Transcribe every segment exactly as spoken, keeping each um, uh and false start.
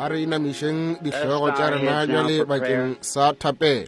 A re inamišeng dihlogo tša rena bjale bakeng sa thapelo.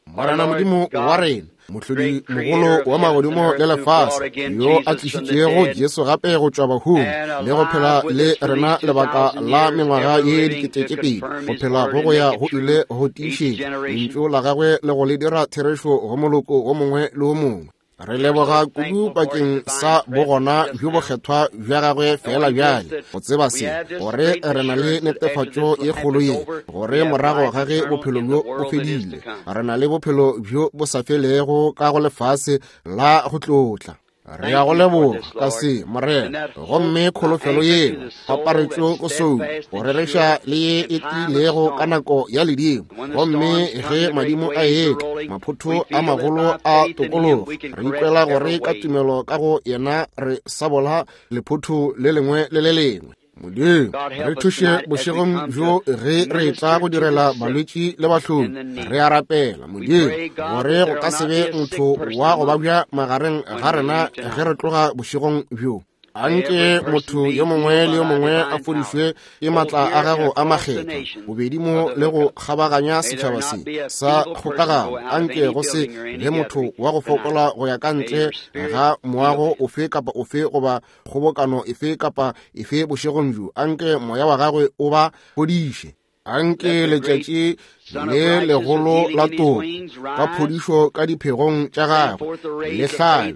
Morena Modimo wa rena, mohlodi mogolo wa magodimo le lefase, yo a tlišitšego Jesu gape go tšwa bahung le go phela le rena lebaka la mengwaga ye dikete tše pedi, go phela go go ya go ile go tiišetša lentšu la gagwe le go le dira therešo go moloko o mongwe le o mongwe. Re leboga kudu bakeng sa bogona bjo bokgethwa bja gagwe fela bjale, go tseba se, gore re na le netefatšo ye kgolo ye, gore morago ga ge bophelo bjo bo fedile, re na le bophelo bjo bo sa felego ka go lefase la go tlotla. Re ya go leboga ka se, Morena, gomme kholofelo yeo paparetšo ko sou go rereša le ye e tiilego ka nako ya ledimo. Gomme ge madimo a etla, maphotho a magolo a tokologo, re ikwela gore ka tumelo ka go yena re sabola lephotho le lengwe le le lengwe. Modimo, re thuše bošegong bjo ge re tla go direla balwetši le bahloki. Re a rapela, Modimo, gore go ka se be motho wa go babja magareng ga rena ge re tloga bošegong bjo. Anke motho yo mongwe le yo mongwe a fodišwe ke matla a gago a makgethwa, bobedi mo le go kgabaganya setšhaba se sa kgokagano. Anke go se be motho wa go fokola go ya ka ntle ga moago ofe kapa ofe goba kgobokano efe kapa efe bošegong bjo. Anke moya wa gagwe o ba fodiše. Anke letšatši le legolo la toko ka phodišo ka diphegong tša gagwe le hlabe,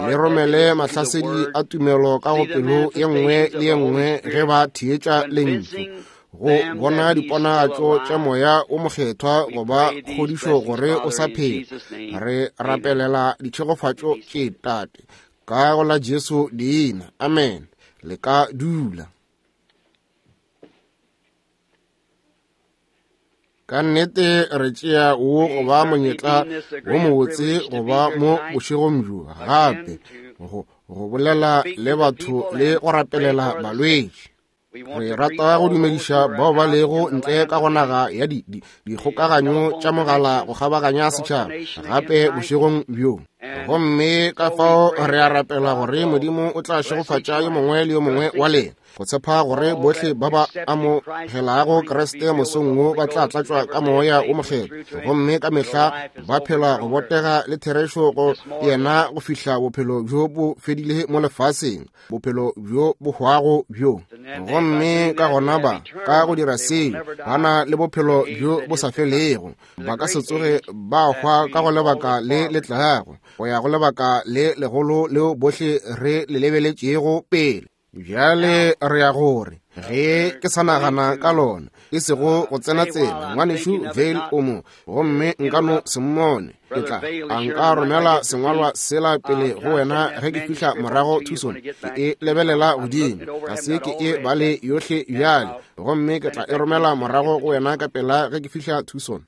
le romele mahlasedi a tumelo ka go pelo ye nngwe le ye nngwe ge ba theetša lentšu, go bona diponagatšo tša moya o mokgethwa goba kgodišo gore o sa phela. Re rapelela ditšhegofatšo tše, Tate, ka go la Jesu leina. Amen. Le ka dula. Ka nnete re tšea wo go ba monyetla wo mobotse go ba mo bošegong bjo gape go go bolela le batho le go rapelela balwetši. Re rata go dumediša bao ba lego ntle ka go naga ya dikgokaganyo tša mogala go kgabaganya setšhaba gape bošegong bjo. Gomme ka fao re a rapela gore Modimo o tla šegofatša yo mongwe le yo mongwe wa lena, go tshepa gore bohle ba ba amogelago Kriste mosong wo ba tla tlatšwa ka moya o mokgethwa, gomme ka mehla ba phela go botega le therešo go yena go fihla bophelo bjo bo fedile mo lefaseng, bophelo bjo bo hwago bjo. Gomme ka gona ba ka go dira seo ba na le bophelo bjo bo sa felego, ba ka se tsoge ba hwa ka go lebaka le le tlago, go ya go lebaka le legolo leo bohle re le lebeletšego pele. Bjale re ya gore ge ke sa nagana ka lona, e sego go tsena tsela, ngwanešu Vale o mo, gomme nka no se mmone. Ke tla a nka romela sengwalwa sela pele go wena ge ke fihla morago Tucson. Ke e lebelela godimo, ga se ke e bale yohle bjale, gomme ke tla e romela morago go wena ka pela ge ke fihla Tucson.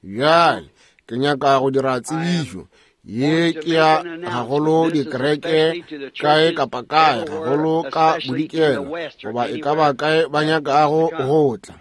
Bjale ke nyaka go dira tsebišo ye ke ya gagolo dikereke kae kapa kae, gagolo ka bodikela goba e ka ba kae ba nyakago go tla.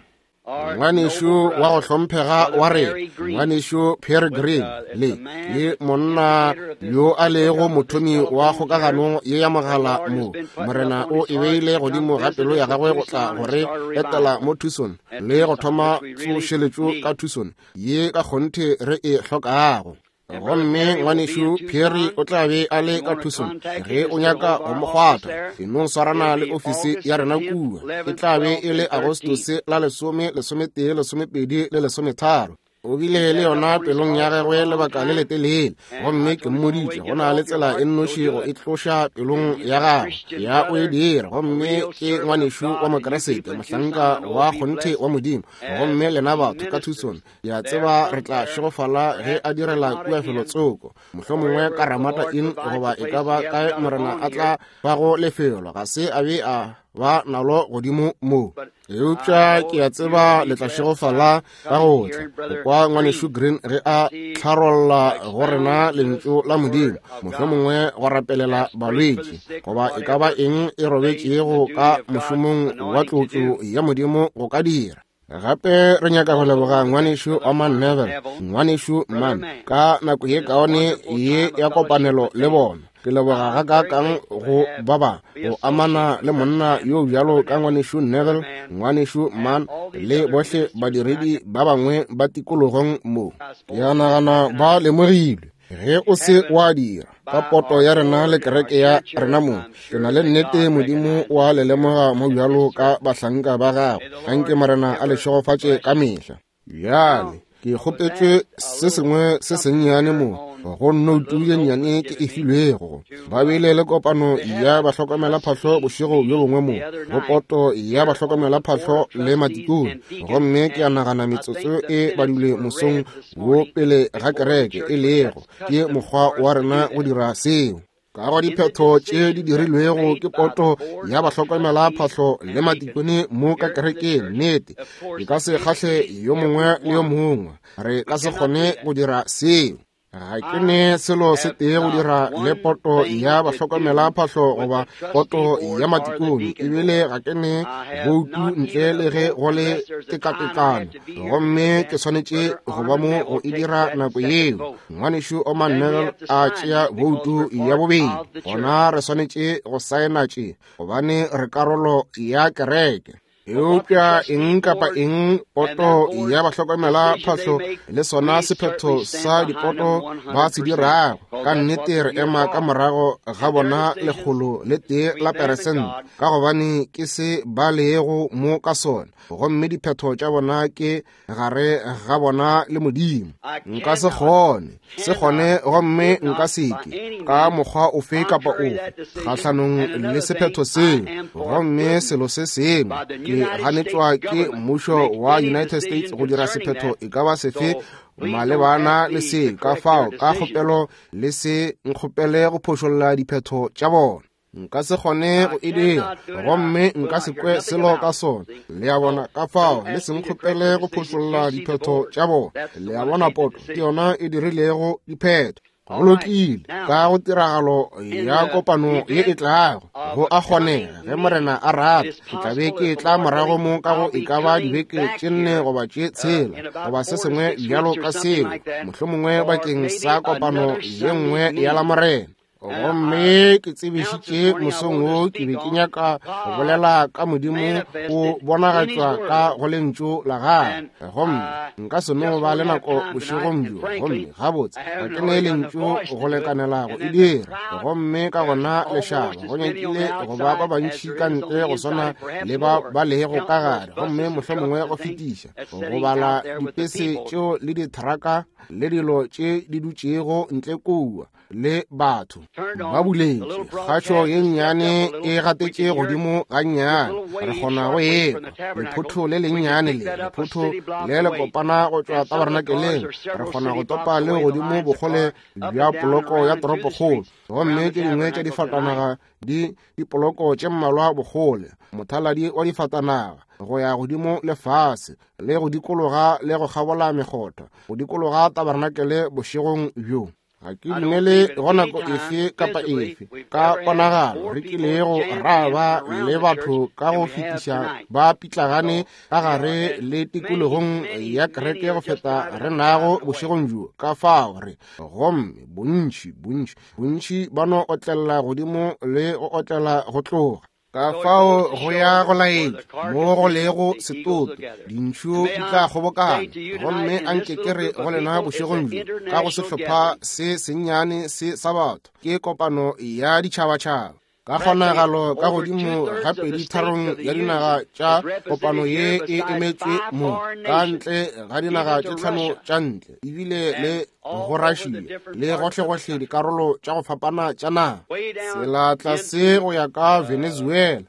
Ngwanešu wa go hlomphega wa rena, ngwanešu Pierre Green, le ke monna yo a lego mothomi wa kgokagano ye ya mogala mo. Morena o e beile godimo ga pelo ya gagwe go tla gore etela mo Tucson le go thoma tsošeletšo ka Tucson ye ka kgonthe re e hlokago. Gomme ngwanešu Pierre o tla be a le ka Tucson. Ge o nyaka go mo kgwatha, e no swarana le ofisi ya rena kua. E tla be e le Agostose la lesome, lesometee, lesomepedi le lesometharo. O bile le yona pelong ya gagwe lebaka le letelele, gomme ke mmoditše go na le tsela e nnoši go e tloša pelong ya gagwe ya o e dira. Gomme ke ngwanešu wa Mokeresete, mohlanka wa kgonthe wa Modimo. Gomme lena batho ka Tucson, ke a tseba re tla šegofala ge a direla kua felotsoko, mohlomongwe ka Ramada Inn goba e ka ba kae Morena a tla bago lefelo. Ga se a be a ba nalo godimo mo, eupša ke a tseba le tla šegofala ka go tla go kwa ngwanešu Green ge a tlharolla go rena lentšu la Modimo, mohlomongwe go rapelela balwetši goba e ka ba eng e robetšego ka mošomong wa tlotlo ya Modimo go ka dira. Gape re nyaka go leboga ngwanešu Oman Neville, ngwanešu Man, ka nako ye kaone ye ya kopanelo le bona. Ke leboga gakaakang go ba ba go amana le monna yo bjalo ka ngwanešu Neville, ngwanešu Mann, le bohle badiredi ba bangwe ba tikologong mo. Ke a nagana ba lemogilwe ge o se wa dira ka poto ya rena le kereke ya rena mo. Ke na le nnete Modimo wa le lemoga mo bjalo ka bahlanka ba gagwe. Anke Morena a le šegofatše ka mehla. Bjale ke kgopetšwe se sengwe se sennyane mo go noutu ye nnyane ke e filwego. Ba bile le kopano ya bahlokomelaphahlo bošego bjo bongwe mo go poto ya bahlokomelaphahlo le matikone, gomme ke a nagana metsotso e badilwe mosong wo pele ga kereke, e lego ke mokgwa wa rena go dira seo. Ka go diphetho tše di dirilwego ke poto ya bahlokomelaphahlo le matikone mo ka kerekeng, nnete e ka se kgahle yo mongwe le yo mongwe. Re ka se kgone go dira seo. Ga ke ne selo se tee go dira le poto ya bahlokomelaphahlo goba poto ya matikone, ebile ga ke ne boutu ntle le ge go le tekatekano, gomme ke swanetše go ba mo go e dira nako yeo. Ngwanešu Orman Neville a tšea boutu ya bobedi, gona re swanetše go saena tše gobane re karolo ya kereke. Eupša eng kapa eng poto ya bahlokomelaphahlo le sona sephetho sa dipoto ba se dirago, ka nnete re ema ka morago ga bona lekgolo le tee la peresente, ka gobane ke se ba lego mo ka sona, gomme diphetho tša bona ke gare ga bona le Modimo. Nka se kgone se kgone gomme nka se ke ka mokgwa ofe kapa ofe kgahlanong le sephetho seo. Gomme selo se sengwe, ke ganetšwa ke mmušo wa United States go dira sephetho e ka ba sefe malebana le se. Ka fao ka kgopelo le se nkgopele go phošolla diphetho tša bona. Nka se kgone go e dira, gomme nka se kwe selo ka sona. Le a bona? Ka fao le se nkgopele go phošolla diphetho tša bona. Le a bona, poto ke yona e dirilego diphetho. Go lokile, ka go tiragalo ya kopano ye e tlago, go a kgonega ge Morena a rata, ke tla be ke tla morago mo ka go e ka ba dibeke tše nne goba tše tshela goba se sengwe bjalo ka seo, mohlomongwe bakeng sa kopano ye nngwe ya la Morena. Gomme ke tsebišitše mosong wo ke be ke nyaka go bolela ka Modimo o bonagatšwa ka go lentšu la gagwe, gomme nka se no ba le nako bošegong bjo, gomme gabotse ga ke ne lentšu go lekanela go e dira. Gomme ka gona lešaba go nyakile go ba ba bantši ka ntle go swana le ba ba lego ka gare, gomme mohlomongwe go fetiša go bala dipese tšeo le dithraka le dilo tše di dutšego ntle kua le batho ba buletše. Kgašo ye nnyane e gatetše godimo gannyane, re kgona go ekwa lephotho le lennyane le lephotho le le kopana go tšwa tabernakeleng. Re kgona go topa le godimo bokgole bja poloko ya toropokgolo, gomme tše dingwe tša difatanaga di dipoloko tše mmalwa bokgole, mothaladi wa difatanaga go ya godimo le fase le go dikologa le go kgabola mekgotha go dikologa tabernakele bošegong bjo. Ga ke dumele go nako efe kapa efe ka ponagalo re kilego ra ba le batho ka go fetiša ba pitlagane ka gare le tikologong ya kereke go feta re nago bošegong bjo. Ka fao re gomme bontši bontši bontši ba no otlela godimo le go otlela go tloga. Ka fao go ya go laetša mo go lego setoto, dintšhu di tla kgobokana. Gomme anke ke re go lena bošegong bjo ka go sehlopha se sennyane se sa batho, ke kopano ya ditšhabatšhaba. Ka kgonagalo ka godimo ga pedi tharong ya dinaga tša kopano ye e emetšwe mo, ka ntle ga dinaga tše tlhano tša ntle, ebile le go Russia le gohlegohle dikarolo tša go fapana tša naga, tsela tlase go ya ka Venezuela,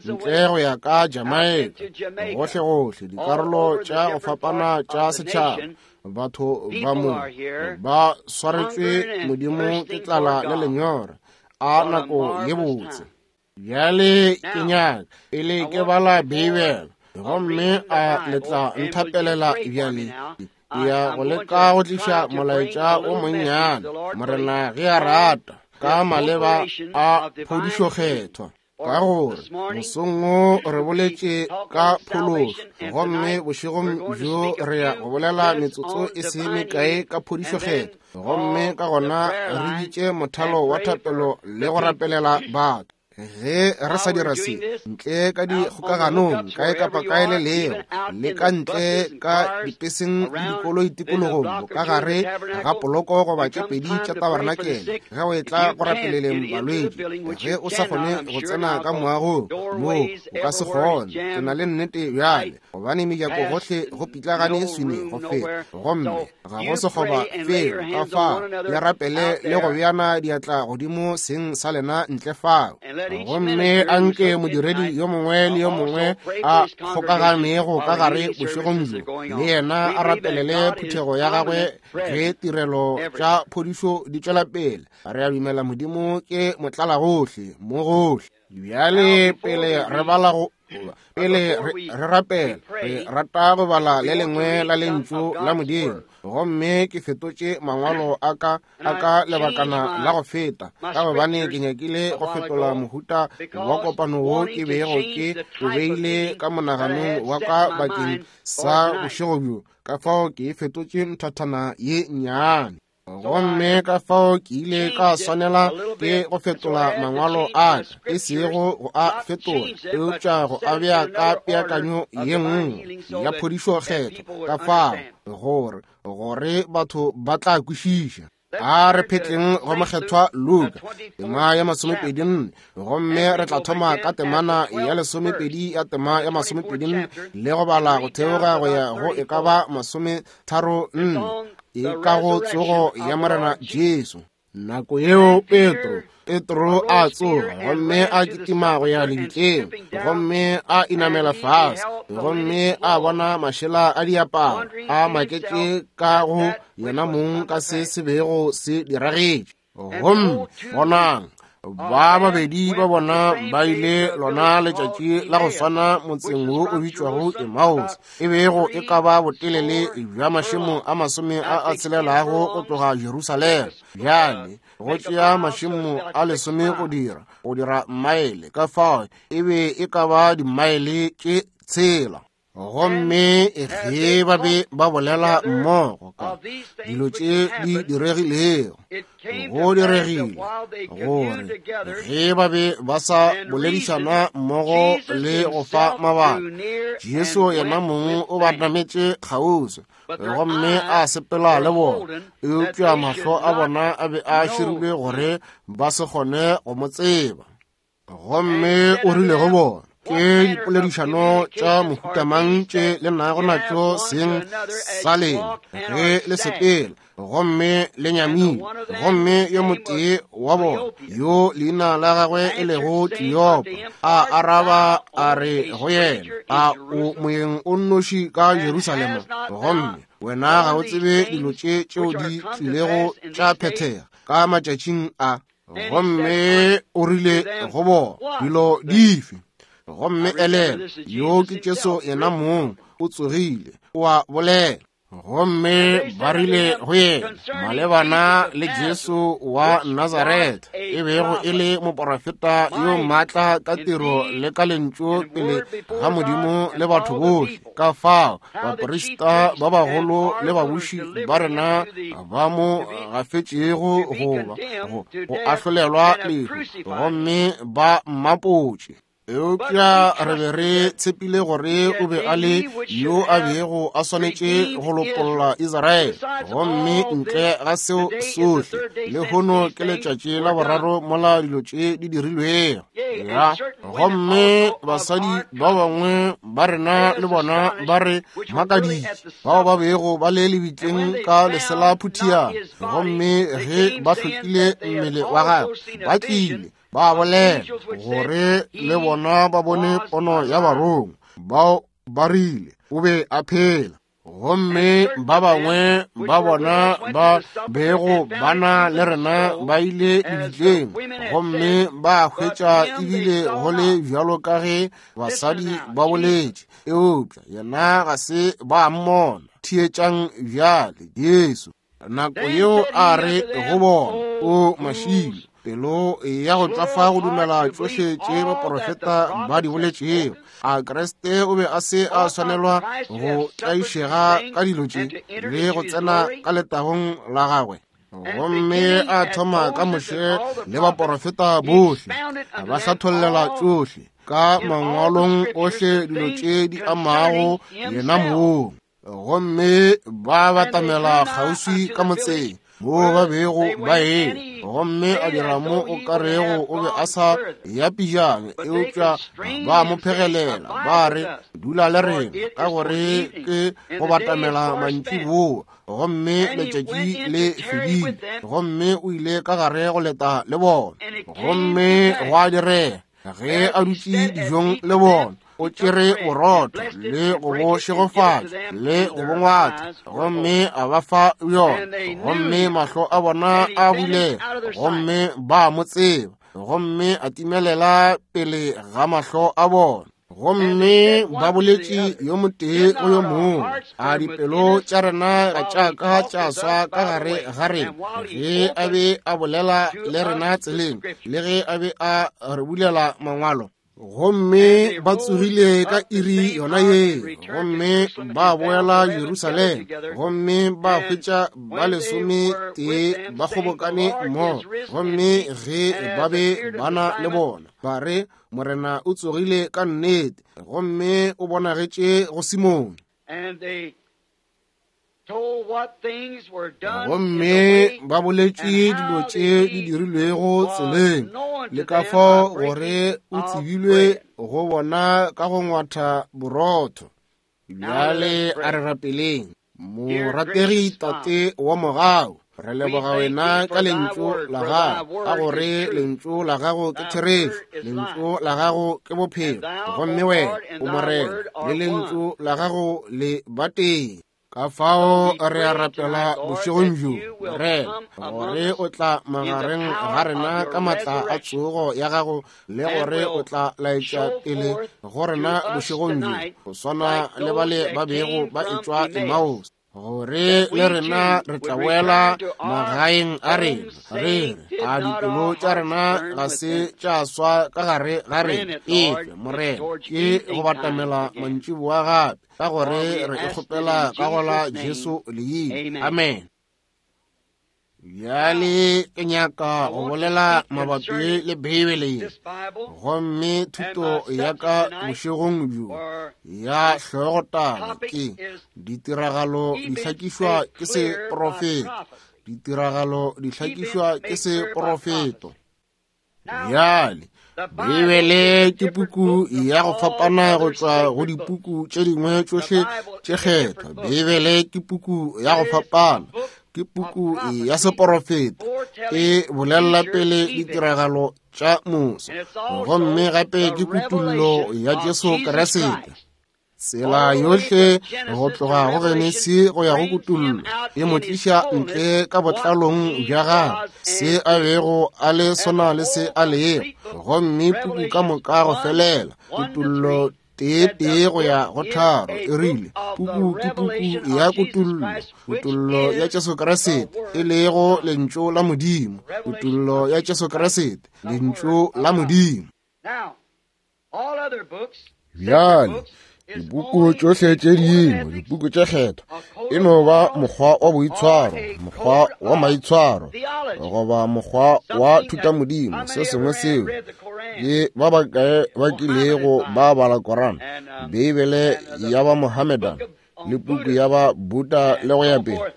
ntle go ya ka Jamaica, gohlegohle dikarolo tša go fapana tša setšhaba. Batho ba mo ba swaretšwe Modimo ke tlala le lenyora. A nako ye botse. Bjale ke nyaka pele ke bala Beibele, gomme a le tla nthapelela bjale. Ke ya go leka go tliša molaetša o monnyane, Morena ge a rata, ka maleba a phodišokgethwa. Ka gore mosong wo re boletše ka phološo, gomme bošegong bjo re ya go bolela metsotso e se mekae ka phodišokgetho, gomme ka gona re bitše mothalo wa thapelo le go rapelela batho. Ge re sa dira se ntle ka dikgokaganong kae kapa kae le leo, le ka ntle ka dipeseng le dikoloi tikologong, ka gare ga poloko goba tše pedi tša tabarenakele, ge o etla go rapeleleng balwetši, ge o sa kgone go tsena ka moagong moo, o ka se kgone. Ke na le nnete bjale, gobane mejako gohle go pitlagane swine go feta, gomme ga go sekgoba felo. Ka fao le rapele le go beana diatla godimo seng sa lena ntle fao. Gomme anke modiredi yo mongwe le yo mongwe a kgokaganego ka gare bošegong bjo le yena a rapelele phuthego ya gagwe ge tirelo tša phodišo di tšwela pele. Re a dumela Modimo ke motlalagohle mo gohle. Bjale pele re bala go pele re rapela, re rata go bala le lengwe la lentšu la Modimo. Gomme ke fetotše mangwalo a ka a ka lebakana la go feta, ka gobane ke nyakile go fetola mohuta wa kopano wo ke bego ke o beile ka monaganong wa ka bakeng sa bošego bjo. Ka fao ke fetotše nthathana ye nnyane. Gomme ka fao ke ile ka swanela ke go fetola mangwalo a ka, e sego go a fetola, eupša go a bea ka peakanyo ye nngwe ya phodišokgetho, ka fao gore gore batho ba tla kwešiša. A re phetleng go mokgethwa Luka tema ya masomepedi nne, gomme re tla thoma ka temana ya lesomepedi ya tema ya masomepedi nne le go bala go theoga go ya go e ka ba masometharo nne, e ka go tsogo ya Morena Jesu. Nako yeo Petro Petro a tsoga gomme a kitima go ya lebitleng, gomme a inamela fase, gomme a bona mašela a diaparo a maketše ka go yena mong ka se se bego se diragetše. Gomme bonang, ba babedi ba bona ba ile lona letšatši la go swana motseng wo o bitšwago Emmaus, e bego e ka ba botelele bja mašemo a masome a a tshelelago go tloga Jerusalema. Bjale go tšea mašemo a lesome go dira go dira maele, ka fao e be e ka ba dimaele tše tshela. Gomme ge ba be ba bolela mmogo ka dilo tše di diregilego, go diregile gore ge ba be ba sa boledišana mmogo le go fa mabaka, Jesu yena mong o ba nametše kgauswi, gomme a sepela le bona, eupša mahlo a bona a be a širilwe gore ba se kgone go mo tseba. Gomme o rile go bona, ke dipoledišano tša mohuta mang tše le nago natšo seng sa lena ge le sepela, gomme le nyamile? Gomme yo motee wa bona, yo leina la gagwe e lego Kleopa, a araba a re go yena, a o moyeng o nnoši ka Jerusalema, gomme wena ga o tsebe dilo tše tšeo di tlilego tša phethega ka matšatšing a? Gomme o rile go bona, dilo dife? Gomme elelwa, yo ke Jesu yena mong, o tsogile, o a bolela. Gomme ba rile go yena malebana le Jesu wa Nazaretha, e bego e le moporofeta yo maatla ka tiro le ka lentšu pele ga Modimo le batho bohle, ka fao baprista ba bagolo le babuši ba rena ba mo gafetšego goba go ahlolelwa lehu, gomme ba mmapotše. Eupša re be re tshepile gore o be a le yo a bego a swanetše go lopolla Israele, gomme ntle ga seo sohle, lehono ke letšatši la boraro mola dilo tše di dirilwego. Ya, gomme basadi ba bangwe ba rena le bona ba re makaditše, bao ba bego ba le lebitleng ka lesela phuthiana, gomme ge ba hlokile mmele wa gagwe, ba tlile ba bolela gore le bona ba bone pono ya barongwa bao ba rile o be a phela. Gomme ba bangwe ba bona ba bego ba na le rena ba ile lebitleng, gomme ba hwetša ebile go le bjalo ka ge basadi ba boletše, eupša yena ga se ba mmona. Theetšang bjale Jesu nako yeo a re go bona, o mašilo, Pelo ya go tšwafa go dumela tšohle tše baporofeta ba di boletšego. A Kriste o be a se a swanelwa go tlaišega ka dilo tše le go tsena ka letagong la gagwe? Gomme a thoma ka Moshe le baporofeta bohle, a ba hlathollela tšohle ka mangwalong ohle dilo tše di amago yena mong. Gomme ba batamela kgauswi ka motseng moo ba bego ba eme, gomme a dira mo o ka rego o be a sa ya pejana, eupša ba mo phegelela ba re, dula le rena, ka gore ke go batamela mantšiboa, gomme letšatši le fedile. Gomme o ile ka gare go leta le bona. Gomme gwa direga ge a dutše dijong le bona, o tšere borotho le go bo šegofatša le go bo ngwatha, gomme a ba fa bjona. Gomme mahlo a bona a bulega, gomme ba mo tseba, gomme a timelela pele ga mahlo a bona. Gomme ba boletše yo motee go yo mongwe, a dipelo tša rena ga tša ka tša swa ka gare ga rena ge a be a bolela le rena tseleng, le ge a be a re bulela mangwalo? Gomme ba tsogile ka iri yona ye, gomme ba boela Jerusalema, gomme ba hwetša ba lesometee ba kgobokane mmogo. Gomme ge ba be ba na le bona, ba re, Morena o tsogile ka nnete, gomme o bonagetše go Simone. Gomme ba boletše dilo tše di dirilwego tseleng, le ka fao gore o tsebilwe go bona ka go ngwatha borotho. Bjale a re rapeleng. Morategi Tate wa mogau, re leboga wena ka lentšu la gago, ka gore lentšu la gago ke therešo, lentšu la gago ke bophelo, gomme wena o Morena, le lentšu la gago le bateng. Ka fao re a rapela bošegong bjo, Morena, gore o tla magareng ga rena ka matla a tsogo ya gago, le gore o tla laetša pele go rena bošegong bjo, go swana le bale ba bego ba etšwa Emmaus, gore le rena re tla boela magaeng a rena, re re, a dipelo tša rena ga se tša swa ka gare ga rena. Efe, Morena, ke go batamela mantšiboa gape, ka gore re e kgopela ka go la Jesu leina. Amen. Bjale ke nyaka go bolela mabapi le Beibele ye, gomme thuto ya ka bošegong bjo ya hlogotaba ke ditiragalo di hlakišwa ke seprofeto. Ditiragalo di hlakišwa ke seprofeto. Bjale Beibele ke puku ya go fapana go tšwa go dipuku tše dingwe tšohle tše kgethwa. Beibele ke puku ya go fapana, ke puku ya seporofeto, e bolela pele ditiragalo tša moso, gomme gape ke kutullo ya Jesu Kriste. Tsela yohle go tloga go Genesi go ya go kutullo e mo tliša ntle ka botlalong bja gagwe, se a bego a le sona le se a lego, gomme puku ka moka go felela, kutullo tee tee go ya go tharo, e rile puku ke puku ya kutullo, kutullo ya Jesu Kriste, e lego lentšu la Modimo, kutullo ya Jesu Kriste, lentšu la Modimo. Bjale dipuku tšohle tše dingwe, dipuku tše kgethwa, e no ba mokgwa wa boitshwaro, mokgwa wa maitshwaro, goba mokgwa wa thutamodimo, se sengwe seo ke ba bakae ba kilego ba bala Koran, Beibele ya ba Mohammedan, le puku ya ba Buddha le go ya pele.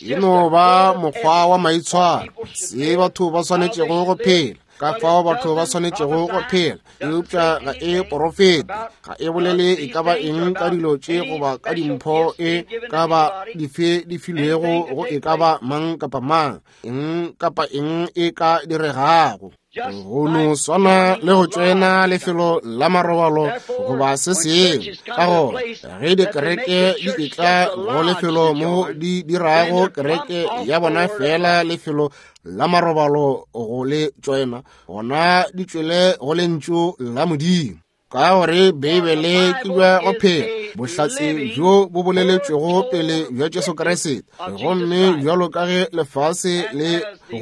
E no ba mokgwa wa maitshwaro, se batho ba swanetšego go phela, ka fao batho ba swanetšego go phela, eupša ga e porofete, ga e bolele e ka ba eng ka dilo tše goba ka dimpho e ka ba dife di filwego go e ka ba mang kapa mang, eng kapa eng e ka diregago. Go no swana le go tšoena lefelo la marobalo goba se sengwe. Ka gona ge dikereke di etla go lefelo mo di dirago kereke ya bona fela lefelo la marobalo go le tšoena, gona di tšwele go lentšu la Modimo. Ka gore Beibele ke bja go phela, bohlatse bjo bo boleletšwego pele bja Jesu Kriste. Gomme bjalo ka ge lefase le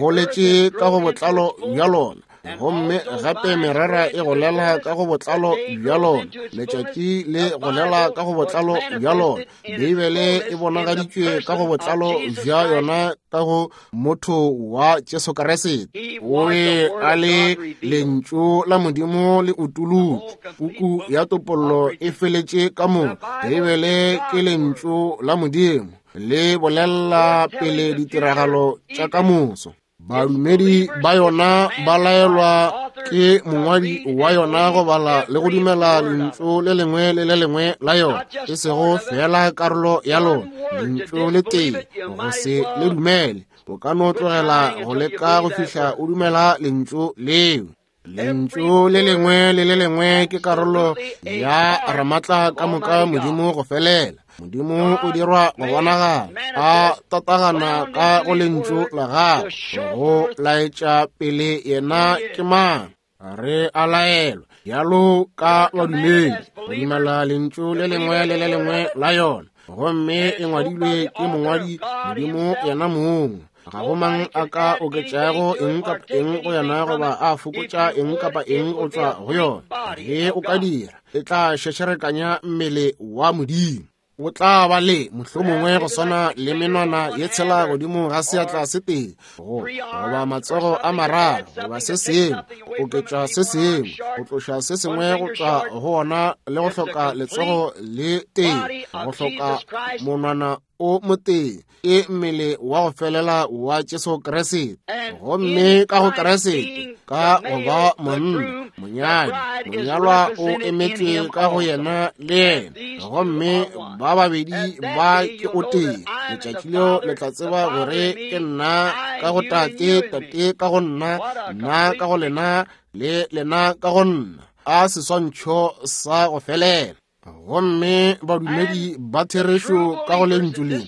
goletše ka go botlalo bja lona, gomme gape merara e golela ka go botlalo bja lona, letšatši le golela ka go botlalo bja lona, Beibele e bonagaditšwe ka go botlalo bja yona ka go motho wa Jesu Kriste. O be a le lentšu la Modimo le utulotšwe. Puku ya topollo e feletše ka moo. Beibele ke lentšu la Modimo le bolela pele ditiragalo tša ka moso. Badumedi ba yona ba laelwa ke mongwadi wa yona go bala le go dumela lentšu le lengwe le le lengwe la yona, e sego fela karolo ya lona, lentšu le tee go se le dumele. O ka no tlogela go leka go fihla o dumela lentšu leo. Lentšu le lengwe le le lengwe ke karolo ya Ramatla ka moka Modimo go felela. Modimo o dirwa go bonagala a tatagana ka go lentšu la gagwe go laetša pele yena ke mang. Re a laelwa bjalo ka badumedi go dumela lentšu le lengwe le le lengwe la yona, gomme e ngwadilwe ke mongwadi Modimo yena mong. Ga go mang a ka oketšago eng kapa eng go yona goba a fokotša eng kapa eng go tšwa go yona. Ge o ka dira, e tla šešerekanya mmele wa Modimo. O tla ba le mohlomongwe go swana le menwana ye tshela godimo ga seatla se tee, go goba matsogo a mararo, goba se sengwe, go oketša se sengwe, go tloša se sengwe go tšwa go ona, le go hloka letsogo le tee, go hloka monwana o motee. Ke mmele wa go felela wa Jesu Kriste. Gomme ka go Kriste, ka go ba monna, monyadi, monyalwa o emetšwe ka go yena le yena, gomme ba babedi ba ke o tee. Letšatši leo le tla tseba gore ke nna ka go Tate, Tate ka go nna, nna ka go lena, le lena ka go nna. A seswantšho sa go felela. Gomme badumedi ba therešo ka go lentšu le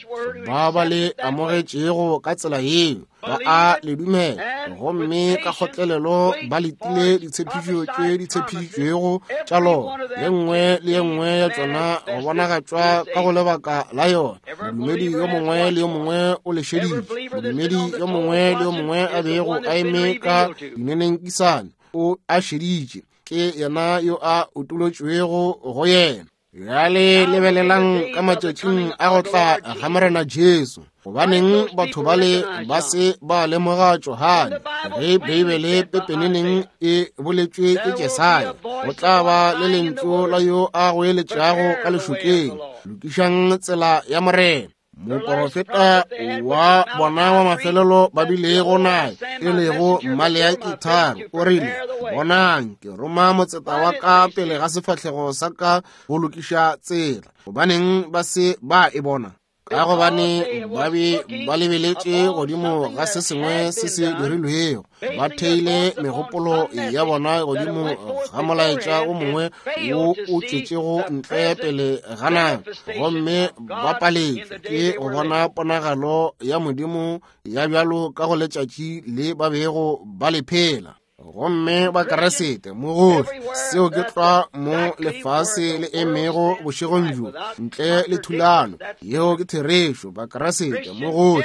ba ba le amogetšego ka tsela yeo ba a le dumela, gomme ka kgotlelelo ba letile ditshepišo tše di tshepišitšwego tša lona, ye nngwe le ye nngwe ya tšona go bonagatšwa ka go lebaka la yona. Modumedi yo mongwe le yo mongwe o le šeditše. Modumedi yo mongwe le yo mongwe a bego a eme ka dinenekisane o a šeditše. Ke yena yo a utolotšwego go yena. Bjale lebelelang ka matšatšing a go tla ga Morena Jesu. Gobaneng batho bale ba se ba lemoga Johane ge Beibele pepeneneng e boletšwe ke Jesaya? Go tla ba le lentšu la yo a goeletšago ka lešokeng, lokišang tsela ya Morena. Moporofeta wa bona wa mafelelo ba bilego naye, e lego Maleaki tharo, o rile, bonang, ke roma motseta wa ka pele ga sefahlego sa ka go lokiša tsela. Gobaneng ba se ba e bona? Ka gobane ba be ba lebeletše godimo ga se sengwe se se dirilwego, ba theile megopolo ya bona godimo ga molaetša o mongwe wo o tšwetšego ntle pele ga nako, gomme ba paletšwe ke go bona ponagalo ya Modimo ya bjalo ka go letšatši le ba bego ba le phela. Gomme ba Kriste mo gohle, seo ke tlwa mo lefase le emego bošegong bjo, ntle le thulano. Yeo ke therešo. Ba Kriste mo gohle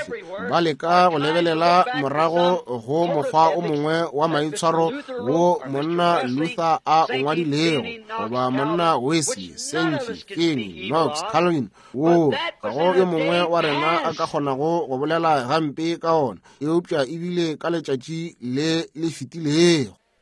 ba leka go lebelela morago go mokgwa o mongwe wa maitshwaro wo monna Luther a o ngwadilego, goba monna Wesley, Sankey, Finney, Knox, Calvin, wo ga go yo mongwe wa rena a ka kgonago go bolela gampe ka ona, eupša ebile ka letšatši le le fetilego.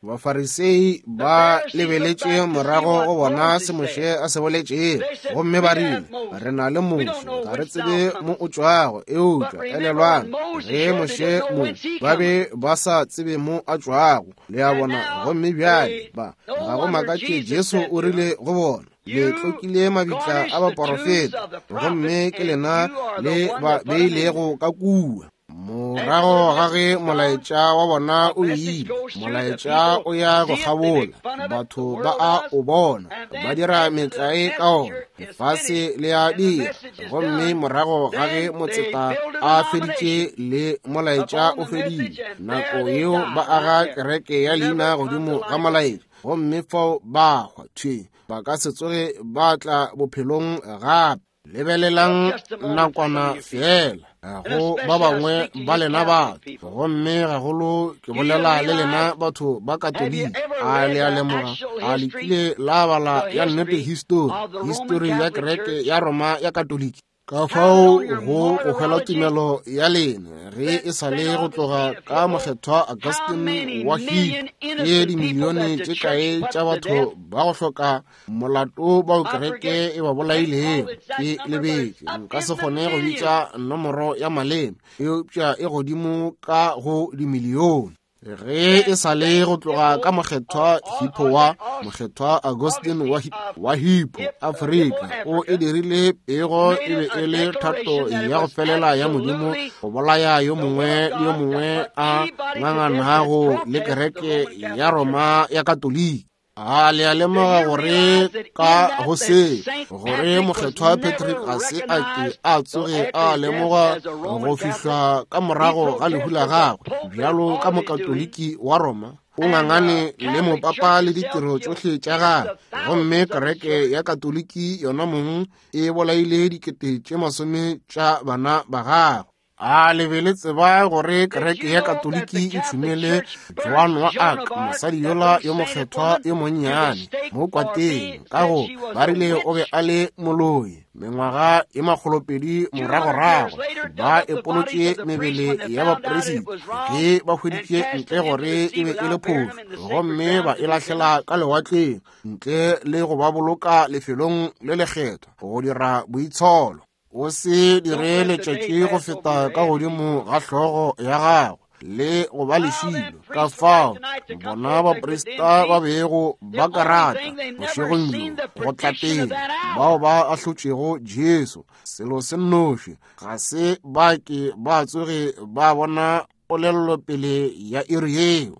Bafarisei ba lebeletše morago go bona se Moshe a se boletšego, gomme ba rile, re na le Moshe, ga re tsebe mo o tšwago. Eupša elelwang, ge Moshe mo ba be ba sa tsebe mo a tšwago, le a bona. Gomme bjale ba ga go makatše Jesu o rile go bona, le tlokile mabitla a baporofeta, gomme ke lena le ba beilego ka kua. Morago ga ge molaetša wa bona o ile, molaetša o ya go kgabola, batho ba a o bona, ba dira metlae ka ona, lefase le a dira. Gomme morago ga ge motseta a feditše le molaetša o fedile, nako yeo ba aga kereke ya leina godimo ga molaetša. gomme fao ba hwa thwe ba ka se tsoge ba tla bophelong gape. Lebelelang nakwana fela go ba bangwe ba lena batho, gomme gagolo ke bolela le lena batho ba Katoliki. A le a lemoga, a le kile la bala ya nnete histori, histori ya kereke ya Roma ya Katoliki? Ka fao go go hwela tumelo ya lena ge e sa le go tloga ka mokgethwa Augustine wa Hippo, ke dimilione tše kae tša batho ba go hloka molato bao kereke e ba bolailego. Ke lebetše, nka se kgone go bitša nomoro ya maleme, eupša e godimo ka go dimilione. Ge e sa le go tloga ka mokgethwa Hippo wa mokgethwa Augustine wa, wa Hippo Afrika, o e dirile pego e be e le thato ya go felela ya Modimo go bolaya yo mongwe le yo mongwe a nganganago le kereke ya Roma ya Katoliki. A le a lemoga gore ka go se gore mokgethwa Patrick ga se a ke a tsoge a lemoga go fihla ka morago ga lehu la gagwe bjalo ka mokatoliki wa Roma, o ngangane le mopapa le ditiro tšohle tša gagwe, gomme kereke ya Katoliki yona mong e bolaile dikete tše masome tša bana ba gagwe. A le be le tseba gore kereke ya Katoliki e tšhumele Joan wa Arc, mosadi yola yo mokgethwa yo monnyane mo kwateng, ka go ba rile o be a le moloi. Mengwaga e makgolopedi moragorago ba epolotše mebele ya baperisita ge ba hweditše ntle gore e be e le phošo, gomme ba e lahlela ka lewatleng ntle le go ba boloka lefelong le lekgethwa go dira boitsholo. O se dire letšatši go feta ka godimo ga hlogo ya gago le go ba lešilo. Ka fao bona baprista ba bego ba ka rata bošegong bjo go tla pele, bao ba ahlotšego Jesu, selo se nnoši ga se ba ke ba tsoge ba bona polelopele ya iri yeo.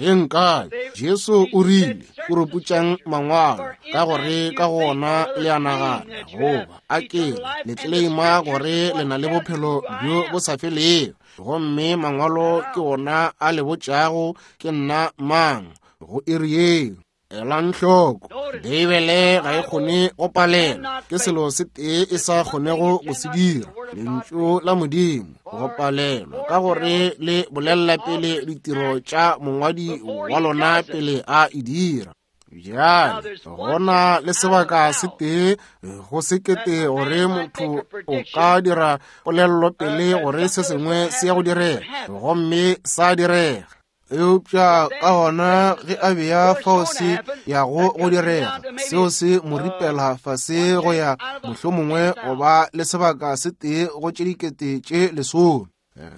Ge nkabe Jesu o rile, "Puruputšang mangwalo, ka gore ka gona le a nagana goba a ke le tleleima gore le na le bophelo bjo bo sa felego, gomme mangwalo ke ona a le botšago ke nna mang go iri yeo." Elang hloko, Beibele ga e kgone go palela, ke selo se tee e sa kgonego go se dira, lentšu la Modimo go palelwa, ka gore le bolelela pele ditiro tša mongwadi wa lona pele a e dira. Bjale gona le sebaka se tee go sekete gore motho o ka dira polelopele gore se sengwe se ya go direga, gomme sa direga. Eupša ka gona ge a bea fao se yago go direga, seo se mo ripela fase go ya mohlomongwe go ba le sebaka se tee go tše dikete tše lesome.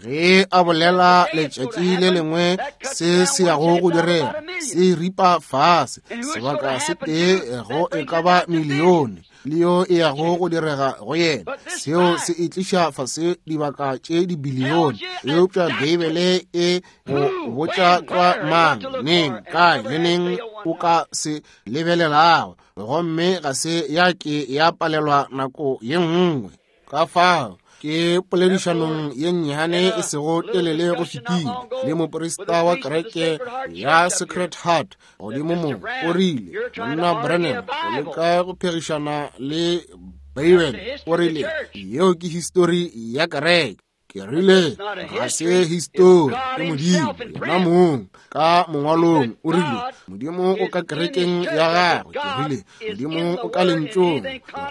Ge a bolela letšatši le lengwe se se yago go direga, se ripa fase sebaka se tee go e ka ba milione, le yo e yago go direga go yena, seo se e tliša fase dibaka tše dibilione. Eupša Beibele e go botša tlwa mang, neng, kae le neng o ka se lebelelago, gomme ga se ya ke ya palelwa nako ye nngwe. Ka fao ke poledišanong ye nnyane e sego telele go fetile le moprista wa kereke ya Sacred Heart godimo mo, o rile, "Monna Branham, o leka go phegišana le Beibele." O rile, "Yeo ke histori ya kereke." Ke rile, "Ga se histori, ke Modimo yena mong ka mongwalong." O rile, "Modimo o ka kerekeng ya gagwe." Ke rile, "Modimo o ka lentšong,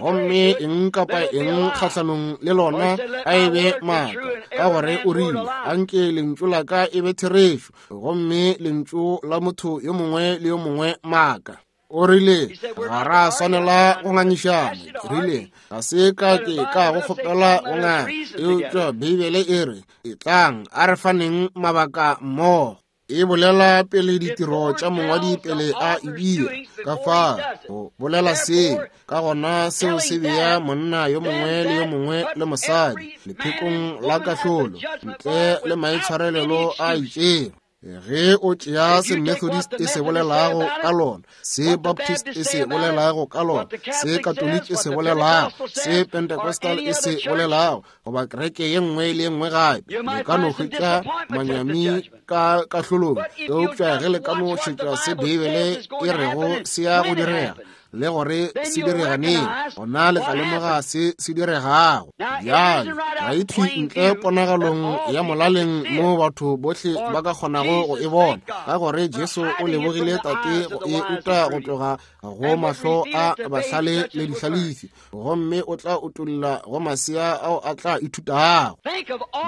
gomme eng kapa eng kgahlanong le lona a e be maaka, ka gore o rile, anke lentšu la ka e be therešo, gomme lentšu la motho yo mongwe le yo mongwe maaka." O rile, "Ga ra swanela go ngangišana." Ke rile, "Ga se ka ke ka go kgopela go nganga, eupša Beibele e re, etlang a re faneng mabaka mmogo." E bolela pele ditiro tša mongwadi pele a e dira. Ka fao go bolela seo, ka gona seo se bea monna yo mongwe le yo mongwe le mosadi lephekong la kahlolo ntle le maitshwarelelo a itšego. Ge o tšea se Methodist e se bolelago ka lona, se Baptist e se bolelago ka lona, se Catholic e se bolelago, se Pentecostal e se bolelago, goba kereke ye nngwe le ye nngwe gape, le ka no hwetša manyami ka kahlolong. Eupša ge le ka no šetša se Beibele e rego se ya go direga, le gore se direga neng, gona le tla lemoga se se diregago. Bjale ga e thwi ntle ponagalong ya molaleng mo batho bohle ba ka kgonago go e bona, ka gore Jesu o lebogile Tate go e uta go tloga go mahlo a bahlale le dihlalefi, gomme o tla utolla go masea ao a tla ithutago.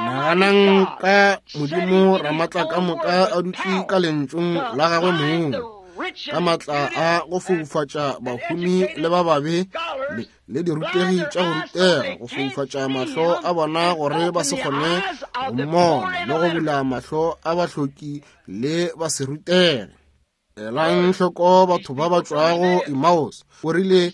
Naganang ka Modimo Ramatla ka moka a dutše ka lentšung la gagwe mong, ka matla a go foufatša bahumi le ba babe le dirutegi tša go rutega, go foufatša mahlo a bona gore ba se kgone go mmona, le go bula mahlo a bahloki le ba se rutege. Elang hloko batho ba ba tšwago Emmaus, o rile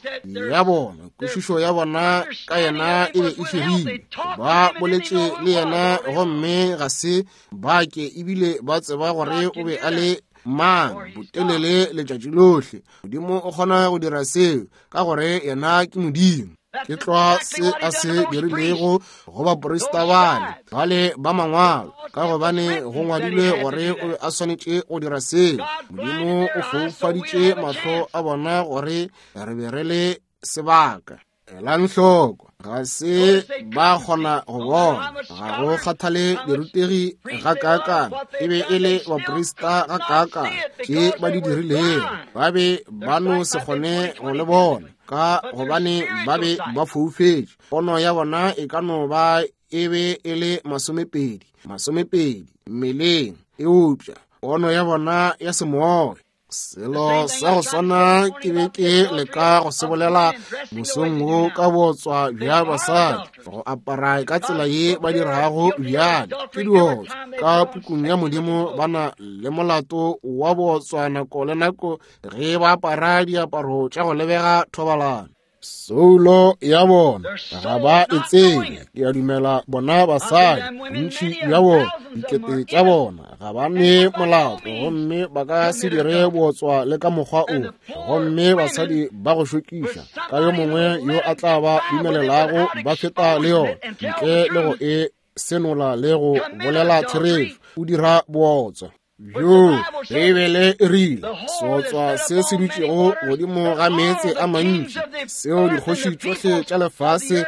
ya bona kwešišo ya bona ka yena e be e fegile. Ba boletše le yena gomme ga se ba ke ebile ba tseba gore o be a le mang botelele letšatši lohle. Modimo o kgona go dira seo ka gore yena ke Modimo. Ke tlwa se a se dirilego go baprista bale bale ba mangwalo, ka gobane go ngwadilwe gore o be a swanetše go dira seo. Modimo o foufaditše mahlo a bona gore re be re le sebaka. Elang hloko, ga se ba kgona go bona, ga go kgathale dirutegi ga kaakang, e be e le baprista ga kaakang tše ba di dirilego, ba be ba no se kgone go le bona, ka gobane ba be ba foufetše. Pono ya bona e ka no ba e be e le masomepedi masomepedi mmeleng, eupša pono ya bona ya semoya. Selo sa go swana ke be ke leka go se bolela mosong wo ka botswa bja basadi, go apara ka tsela ye ba dirago bjale ke diotswa. Ka pukung ya Modimo ba na le molato wa botswa nako le nako ge ba apara diaparo tša go lebega thobalano. Soulo ya bona ga ba e tsebe. Ke a dumela bona basadi, bontši bja bona, dikete tša bona, ga ba ne molato, gomme ba ka se dire botswa le ka mokgwa o. Gomme basadi ba go šokiša ka yo mongwe yo a tla ba dumelelago ba feta le yona ntle le go e senola le go bolela therešo, o dira bootswa. Bjo Beibele e rile seotswa se se dutšego godimo ga meetse a mantši, seo dikgoši tšohle tša lefase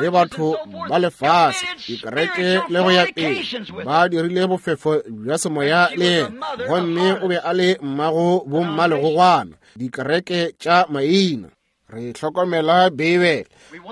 le batho ba lefase, dikereke le go ya pele, ba dirile bofefo bja semoya le yena, gomme o be a le mmago bommalegogwana, dikereke tša maina. Re hlokomela Beibele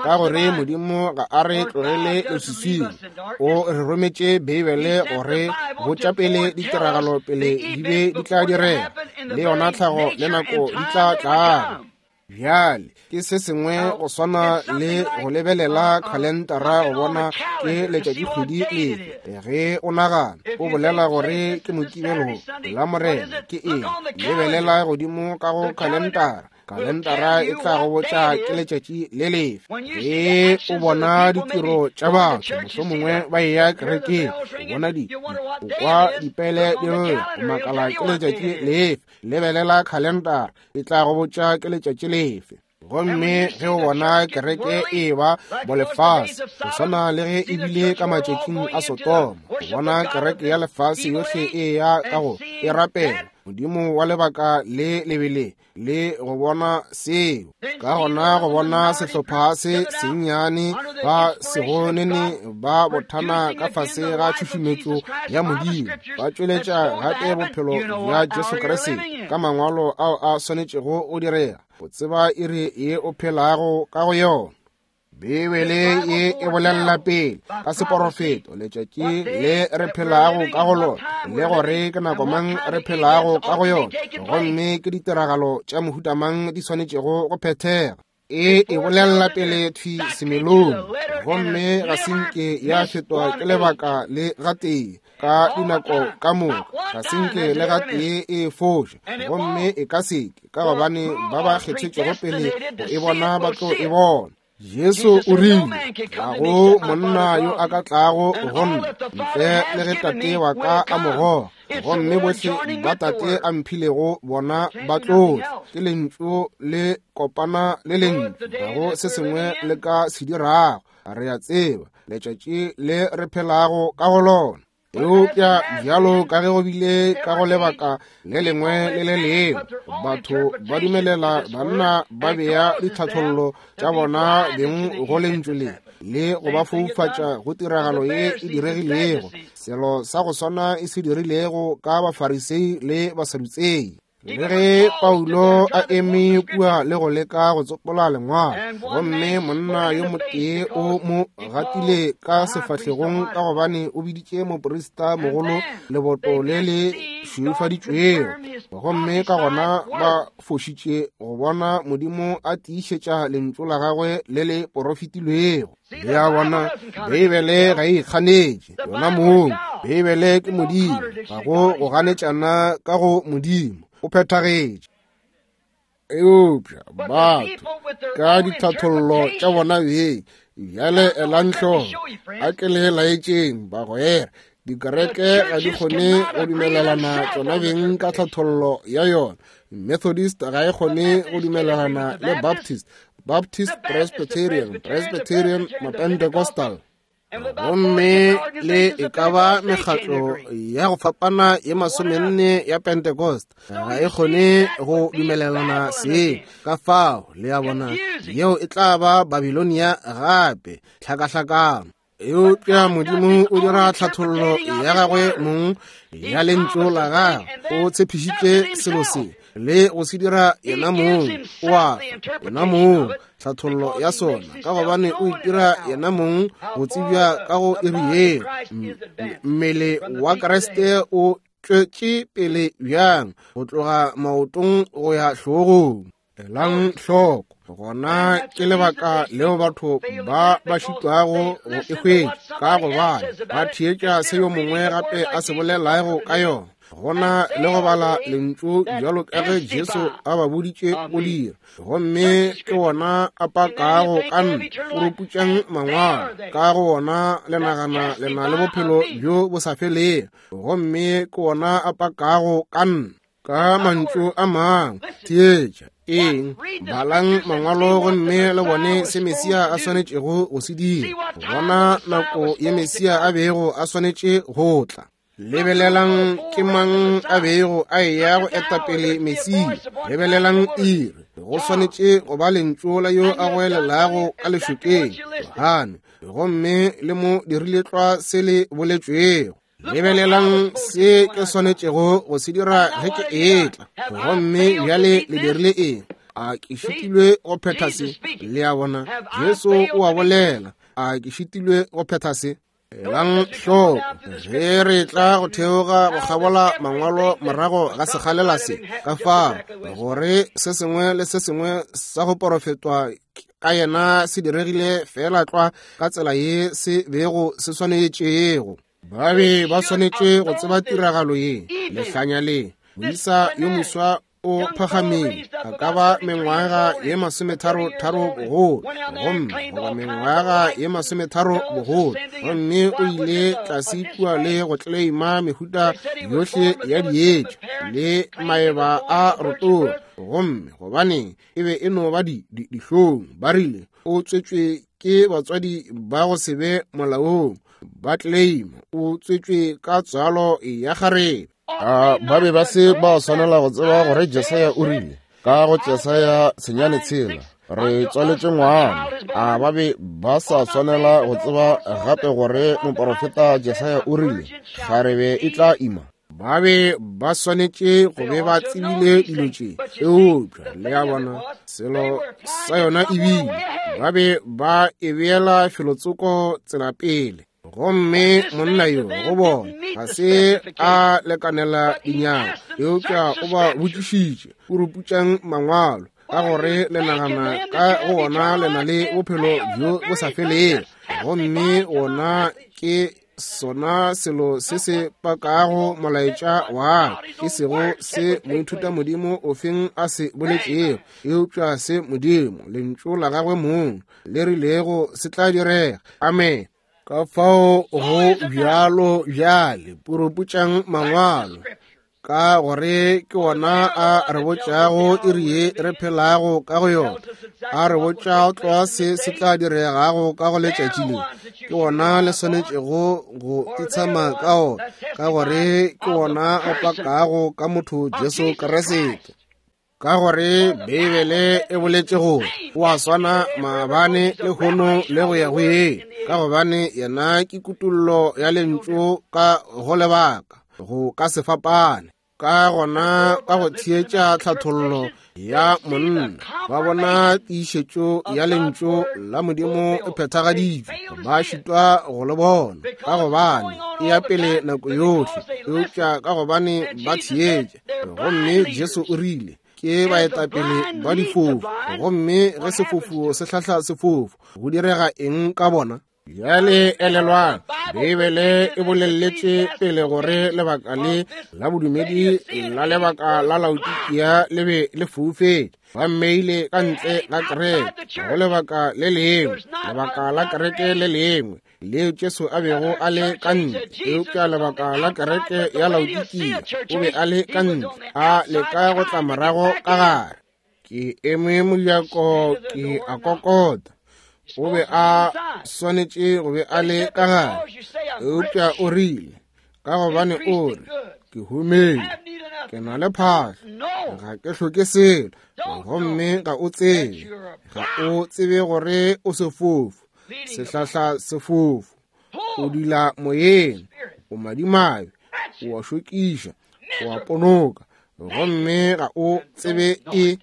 ka gore Modimo ga a re tlogele leswiswing. O re rometše Beibele gore botša pele ditiragalo pele di be di tla direga, le yona tlhago le nako di tla tlago. Bjale ke se sengwe go swana le go lebelela khalentara go bona ke letšatšikgwedi lefe. Ge o nagana o bolela gore ke Mokibelo, la Morena ke eng, lebelela godimo ka go khalentara. Kalendara e tla go botša ke letšatši le lefe. Ge o bona ditiro tša batho, mohlomongwe ba eya kerekeng, o bona di, o kwa dipele di lla, o makala ke letšatši lefe. Lebelela khalendara, e tla go botša ke letšatši lefe. Gomme ge o bona kereke e ba bolefase, go swana le ge e bile ka matšatšing a Sodoma, o bona kereke ya lefase yohle e ya ka go e rapela Modimo wa lebaka le lebele, le go bona seo. Ka gona go bona sehlopha se sennyane ba segonene ba bothana ka fase ga tšhušumetšo ya Modimo, ba tšweletša gape bophelo bja Jesu Kriste ka mangwalo ao a swanetšego go direga, o tseba iri ye o phelago ka go yona. Beibele ye e bolela pele ka seporofeto letšatši le re phelago ka go lona, le gore ke nako mang re phelago ka go yona, gomme ke ditiragalo tša mohuta mang di swanetšego go phethega. E e bolela pele thwi semelong, gomme ga se nke ya fetwa ke lebaka le gatee ka dinako ka moka, ga se nke le gatee e foša, gomme e ka seke, ka gobane ba ba kgethetšego pele go e bona ba tlo e bona. Jesu o rile, ga go monna yo a ka tlago go nna ntle le ge Tate wa ka a mo goga, Gomme bohle ba Tate a mphilego bona ba tlo tla. Ke lentšu le kopana le lentšu, ga go se sengwe le ka se dirago. Re a tseba letšatši le re phelago ka go lona. Eupša bjalo ka ge go bile ka go lebaka le lengwe le le lengwe, batho ba dumelela banna ba bea ditlhathollo tša bona beng go lentšu le, le go ba foufatša go tiragalo ye e diregilego, selo sa go swana e se dirilego ka Bafarisei le Basadutsei. Le ge Paulo a eme kua le go leka go tsopola lengwalo, gomme monna yo motee o mo gatile ka sefahlegong ka gobane o biditše moprista mogolo leboto le le šweufaditšwego, gomme ka gona ba fošitše go bona Modimo a tiišetša lentšu la gagwe le le porofetilwego. Le a bona, Beibele ga e ikganetše yona mong. Beibele ke Modimo, ga go go ganetšana ka go Modimo, o phethagetše. Eupša batho ka ditlhathollo tša bona beng, bjale elang hloko, a ke le laetšeng bagwera, dikereke ga di kgone go dumelelana tšona beng ka tlhathollo ya yona. Methodist ga e kgone go dumelelana le Baptist, Baptist Presbyterian, Presbyterian Mapentecostal. Gomme le e ka ba mekgatlo ya go fapana ye masomenne ya Pentecost ga e kgone go dumelelana se. Ka fao le a bona, yeo e tla ba Babilonia gape, tlhakahlakano. Eupša Modimo o dira tlhathollo ya gagwe mong ya lentšu la gagwe. O tshepišitše selo se le go se dira yena mong, o a yena mong tlhathollo ya sona, ka gobane o itira yena mong go tsebja ka go iri yeo. Mmele wa Kriste o tšwetše pele bjang go tloga maotong go ya hlogong. Elang hloko, gona ke lebaka leo batho ba ba šitwago go e hwetša, ka gobane ba theetša se yo mongwe gape a se bolelago ka yona, gona le go bala lentšu bjalo ka ge Jesu a ba boditše go dira. Gomme ke wona a pakago ka nna, o ruputšang mangwalo, ka go wona le nagana le na le bophelo bjo bo sa felego, gomme ke wona a pakago ka nna. Ka mantšu a mangwe, theetša eng, balang mangwalo gomme le bone se Mesia a swanetšego go se dira, bona nako ye Mesia a bego a swanetše go tla. Lebelelang ke mang a bego a eya go etapele Mesia. Lebelelang iri, go swanetše go ba lentšu la yo a goelelago ka lešokeng, Johane, gomme le mo dirile tlwa se le boletšwego. Lebelelang se ke swanetšego go se dira ge ke etla, gomme bjale le dirile eng? A ke šitilwe go phetha se? Le a bona, Jesu o a bolela, a ke šitilwe go phetha se? Elang hloko, ge re tla go theoga go kgabola mangwalo morago ga sekgalela se, ka fao gore se sengwe le se sengwe sa go porofetwa ka yena se diregile fela tlwa ka tsela ye se bego se swanetšego. Ba be ba swanetše go tseba tiragalo ye, lehlanya le. Moisa yo moswa o phagamile, a ka ba mengwaga ye masometharo-tharo bogolo, gomme goba mengwaga ye masometharo bogolo, gomme o ile tlase kua le go tleleima mehuta yohle ya dietša le maeba a rotoga, gomme gobane e be e no ba di dihlong. Ba rile o tswetšwe ke batswadi ba go se be molaong, ba tleleima o tswetšwe ka tswalo ya kgarebe. A ba be ba se ba swanela go tseba gore Jesaya o rile ka go Jesaya senyane tshela re tswaletše ngwana. A ba be ba sa swanela go tseba gape gore moporofeta Jesaya o rile kgarebe e tla ima. Ba be ba swanetše go be ba tsebile dilo tše, eupša le a bona selo sa yona ebile ba be ba e beela felotsoko tsela pele. Gomme monna yo go bona ga se a lekanela dinyana, eupša o ba botšišitše, o ruputšang mangwalo, ka gore le nagana ka go ona le na le bophelo bjo bo sa felego, gomme ona ke sona selo se se pakago molaetša wa ka, e sego se moithuta modimo ofeng a se boletšego, eupša se Modimo lentšu la gagwe mong le rilego se tla direga. Amen. Ka fao go bjalo bjale, puruputšang mangwalo, ka gore ke wona a re botšago iri ye re phelago ka go yona, a re botša tlwa se se tla diregago ka go letšatši le. Ke wona le swanetšego go itshama ka ona, ka gore ke wona o pakago ka motho Jesu Kriste. Ka gore Beibele e boletše gore o a swana maabane lehono le go ya go ye, ka gobane yena ke kutollo ya lentšu ka go lebaka, go ka se fapane. Ka gona ka go theetša tlhathollo ya monna, ba bona tiišetšo ya lentšu la Modimo e phethagaditšwe, ba šitwa go le bona, ka gobane e ya pele nako yohle, eupša ka gobane ba theetša. Gomme Jesu o rile, ke baetapele ba difofu, gomme ge sefofu se hlahla sefofu, go direga eng ka bona? Bjale elelwang, Beibele e bolelletše pele gore lebaka le la bodumedi la lebaka la Laodikia le be le foufetše. Ba mmeile ka ntle ga kereke, go lebaka le lengwe, lebaka la kereke le lengwe leo Jesu a bego a le ka ntle, eupša lebaka la kereke ya Laodikia o be a le ka ntle, a leka go tla morago ka gare. Ke eme mojako ke a kokota. O be a swanetše go be a le ka gare, eupša o rile, ka gobane o re, ke humile, ke na le phahlo, ga ke hloke selo, gomme ga o tsebe, ga o tsebe gore o sefofu, sehlahla sefofu, o dula moyeng, o madimabe, o a šokiša, o a ponoka, gomme ga o tsebe e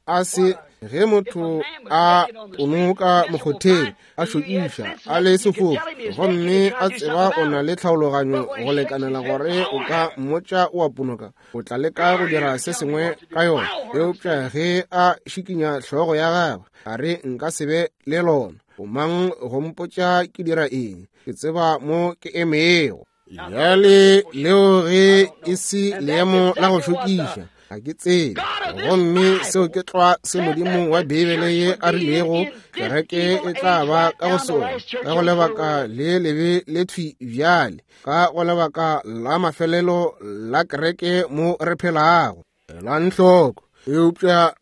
a se. Ge motho a ponoka mokgotheng, a šokiša, a le sefofu, gomme a tseba o na le tlhaologanyo go lekanela gore o ka mmotša o a ponoka, o tla leka go dira se sengwe ka yona. Eupša ge a šikinya hlogo ya gagwe, a re nka se be le lona, o mang go mpotša ke dira eng? Ke tseba mo ke emego. Bjale leo ge e se leemo la go šokiša, ga ke tsebe. Gomme seo ke tlwa se Modimo wa Beibele ye a rilego kereke e tla ba ka go sona, ka go lebaka le lebe le thwi bjale, ka go lebaka la mafelelo la kereke mo re phelago. Elang hloko, eupša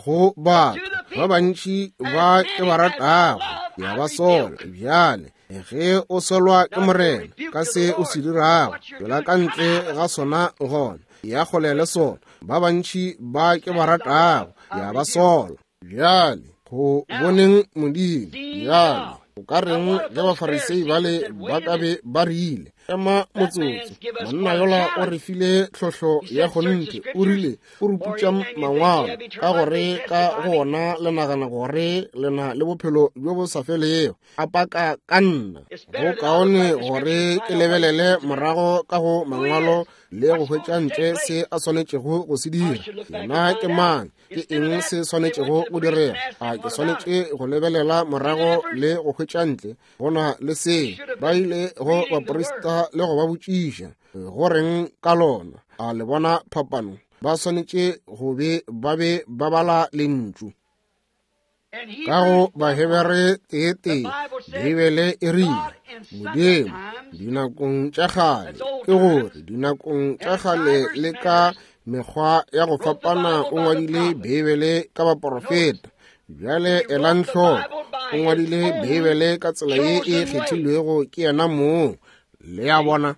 go batho ba bantši ba ke ba ratago, ke a ba sola. Bjale ge o solwa ke Morena ka se o se dirago, tšwela ka ntle ga sona gona, ya kgole le sona. Ba bantši ba ke ba ratago, ya ba sola. Bjale go boneng Modimo, bjale o ka reng ge Bafarisei bale ba ka be ba rile, ema motsotso, monna yola o re file tlhohlo ya kgonthe, o rile o ruputša mangwalo, ka gore ka go ona le nagana gore le na le bophelo bjo bo sa felego, a paka ka nna. Go kaone gore ke lebelele morago ka go mangwalo le go hwetša ntle se a swanetšego go se dira. Yena ke mang? Ke eng se swanetšego go direga? A ke swanetše go lebelela morago le go hwetša ntle go na le se? Ba ile go baprista le go ba botšiša go reng ka lona. A le bona phapano? Ba swanetše go be ba be ba bala lentšu. Ka go Bahebere tee-tee, Beibele e rile, Modimo dinakong tša kgale, ke gore dinakong tša kgale le ka mekgwa ya go fapana o ngwadile Beibele ka baporofeta. Bjale elang hloko, o ngwadile Beibele ka tsela ye e kgethilwego ke yena mong. Le a bona?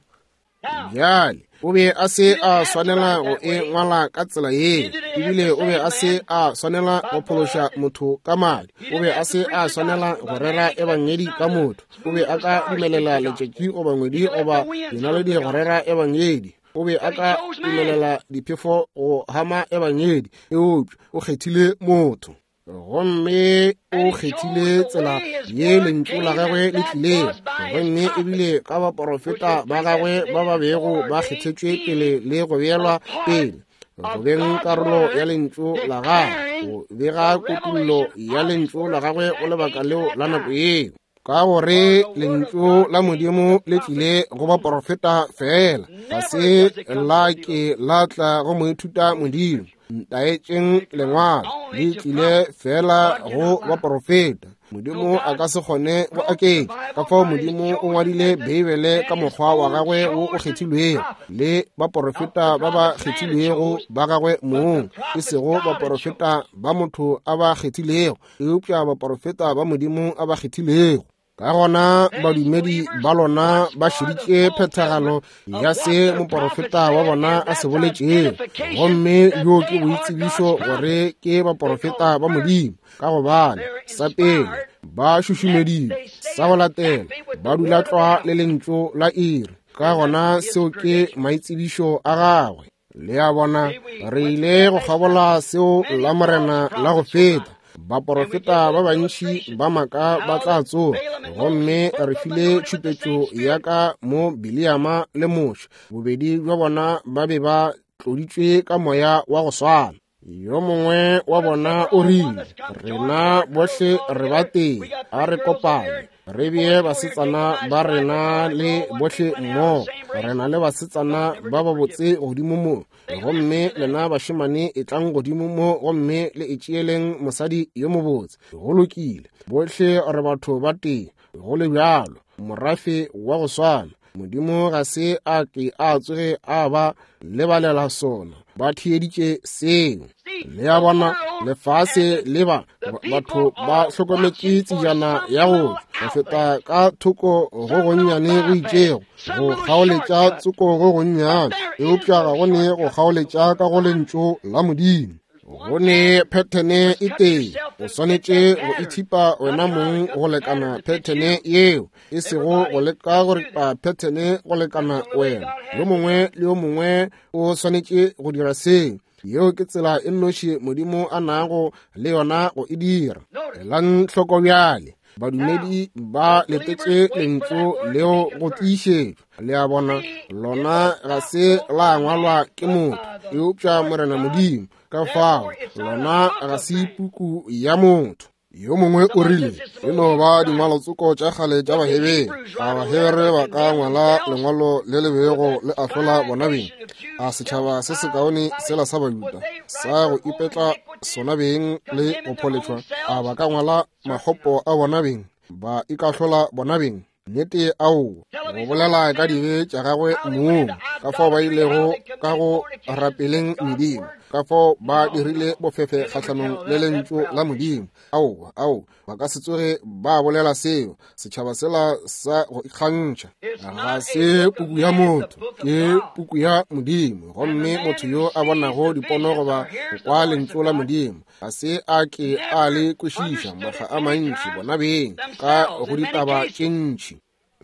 Bjale o be a se a swanela go e ngwala ka tsela ye, ebile o be a se a swanela go phološa motho ka madi, o be a se a swanela go rera ebangedi ka motho, o be a ka dumelela letšatši goba ngwedi goba dinaledi go rera ebangedi, o be a ka dumelela diphefo go hama ebangedi, eupša o kgethile motho. Gomme o kgethile tsela ye lentšu la gagwe le tlilego, gomme ebile ka baporofeta ba gagwe ba ba bego ba kgethetšwe pele le go beelwa pele go beng karolo ya lentšu la gagwe, go bega kutullo ya lentšu la gagwe go lebaka leo la nako yeo. Ka gore lentšu la Modimo le tlile go baporofeta fela, ga se la ke la tla go moithuta Modimo. Ntaetšeng lengwalo, le tlile fela go baporofeta. Modimo a ka se kgone go aketša. Ka fao Modimo o ngwadile Beibele ka mokgwa wa gagwe wo o kgethilwego, le baporofeta ba ba kgethilwego ba gagwe mong, e sego baporofeta ba motho a ba kgethilego, eupša baporofeta ba Modimo a ba kgethilego. Ka gona badumedi ba lona ba šeditše phethagalo ya se moporofeta wa bona a se boletšego, gomme bjo ke boitsebišo gore ke baporofeta ba Modimo, ka gobane sa pele ba šušumeditšwe, sa go latela ba dula tlwa le lentšu la iri. Ka gona seo ke maitsebišo a gagwe. Le a bona, re ile go kgabola seo la Morena la go feta. Baporofeta ba bantši ba maaka ba tla tsoga, gomme re file tšhupetšo ya ka mo Biliama le Moshe. Bobedi bja bona ba be ba tloditšwe ka moya wa go swana. Yo mongwe wa bona o rile, rena bohle re ba tee, a re kopane, re bee basetsana ba rena le bohle mmogo. Re na le basetsana ba babotse godimo mo, gomme lena bašemane etlang godimo mo gomme le itšeeleng mosadi yo mobotse. Go lokile, bohle re batho ba tee, go le bjalo, morafe wa go swana. Modimo ga se a ke a tsoge a ba lebalela sona. Ba theeditše seo. Le a bona, lefase le ba batho ba hlokometše tsejana ya go go feta ka thoko go gonnyane go itšego, go kgaoletša tsoko go gonnyane, eupša ga go ne go kgaoletša ka go lentšu la Modimo. Go ne phethene e tee, o swanetše go ithipa wena mong go lekana phethene yeo, e sego go leka go ripa phethene go lekana wena. Yo mongwe le yo mongwe o swanetše go dira seo. Yeo ke tsela e nnoši Modimo a nago le yona go e dira. Elang hloko bjale, badumedi ba letetše lentšu leo go tiišetšwa. Le a bona, lona ga se la ngwalwa ke motho, eupša Morena Modimo. Ka fao lona ga se puku ya motho. Yo mongwe o rile, e no ba dingwalotsoko tša kgale tša Bahebere. A Bahebere ba ka ngwala lengwalo le le bego le ahlola bona beng? A setšhaba se sekaone sela sa Bajuda sa go ipetla sona beng le go pholetšwa, a ba ka ngwala makgopo a bona beng, ba ikahlola bona beng? Nnete ao, go bolela ka dibe tša gagwe mong, ka fao ba ilego ka go rapeleng medimo, ka fao ba dirile bofefe kgahlanong le lentšu la Modimo. Ao, ao, ba ka se tsoge ba bolela seo. Setšhaba sela sa go ikgantšha ga se puku ya motho, ke puku ya Modimo. Gomme motho yo a bonago dipono goba go kwa lentšu la Modimo ga se a ke a le kwešiša makga a mantši bona beng ka go ditaba tše ntši.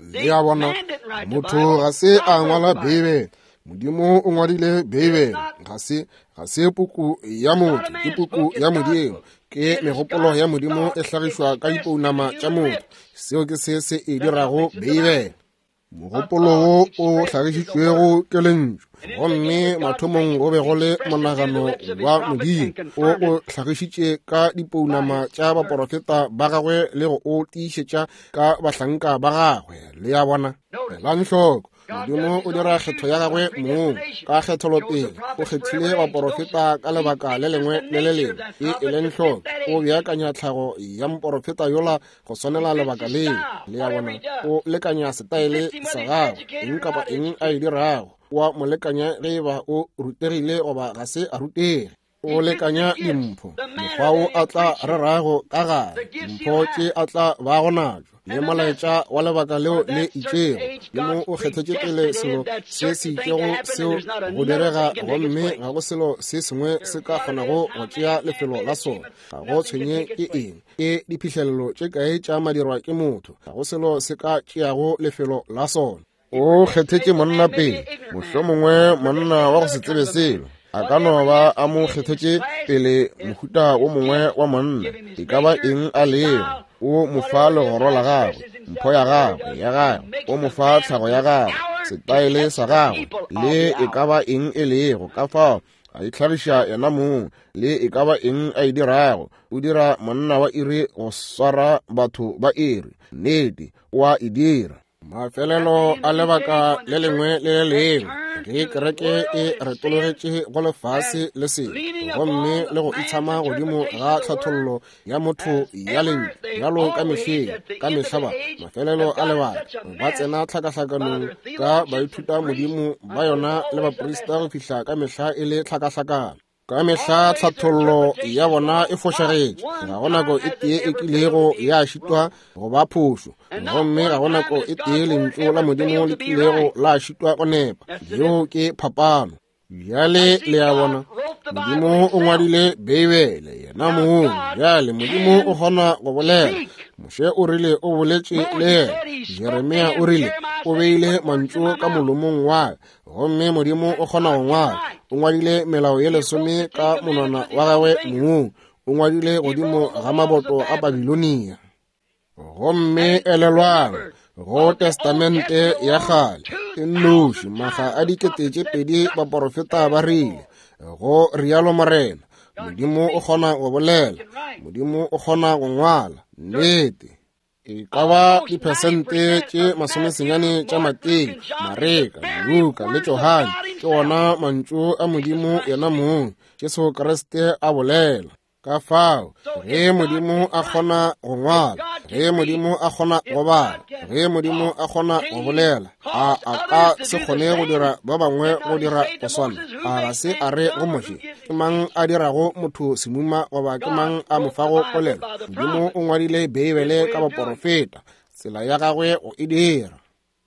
Le a bona, motho ga se a ngwala Beibele, Modimo o ngwadile Beibele. Ga se ga se puku ya motho, ke puku ya Modimo. Ke megopolo ya Modimo e hlagišwa ka dipounama tša motho. Seo ke se se e dirago Beibele. Mogopolo wo o hlagišitšwego ke lentšu, gomme mathomong go be go le monagano wa Modimo o o hlagišitše ka dipounama tša baporofeta ba gagwe le go o tiišetša ka bahlanka ba gagwe. Le a bona, elang hloko, Modimo o dira kgetho ya gagwe mong ka kgetholopele. O kgethile baporofeta ka lebaka le lengwe le le lengwe. E eleng hloko, o beakanya tlhago ya moporofeta yola go swanela lebaka leo. Le a bona, o lekanya setaele sa gagwe, eng kapa eng a e dirago, wa mo lekanya ge e ba o rutegile goba ga se a rutege. O lekanya dimpho, mokgwa wo a tla rerago ka gare, dimpho tše a tla bago natšo, le molaetša wa lebaka leo le itšego. Modimo o kgethetše pele selo se se itšego seo go direga, gomme ga go selo se sengwe se ka kgonago go tšea lefelo la sona. Ga go tshwenye ke eng, ke diphihlelelo tše kae tša madirwa ke motho, ga go selo se ka tšeago lefelo la sona. O kgethetše monna pele, mohlomongwe monna wa go se tsebe selo, a ka no ba a mo kgethetše pele mohuta wo mongwe wa monna, e ka ba eng a lego. O mo fa legoro la gagwe, mpho ya gagwe ya gagwe, o mo fa tlhago ya gagwe, setaele sa gagwe, le e ka ba eng e lego. Ka fao a itlhagiša yena mong, le e ka ba eng a e dirago, o dira monna wa iri go swara batho ba iri. Nnete, o a e dira. Mafelelo a lebaka le lengwe le le lengwe, Ge kereke e retologetše go lefase le selo, gomme le go itshama godimo ga tlhathollo ya motho ya lentšu, bjalo ka mehleng, ka mehla ba mafelelo a lebaka ba tsena tlhakahlakanong ka baithuta modimo ba yona le baprista go fihla ka mehla e le tlhakahlakano. Ka mehla tlhathollo ya bona e fošagetše. Ga go nako e tee e kilego ya šitwa go ba phošo, gomme ga go nako e tee lentšu la Modimo le kilego la šitwa go nepa. Yeo ke phapano. Bjale le a bona, Modimo o ngwadile Beibele yena mong. Bjale Modimo o kgona go bolela. Moshe o rile o boletše le yena. Jeremia o rile o beile mantšu ka molomong wa ka, gomme Modimo o kgona go ngwala. O ngwadile melao ye lesome ka monwana wa gagwe mong. O ngwadile godimo ga maboto a Babilonia. Gomme elelwang, go Testamente ya kgale e nnoši maga a dikete tše pedi baporofeta ba rile, go rialo Morena. Modimo o kgona go bolela, Modimo o kgona go ngwala. Nnete. E ka ba diphesente tše masomesenyane tša Mateo, Mareka, Luka le Johane ke ona mantšu a Modimo yena mong, Jesu Kriste a bolela. Ka fao, ge Modimo a kgona go ngwala, ge Modimo a kgona go bala, ge Modimo a kgona go bolela, a a ka se kgone go dira ba bangwe go dira go swana? A ga se a re go Moshe, ke mang a dirago motho semuma goba ke mang a mo fago polelo? Modimo o ngwadile Beibele ka baporofeta, tsela ya gagwe go e dira.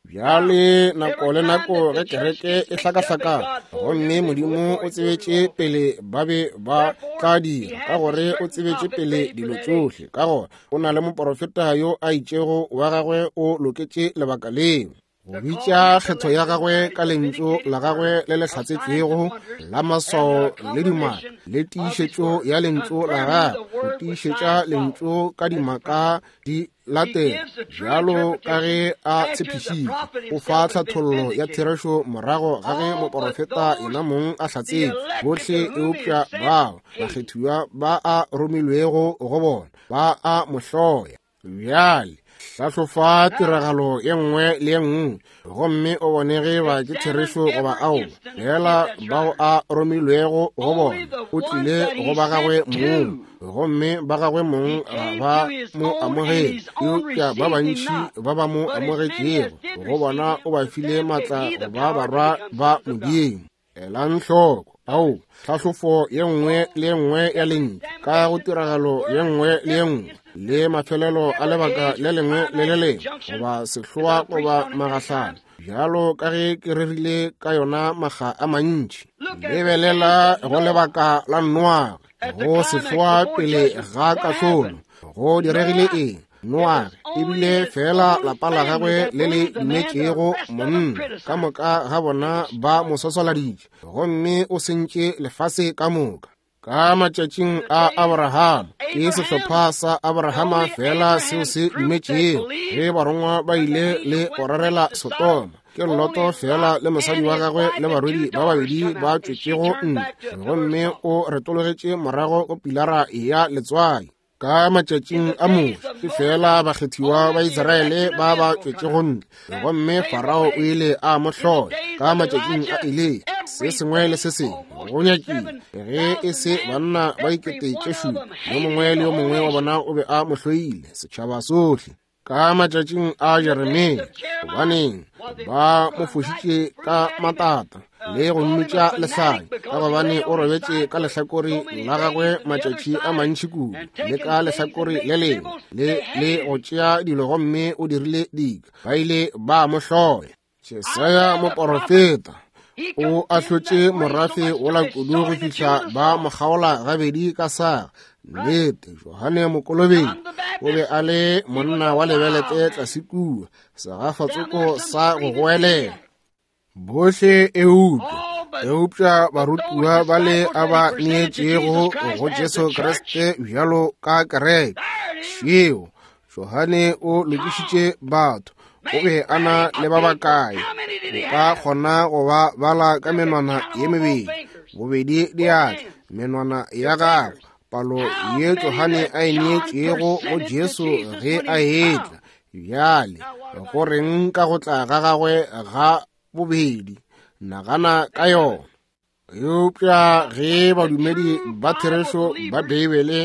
Bjale nako le nako ge kereke e hlakahlakana, gomme Modimo o tsebetše pele ba be ba tla dira, ka gore o tsebetše pele dilo tšohle, ka gore o na le moporofeta yo a itšego wa gagwe o loketše lebaka leo. Go bitša kgetho ya gagwe ka lentšu la gagwe le le hlatsetšwego la maswao le dimaka, le tiišetšo ya lentšu la gagwe, go tiišetša lentšu ka dimaka di latela, bjalo ka ge a tshepišitše. O fa tlhathollo ya therešo morago ga ge moporofeta yena mong a hlatsetše. Bohle eupša bao bakgethiwa ba a romilwego go bona ba a mo hloya. Bjale hlahlofa tiragalo ye nngwe le ye nngwe, gomme o bone ge ba ke therešo goba aowa. Fela bao a romilwego go bona, o tlile go ba gagwe mong, gomme ba gagwe mong ga ba mo amogele. Eupša ba bantši ba ba mo amogetšego go bona o ba file maatla go ba barwa ba Modimo. Elang hloko, ao, tlhahlofo ye nngwe le ye nngwe ya lentšu ka go tiragalo ye nngwe le ye nngwe, le mafelelo a lebaka le lengwe le le lengwe, goba sehloa goba magahlano, bjalo ka ge ke rerile ka yona maga a mantši. Lebelela go lebaka la Noage, go sehloa pele ga kahlolo, go diregile eng? Noage ebile fela lapa la gagwe le le dumetšego monna, ka moka ga bona ba mo swaswaladitše, gomme o sentše lefase ka moka. Ka matšatšing a Abrahama, ke sehlopha sa Abrahama fela seo se dumetšego. Ge barongwa ba ile le go rerela Sodoma, ke Loto fela le mosadi wa gagwe le barwedi ba babedi ba tšwetšego ntle, gomme o retologetše morago go pilara ya letswai. Ka matšatšing a Moshe, ke fela bakgethiwa ba Israele ba ba tšwetšego ntle, gomme Farao o ile a mo hloya. Ka matšatšing a Eliya, se sengwe le se sengwe go nyakile ge e se banna ba dikete tše šupa, yo mongwe le yo mongwe wa bona o be a mo hloile, setšhaba sohle. Ka matšatšing a Jeremia, gobaneng ba mo fošitše ka matata le go mmitša lehlanya, ka gobane o robetše ka lehlakore la gagwe matšatši a mantši kudu, le ka lehlakore le lengwe le le go tšea dilo, gomme o dirile dika, ba ile ba mo hloya. Jesaya moporofeta o ahlotše morafe wola kudu go fihla ba mo kgaola gabedi ka saga. Nnete, Johane Mokolobetši o be a le monna wa lebelete tlase kua, segafatsoko sa go goelela. Bohle eupša, eupša barutiwa ba le a ba neetšego go Jesu Kriste bjalo ka kereke. Šeo, Johane o lokišitše batho. O be a na le ba bakae? O ka kgona go ba bala ka menwana ye mebedi, bobedi diatla, menwana ya gagwe, palo ye Johane a e neetšego go Jesu ge a etla. Bjale, go reng ka go tla ga gagwe ga bobedi? Nagana ka yona. Eupša ge badumedi ba therešo ba Beibele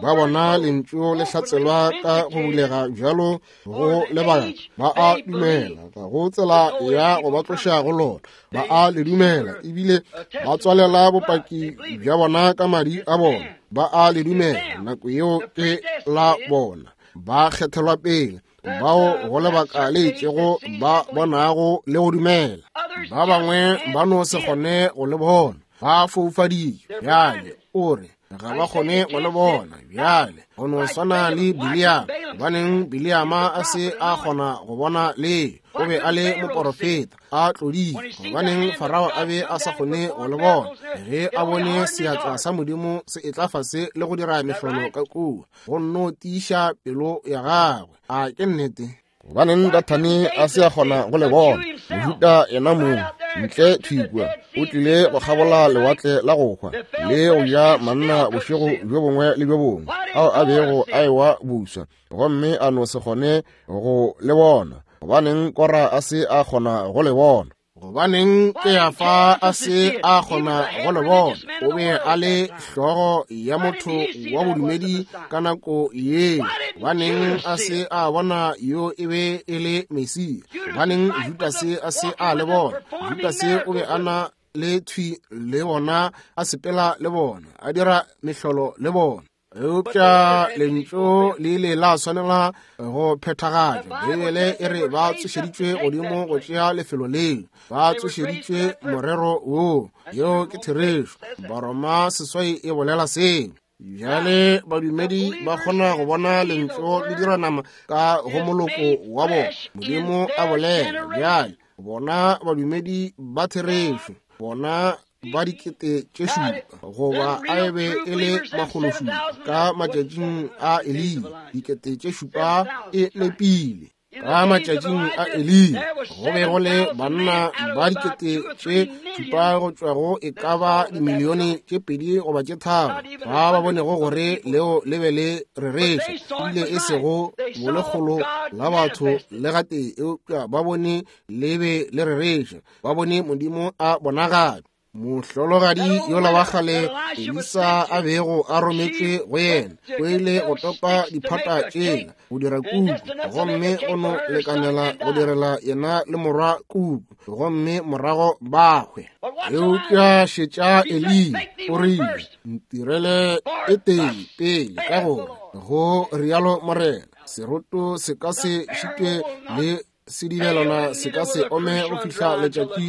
ba bona lentšu le hlatselwa ka go bulega bjalo go lebaka, ba a dumela ga go tsela ya go ba tloša go lona. Ba a le dumela ebile ba tswalela bopaki bja bona ka madi a bona. Ba a le dumela, nako yeo ke la bona. Ba kgethelwa pele bao go lebaka le itšego ba bonago le go dumela. Ba bangwe ba no se kgone go le bona, ba foufaditšwe. Bjale o re ga ba kgone go le bona. Bjale go no swana le Biliama. Gobaneng Biliama a se a kgona go bona le? O be a le moporofeta a tloditšwe. Gobaneng Farao a be a sa kgone go le bona ge a bone seatla sa Modimo se etla fase le go dira mehlolo ka kua, go nno tiiša pelo ya gagwe? A ke nnete? Gobaneng Dathane a se a kgona go le bona? Mojuda yena mong ntle thwi kua o tlile go kgabola lewatle la go hwa le go ja manna bošego bjo bongwe le bjo bongwe ao a bego a ewa buswa, gomme a no se kgone go le bona. Gobaneng Kora a se a kgona go le bona? Gobaneng Keafa a se a kgona go le bona? O be a le hlogo ya motho wa bodumedi ka nako ye. Gobaneng a se a bona yo e be e le Mesia? Gobaneng Judase a se a le bona? Judase o be a na le thwi le bona, a sepela le bona, a dira mehlolo le bona. Eupša lentšu le ile la swanela go phethagatšwa. Beibele e re ba tsošeditšwe godimo go tšea lefelo leo, ba tsošeditšwe morero woo. Yeo ke therešo. Baroma seswai e bolela seo. Bjale badumedi ba kgona go bona lentšu le dira nama ka go moloko wa bona. Modimo a bolela. Bjale bona badumedi ba therešo, bona ba dikete tše šupa, goba a be e le makgološupa ka matšatšing a Eliya. Dikete tše šupa e nepile. Ka matšatšing a Eliya go be go le banna ba dikete tše šupa go tšwa go e ka ba dimilione tše pedi goba tše tharo ba ba bonego gore leo le be le rereša, ebile e sego bolekgolo la batho le gatee, eupša ba bone le be le rereša. Ba bone Modimo a bonagatšwa. Mohlologadi yola wa kgale Elisa a bego a rometšwe go yena o ile go topa diphata tšela go dira kuku, gomme go no lekanela go direla yena le morwa kuku, gomme morago ba hwe. Eupša šetša Eliya o rile, ntirele e tee pele, ka gore go rialo Morena, seroto se ka se šitwe le sedibelwana se ka se ome go fihla letšatši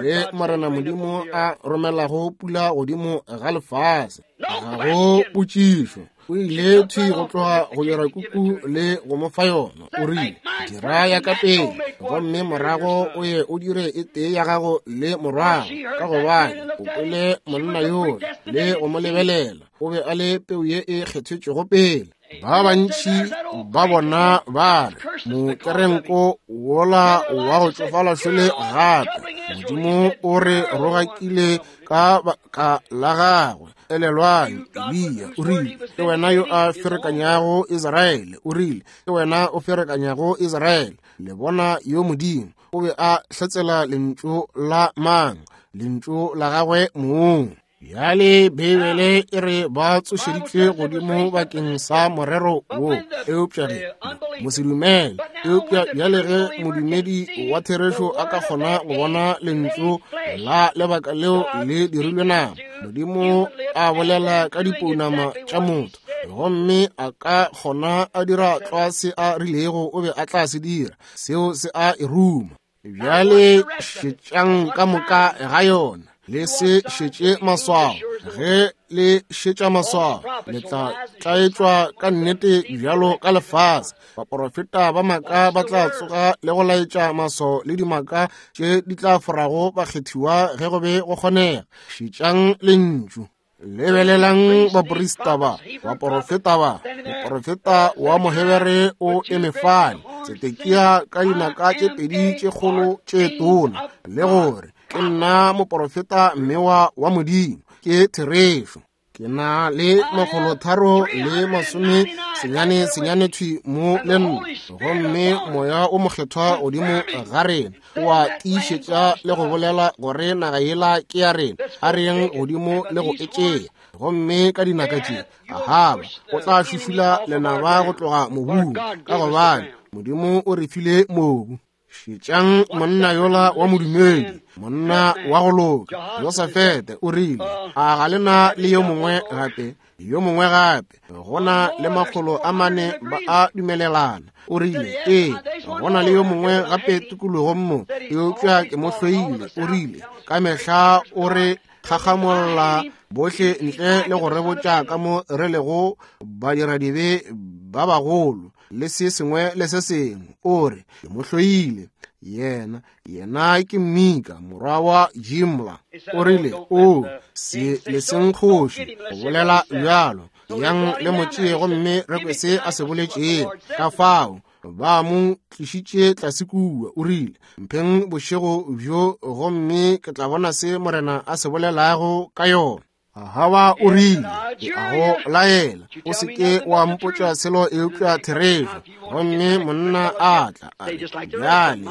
le Morena Modimo a romelago pula godimo ga lefase. Ga go potšišo. O ile thwi go tloga go dira kuku le go mo fa yona. O rile, dira ya ka pele, gomme morago o ye o dire e tee ya gago le morwago, ka gobane o kwele monna yola le go mo lebelela. O be a le peu ye e kgethetšwego pele. Ba bantši ba bona ba re, mokerenko wola wa go tšofala šole gape. Modimo o re rogakile ka baka la gagwe. Elelwang, Eliya o rile, ke wena yo a ferekanyago Israele. O rile, ke wena o ferekanyago Israele. Le bona yo Modimo o be a hlatsela lentšu la mang? Lentšu la gagwe mong. Bjale Beibele e re ba tsošeditšwe godimo bakeng sa morero wo, eupša ge mosedumele. Eupša bjale ge modumedi wa therešo a ka kgona go bona lentšu la lebaka leo le dirilwe nama, Modimo a bolela ka dipounama tša motho, gomme a ka kgona a dira tlwa se a rilego o be a tla se dira, seo se a e ruma. Bjale šetšang ka moka ga yona. Le se šetše maswao. Ge le šetša maswao, le tla tlaetšwa ka nnete bjalo ka lefase. Baporofeta ba maaka ba tla tsoga le go laetša maswao le dimaka tše di tla forago bakgethiwa ge go be go kgonega. Šetšang lentšu. Lebelelang baporista ba, baporofeta ba. Moporofeta wa Mohebere o eme fale, Tsedekia ka dinaka tše pedi tše kgolo tše tona, le gore ke nna moporofeta mmewa wa Modimo. Ke therešo. Ke na le makgolotharo le masome senyane senyane thwi mo le nna, gomme Moya o Mokgethwa godimo ga rena o a tiišetša le go bolela gore naga yela ke ya rena. A re yeng godimo le go e tšea. Gomme ka dinaka tše Ahaba o tla šušula lenaba go tloga mobung, ka gobane Modimo o re file mobu. Šetšang monna yola wa modumedi, monna wa go loka, Josafete, o rile, a ga le na le yo mongwe gape, yo mongwe gape? Go na le makgolo a mane ba a dumelelana. O rile, ee, go na le yo mongwe gape tikologong mo, eupša ke mo hloile. O rile, ka mehla o re kgakgamolla bohle ntle le go re botša ka mo re lego badiradibe ba bagolo le se sengwe le se sengwe. O re, ke mo hloile. Yena, yena ke Mika, morwa wa Jimla. O rile, o se leseng kgoši go bolela bjalo. Yang le mo tšee gomme re kwe se a se boletšego. Ka fao ba mo tlišitše tlase kua. O rile, mpheng bošego bjo gomme ke tla bona se Morena a se bolelago ka yona. Ahaba o rile, ke a go laela, o se ke wa mpotša selo eupša therešo. Gomme monna a tla a re, bjale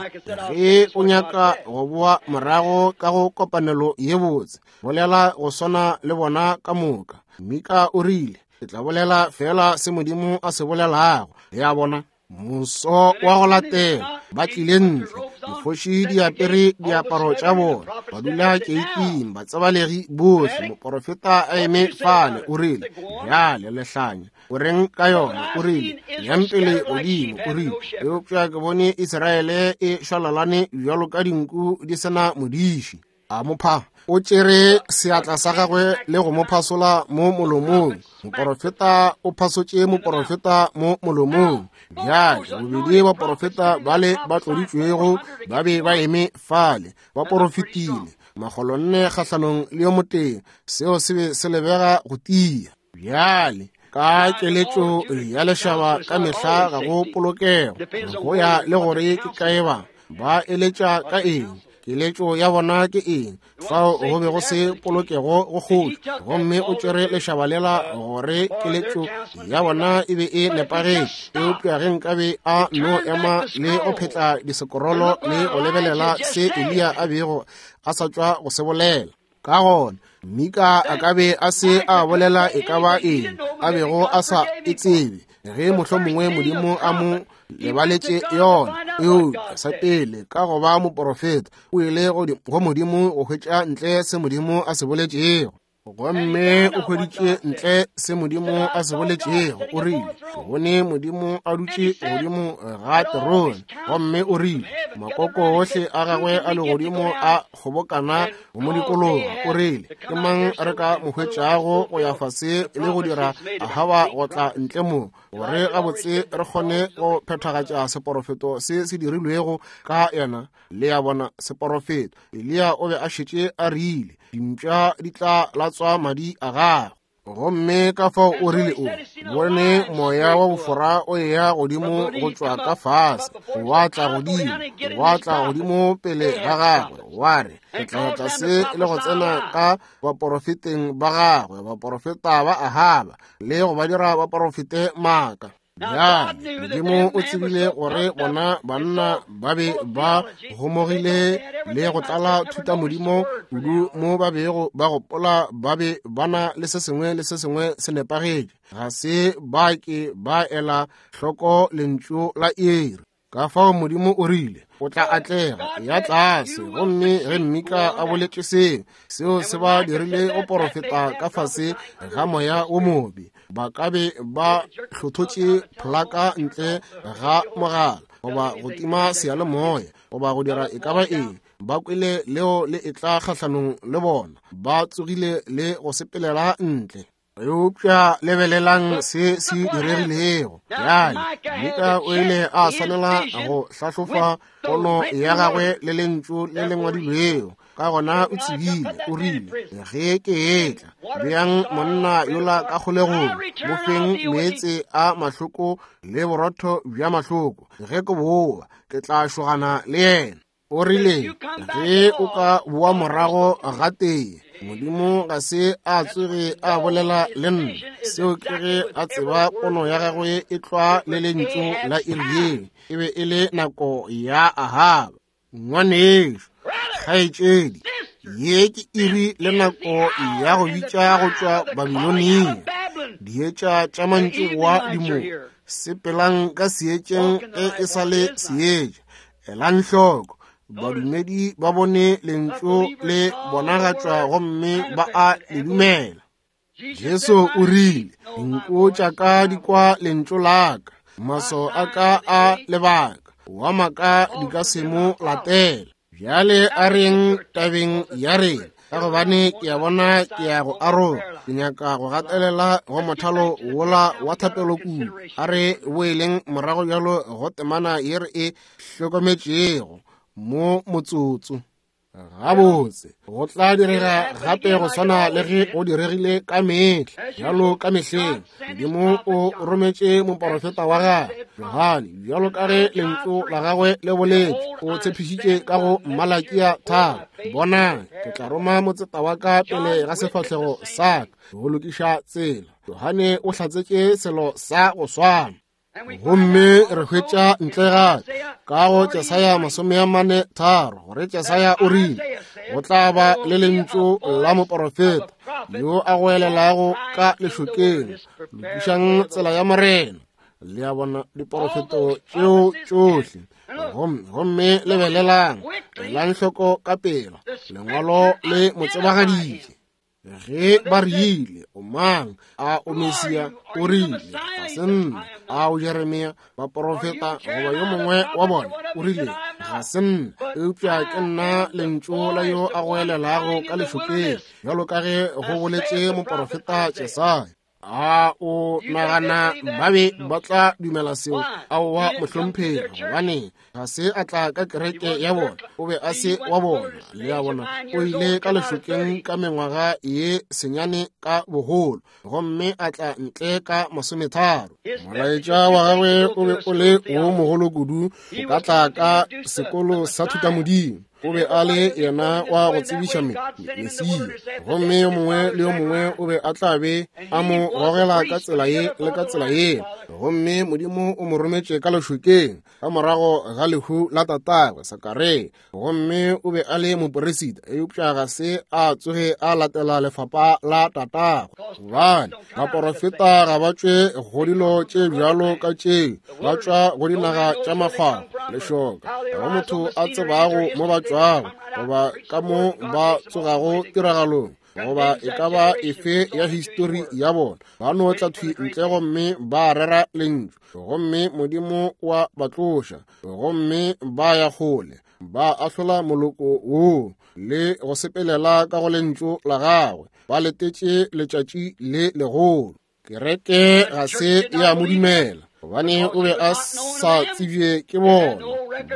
ge o nyaka go boa morago ka go kopanelo ye botse, bolela go swana le bona ka moka. Mika o rile, ke tla bolela fela se Modimo a se bolelago. Le a bona? Moso wa go latela ba tlile ntle, dikgoši di apere diaparo tša bona, ba dula keiting, batsebalegi bohle. Moporofeta a eme fale, o rile, bjale lehlanya, o reng ka yona? O rile, yang pele godimo. O rile, eupša ke bone Israele e šwalalane bjalo ka dinku di sena modiši. A mo pha, o tšere seatla sa gagwe le go mo phasola mo molomong. Moporofeta o phasotše moporofeta mo molomong. Bjale bobedi baporofeta bale ba tloditšwego ba be ba eme fale, ba porofetile makgolonne kgahlanong le yo motee. Seo se be se lebega go tia. Bjale ka keletšo ya lešaba ka mehla ga go polokego, go ya le gore ke kae ba ba eletša ka eng, keletšo ya bona ke eng. Fao go be go se polokego go kgoši, gomme o tšere lešaba lela gore keletšo ya bona e be e nepagetše. Eupša ge nkabe a no ema le go phetla disekorolo le go lebelela se Eliya a bego a sa tšwa go se bolela, ka gona Mika a ka be a se a bolela e ka ba eng a bego a sa e tsebe, ge mohlomongwe Modimo a mo lebaletše yona. Eupša sa pele, ka go ba moporofeta, o ile go Modimo go hwetša ntle se Modimo a se boletšego. Gomme o hweditše ntle se Modimo a se boletšego. O rile, ke bone Modimo a dutše godimo ga terone. Gomme o rile, makoko ohle a gagwe a legodimo a kgobokana go mo dikologa. O rile, ke mang re ka mo hwetšago go ya fase le go dira Ahaba go tla ntle mo, gore gabotse re kgone go phethagatša seporofeto se se dirilwego ka yena? Le a bona, seporofeto. Eliya o be a šetše a rile, dimpša di tla latswa madi a gagwe. Gomme ka fao o rile, o bone moya wa bofora o eya godimo go tšwa ka fase, wa tla godimo, wa tla godimo pele ga gagwe, wa re, ke tla ya tlase le go tsena ka baporofeteng ba gagwe, baporofeta ba Ahaba, le go ba dira baporofete maaka. Bjale Modimo o tsebile gore bona banna ba be ba gomogile le go tlala thutamodimo kudu mo ba bego ba gopola ba be ba na le se sengwe le se sengwe se nepagetše. Ga se ba ke ba ela hloko lentšu la iri. Ka fao Modimo o rile, o tla atlega, ya tlase. Gomme ge Mika a boletše seo, seo se ba dirile go porofeta ka fase ga moya wo mobe. Ba ka be ba hlothotše pholaka ntle ga mogala, goba go tima seyalemoya, goba go dira e ka ba eng. Ba kwele leo le etla kgahlanong le bona, ba tsogile le go sepelela ntle. Eupša lebelelang se se diregilego. Bjale Mika o ile a swanela go hlahlofa pono ya gagwe le lentšu le le ngwadilwego. Ka gona o tsebile, o rile, ge ke etla, beang monna yola ka kgolegong, mo feng meetse a mahloko le borotho bja mahloko. Ge ke boa, ke tla šogana le yena. O rile, ge o ka boa morago gatee, Modimo ga se a tsoge a bolela le nna. Seo ke ge a tseba pono ya gagwe e tlwa le lentšu la iri yeo. E be e le nako ya Ahaba. Ngwanešu, kgaetšedi, ye ke iri le nako ya go bitša go tšwa Babilonia. Dietša tša mantšiboa di mo. Sepelang ka seetšeng ge e sa le seetša. Elang hloko, badumedi ba bone lentšu le bonagatšwa gomme ba a le dumela. Jesu o rile, dinku tša ka di kwa lentšu la ka, maso a ka a lebaka, wa maka di ka se mo latela. Bjale a reng tabeng ya rena, ka gobane ke a bona ke ya go aroga. Ke nyaka go gatelela go mothalo wola wa thapelo kudu. A re boeleng morago bjalo go temana ye re e hlokometšego mo motsotso. Gabotse, go tla direga gape go swana le ge go diregile ka mehla, bjalo ka mehleng. Modimo o rometše moporofeta wa gagwe Johane, bjalo ka ge lentšu la gagwe le boletše. O tshepišitše ka go Malakia tharo, bonang, ke tla roma motseta wa ka pele ga sefahlego sa ka go lokiša tsela. Johane o hlatsetše selo sa go swana. Gomme re hwetša ntle gape ka go Jesaya masome a mane tharo gore Jesaya o rile go tla ba le lentšu la moporofeta yo a goelelago ka lešokeng, lokišang tsela ya Morena. Le a bona diporofeto tšeo tšohle. Gomme lebelelang, elang hloko ka pela, lengwalo le mo tsebagaditše. Ge ba rile, o mang? A o Mesia? O rile, ga se nna. A o Jeremia, baporofeta goba yo mongwe wa bona? O rile, ga se nna, eupša ke nna lentšu la yo a goelelago ka lešokeng, bjalo ka ge go boletše moporofeta Jesaya. A o nagana ba be ba tla dumela seo? Aowa, mohlomphegi, gobane ga se a tla ka kereke ya bona, o be a se wa bona. Le a bona, o ile ka lešokeng ka mengwaga ye senyane ka bogolo, gomme a tla ntle ka masometharo. Molaetša wa gagwe o be o le wo mogolo kudu o ka tla ka sekolo sa thutamodimo. O be a le yena wa go tsebiša Mesia, gomme yo mongwe le yo mongwe o be a tla be a mo gogela ka tsela ye le ka tsela ye. Gomme Modimo o mo rometše ka lešokeng ka morago ga lehu la tatagwe Sakaria, gomme o be a le moperisita, eupša ga se a tsoge a latela lefapa la tatagwe. Gobane baporofeta ga ba tšwe go dilo tše bjalo ka tšeo, ba tšwa go dinaga tša makgwakgwa, lešoka, ga motho a tsebago mo ba tšwago goba ka mo ba tsogago tiragalong goba e ka ba efe ya histori ya bona. Ba no tla thwi ntle gomme ba rera lentšu, gomme Modimo wa ba tloša, gomme ba ya kgole, ba ahlola moloko woo le go sepelela ka go lentšu la gagwe. Ba letetše letšatši le legolo. Kereke ga se ya mo dumela, gobane o be a sa tsebje ke bona.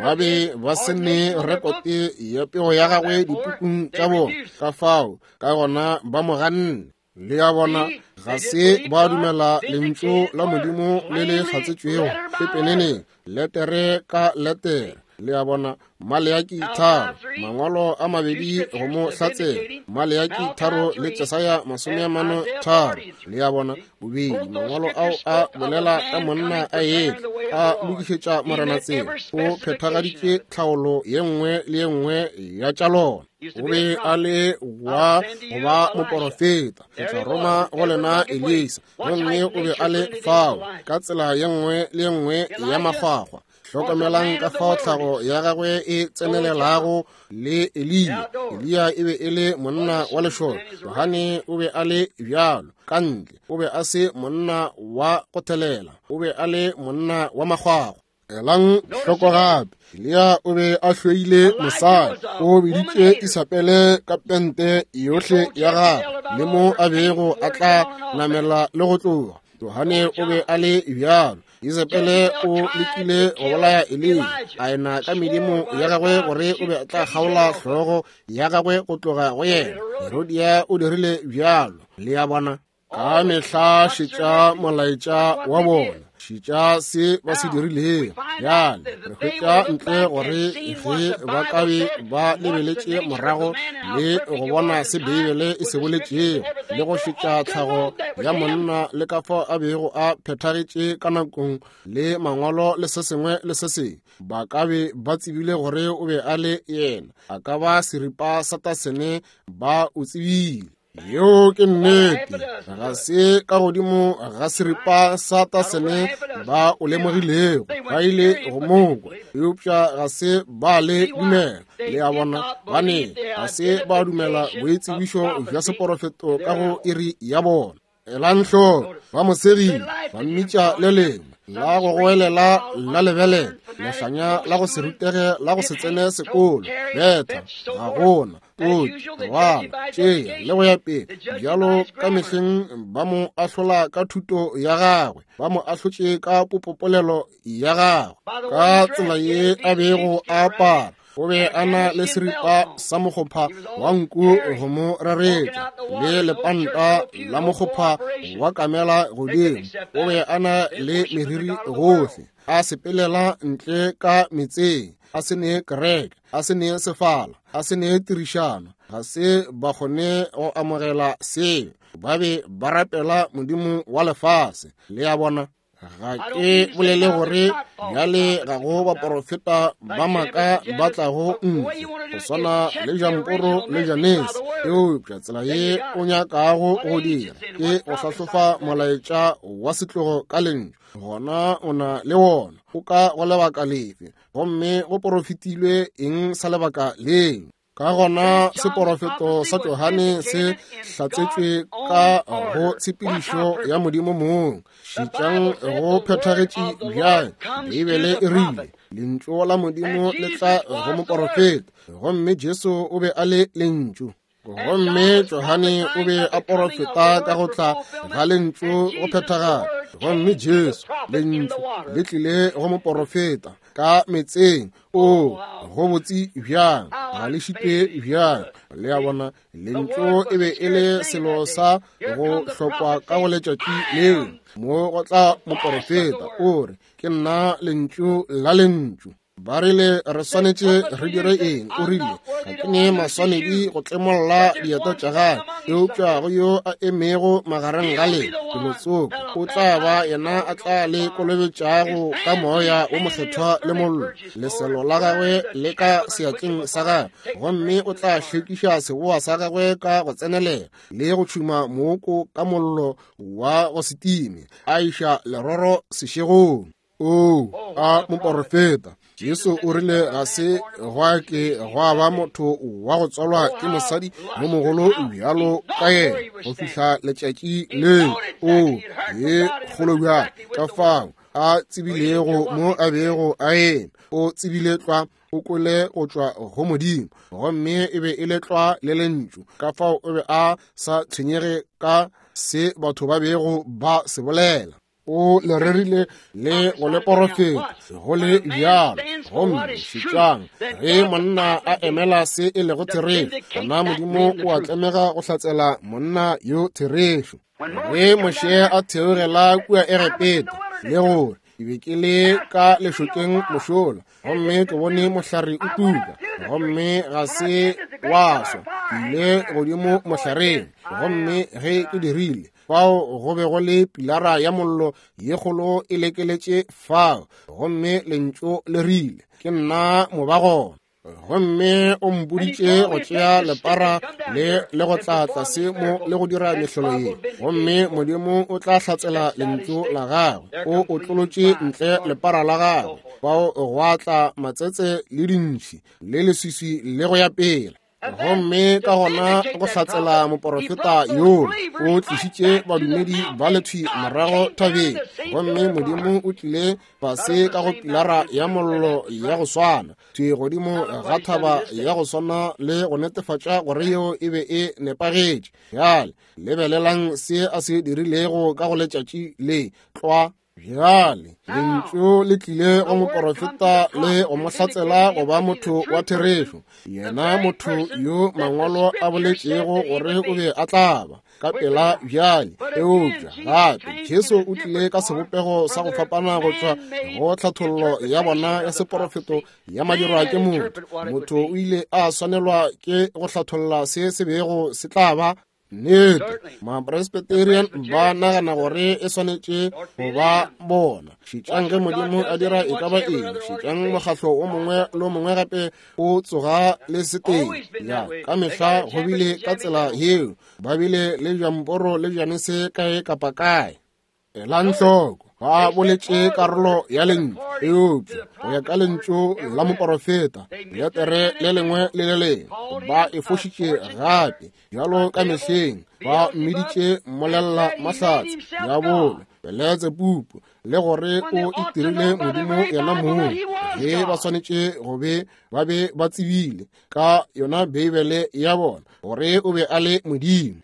Ba be ba se ne rekote ya pego ya gagwe dipukung tša bona, ka fao ka gona ba mo ganne. Le a bona, ga se ba dumela lentšu la Modimo le le hlatsetšwego pepeneneng, letere ka letere. Le a bona, Maleaki tharo, mangwalo a mabedi go mo hlatsela, Maleaki tharo le Jesaya masome a mane tharo. Le a bona, bobedi mangwalo ao a bolela ka monna a etla a lokišetša Morena tsela. O phethagaditše tlhaolo ye nngwe le ye nngwe ya tša lona. O be a le wa go ba moporofeta. Ke tla roma go lena Elisa, gomme o be a le fao ka tsela ye nngwe le ye nngwe ya makgwakgwa. Hlokomelang ka fao tlhago ya gagwe e tsenelelago le Eliya. Eliya e be e le monna wa lešoka, Johane o be a le bjalo ka ntle. O be a se monna wa go thelela, o be a le monna wa makgwakgwa. Elang hloko gape, Eliya o be a hloile mosadi. O biditše Isabele ka pente yohle ya gagwe le mo a bego a tla namela le go tloga. Johane o be a le bjalo. Isabele o lekile go bolaya Eliya, a ena ka medimo ya gagwe gore o be a tla kgaola hlogo ya gagwe go tloga go yena. Herodia o dirile bjalo. Le a bona, ka mehla šetša molaetša wa bona, Šetša se ba se dirilego. Bjale re hwetša ntle gore ge ba ka be ba lebeletše morago le go bona se Beibele e se boletšego, le go šetša tlhago ya monna le ka fao a bego a phethagetše ka nakong le mangwalo le se sengwe le se sengwe, ba ka be ba tsebile gore o be a le yena. A ka ba seripa sa tasene, ba o tsebile. Yeo ke nnete. Ga se ka godimo ga seripa sa tasene ba o lemogilego, ba ile go mokwa, eupša ga se ba le dumela. Le a bona, bane ga se ba dumela boitsebišo bja seporofeto ka go iri ya bona. Elang hloko, ba mo segile, ba mmitša le lengwe la go goelela la lebelela, lehlanya la go se rutege, la go se tsene sekolo, betha, ga gona, potši, rwala, tšea, le go ya pele. Bjalo ka mehleng ba mo ahlola ka thuto ya gagwe, ba mo ahlotše ka popopolelo ya gagwe, ka tsela ye a bego a apara. O be a na le seripa sa mokgopha wa nku go mo reretša, le lepanta la mokgopha wa kamela godimo. O be a na le meriri gohle, a sepelela ntle ka metseng, a se ne kereke, a se ne sefala, a se ne tirišano. Ga se ba kgone go amogela seo. Ba be ba rapela modimo wa lefase. Le a bona? Ga ke bolele gore bjale ga go baporofeta ba maaka ba tlago ntle go swana le Jamporo le Janese, eupša tsela ye o nyakago go dira ke go hlahlofa molaetša wa setlogo ka lentšu. Gona o na le wona o ka go lebaka lefe, gomme go porofetilwe eng sa lebaka leo? Ka gona seporofeto sa Johane se hlatsetšwe ka go tshepedišo ya Modimo mong. Šetšang go phethagetše bjang. Beibele e rile lentšu la Modimo le tla go moporofeta, gomme Jesu o be a le lentšu. Gomme Johane o be a porofeta ka go tla ga lentšu go phethagala, gomme Jesu lentšu le tlile go moporofeta ka metseng. O go botse bjang, ga le šitwe bjang. Le a bona, lentšu e be e le selo sa go hlokwa ka go letšatši leo. Mo go tla moporofeta o re, ke nna lentšu la lentšu. Ba rile re swanetše re dire eng? O rile, ga ke ne maswanedi go tlemolla dieta tša gagwe, eupša go yo a emego magareng ga lena felotsoko o tla ba yena a tla le kolobetšago ka moya wo mokgethwa le mollo. Leselo la gagwe le ka seatleng sa gagwe, gomme o tla hlwekiša seboa sa gagwe ka go tsenelela le go tšhuma mooko ka mollo wa go se time, a iša leroro sešegong. O a moporofeta. Jesu o rile ga se gwa ke gwa ba motho wa go tswalwa ke mosadi yo mogolo bjalo ka yena go fihla letšatši leo. O ye kgolo bjang, ka fao a tsebilego mo a bego a eme. O tsebile tlwa, o kwele go tšwa go Modimo, gomme e be e le tlwa le lentšu. Ka fao o be a sa tshwenyege ka se batho ba bego ba se bolela. O le rerile le go le porofeta go le bjalo. Gomme šetšang, ge monna a emela se e lego therešo, gona Modimo o a tlemega go hlatsela monna yo therešo. Ge Moshe a theogela kua Egepeta, le gore ke be ke le ka lešokeng mošola, gomme ke bone mohlare o tuka, gomme ga se wa swa. Ke ile godimo mohlareng, gomme ge ke dirile, fao go be go le pilara ya mollo ye kgolo e lekeletše fao, gomme lentšu le rile, ke nna mobagona. Gomme o mpoditše go tšea lepara le le go tla tlase mo le go dira mehlolo ye, gomme Modimo o tla hlatsela lentšu la gagwe. O otlolotše ntle lepara la gagwe, fao gwa tla matsetse le dintšhi le leswiswi le go ya pele. Gomme ka gona go hlatsela moporofeta yola, o tlišitše badumedi ba lethwi morago thabeng, gomme Modimo o tlile fase ka go pilara ya mollo ya go swana, thwi godimo ga thaba ya go swana, le go netefatša gore yeo e be e nepagetše. Bjale lebelelang se a se dirilego ka go letšatši le tlwa. Bjale lentšu le tlile go moporofeta le go mo hlatsela go ba motho wa therešo, yena motho yo mangwalo a boletšego gore o be a tla ba ka pela. Bjale eupša gape Jesu o tlile ka sebopego sa go fapana go tšwa go tlhathollo ya bona ya seporofeto ya madirwa ke motho. Motho o ile a swanelwa ke go hlatholla se se bego se tla ba nnete. Mapresbyterian ba nagana gore e swanetše go ba bona. Šetšang ge Modimo a dira e ka ba eng. Šetšang mokgahlo o mongwe le o mongwe gape o tsoga le seteng. Ya ka mehla go bile ka tsela yeo. Ba bile le bjamporo le bjanese kae kapa kae. Elang hloko, ba boletše karolo ya lentšu, eupša go ya ka lentšu la moporofeta letere le lengwe le le lengwe ba e fošitše gape. Bjalo ka mehleng ba mmiditše mmolella mahlatse, diabolo, Beletsebubu, le gore o itirile Modimo yena mong, ge ba swanetše go be ba be ba tsebile ka yona Beibele ya bona gore o be a le Modimo.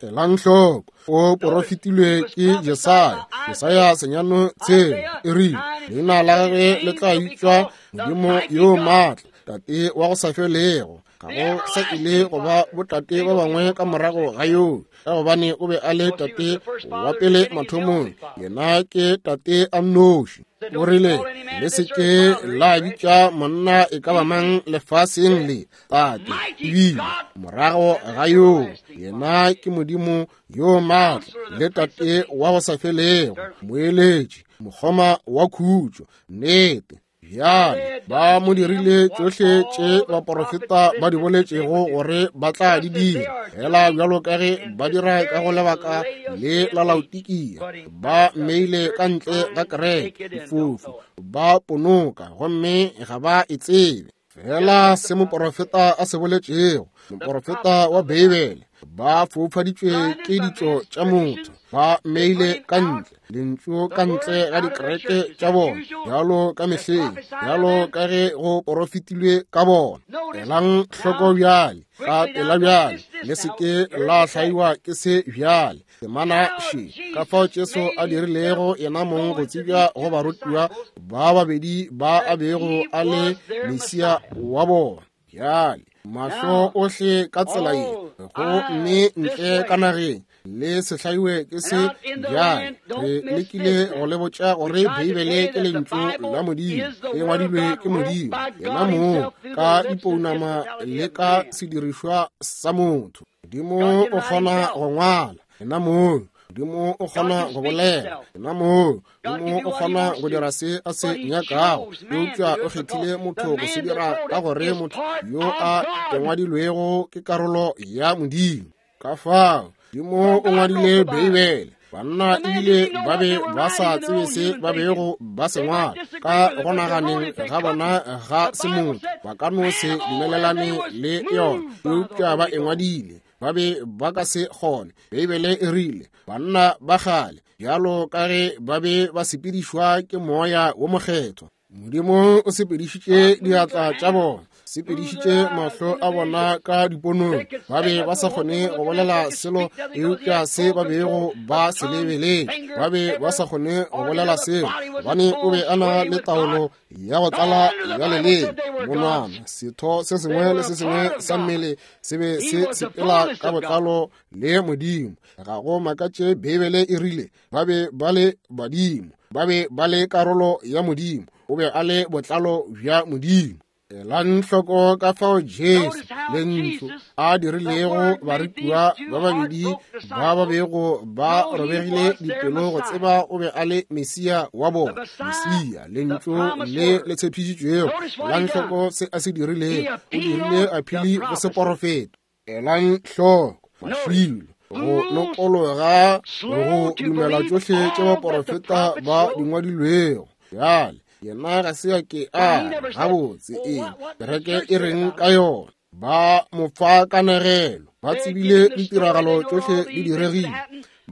Elang hloko, o porofetilwe ke Jesaya. Jesaya senyano tshela e rile, leina la gagwe le tla bitšwa Modimo yo maatla, Tate wa go sa felego. Ga go sa ile go ba botate ba bangwe ka morago ga yoo, ka gobane o be a le tate wa pele mathomong, yena ke tate a nnoši. O rile, le se ke la bitša monna e ka ba mang lefaseng le tate, ebile morago ga yoo, yena ke Modimo yo maatla le tate wa go sa felego, moeletši, mokgoma wa khutšo, nnete. Bjale ba mo dirile tšohle tše baporofeta ba di boletšego gore ba tla di dira, fela bjalo ka ge ba dira ka go lebaka le la Laodikia. Ba mmeile ka ntle ga kereke, difofu, ba ponoka gomme ga ba e tsebe. Fela se moporofeta a se boletšego, moporofeta wa Beibele, ba foufaditšwe ke ditšo tša motho, ba mmeile ka ntle, lentšu ka ntle ga dikereke tša bona, bjalo ka mehleng, bjalo ka ge go porofetilwe ka bona. Elang hloko bjale, ka pela bjale, le se ke la hlaiwa ke se bjale. Temana še, ka fao Jesu a dirilego yena mong go tsebja go barutiwa ba babedi ba a bego a le Mesia wa bona. Bjale mahlo ohle ka tsela ye, go mme ntle ka nageng, le se hlaiwe ke se. Bjale re lekile go le botša gore Beibele ke lentšu la Modimo, e ngwadilwe ke Modimo yena mong ka dipounama le ka sedirišwa sa motho. Modimo o kgona go ngwala yena mong, Modimo o kgona go bolela yena mong, Modimo o kgona go dira se a se nyakago, eupša o kgethile motho go se dira ka gore motho yo a ngwadilwego ke karolo ya Modimo. Ka fao Modimo o ngwadile Beibele. Banna ebile ba be ba sa tsebe se ba bego ba se ngwala ka go naganeng ga bona ga semotho, ba ka no se dumelelane le yona, eupša ba e ngwadile. Ba be ba ka se kgone. Beibele e rile banna ba kgale, bjalo ka ge ba be ba sepedišwa ke moya wo mokgethwa, Modimo o sepedišitše diatla tša bona, sepedišitše mahlo a bona ka diponong. Ba be ba sa kgone go bolela selo eupša se ba bego ba se lebeletše. Ba be ba sa kgone go bolela selo, gobane o be a na le taolo ya go tlala ya leleme, monwana, setho se sengwe le se sengwe sa mmele se be se sepela ka botlalo le Modimo. Ga go makatše Beibele e rile ba be ba le badimo, ba be ba le karolo ya Modimo, o be a le botlalo bja Modimo. Elang hloko ka fao Jesu lentšu a dirilego barutiwa ba babedi ba ba bego ba robegile dipelo go tseba o be a le Mesia wa bona, Mesia, lentšu le le tshepišitšwego. Elang hloko se a se dirilego, o dirile aphili go seporofeto. Elang hloko mašilo, go nokologa go dumela tšohle tše baporofeta ba di ngwadilwego. Bjale yena ga se a ke a gabotse eng kereke e reng ka yona. Ba mo fa kanegelo, ba tsebile ditiragalo tšohle di diregile,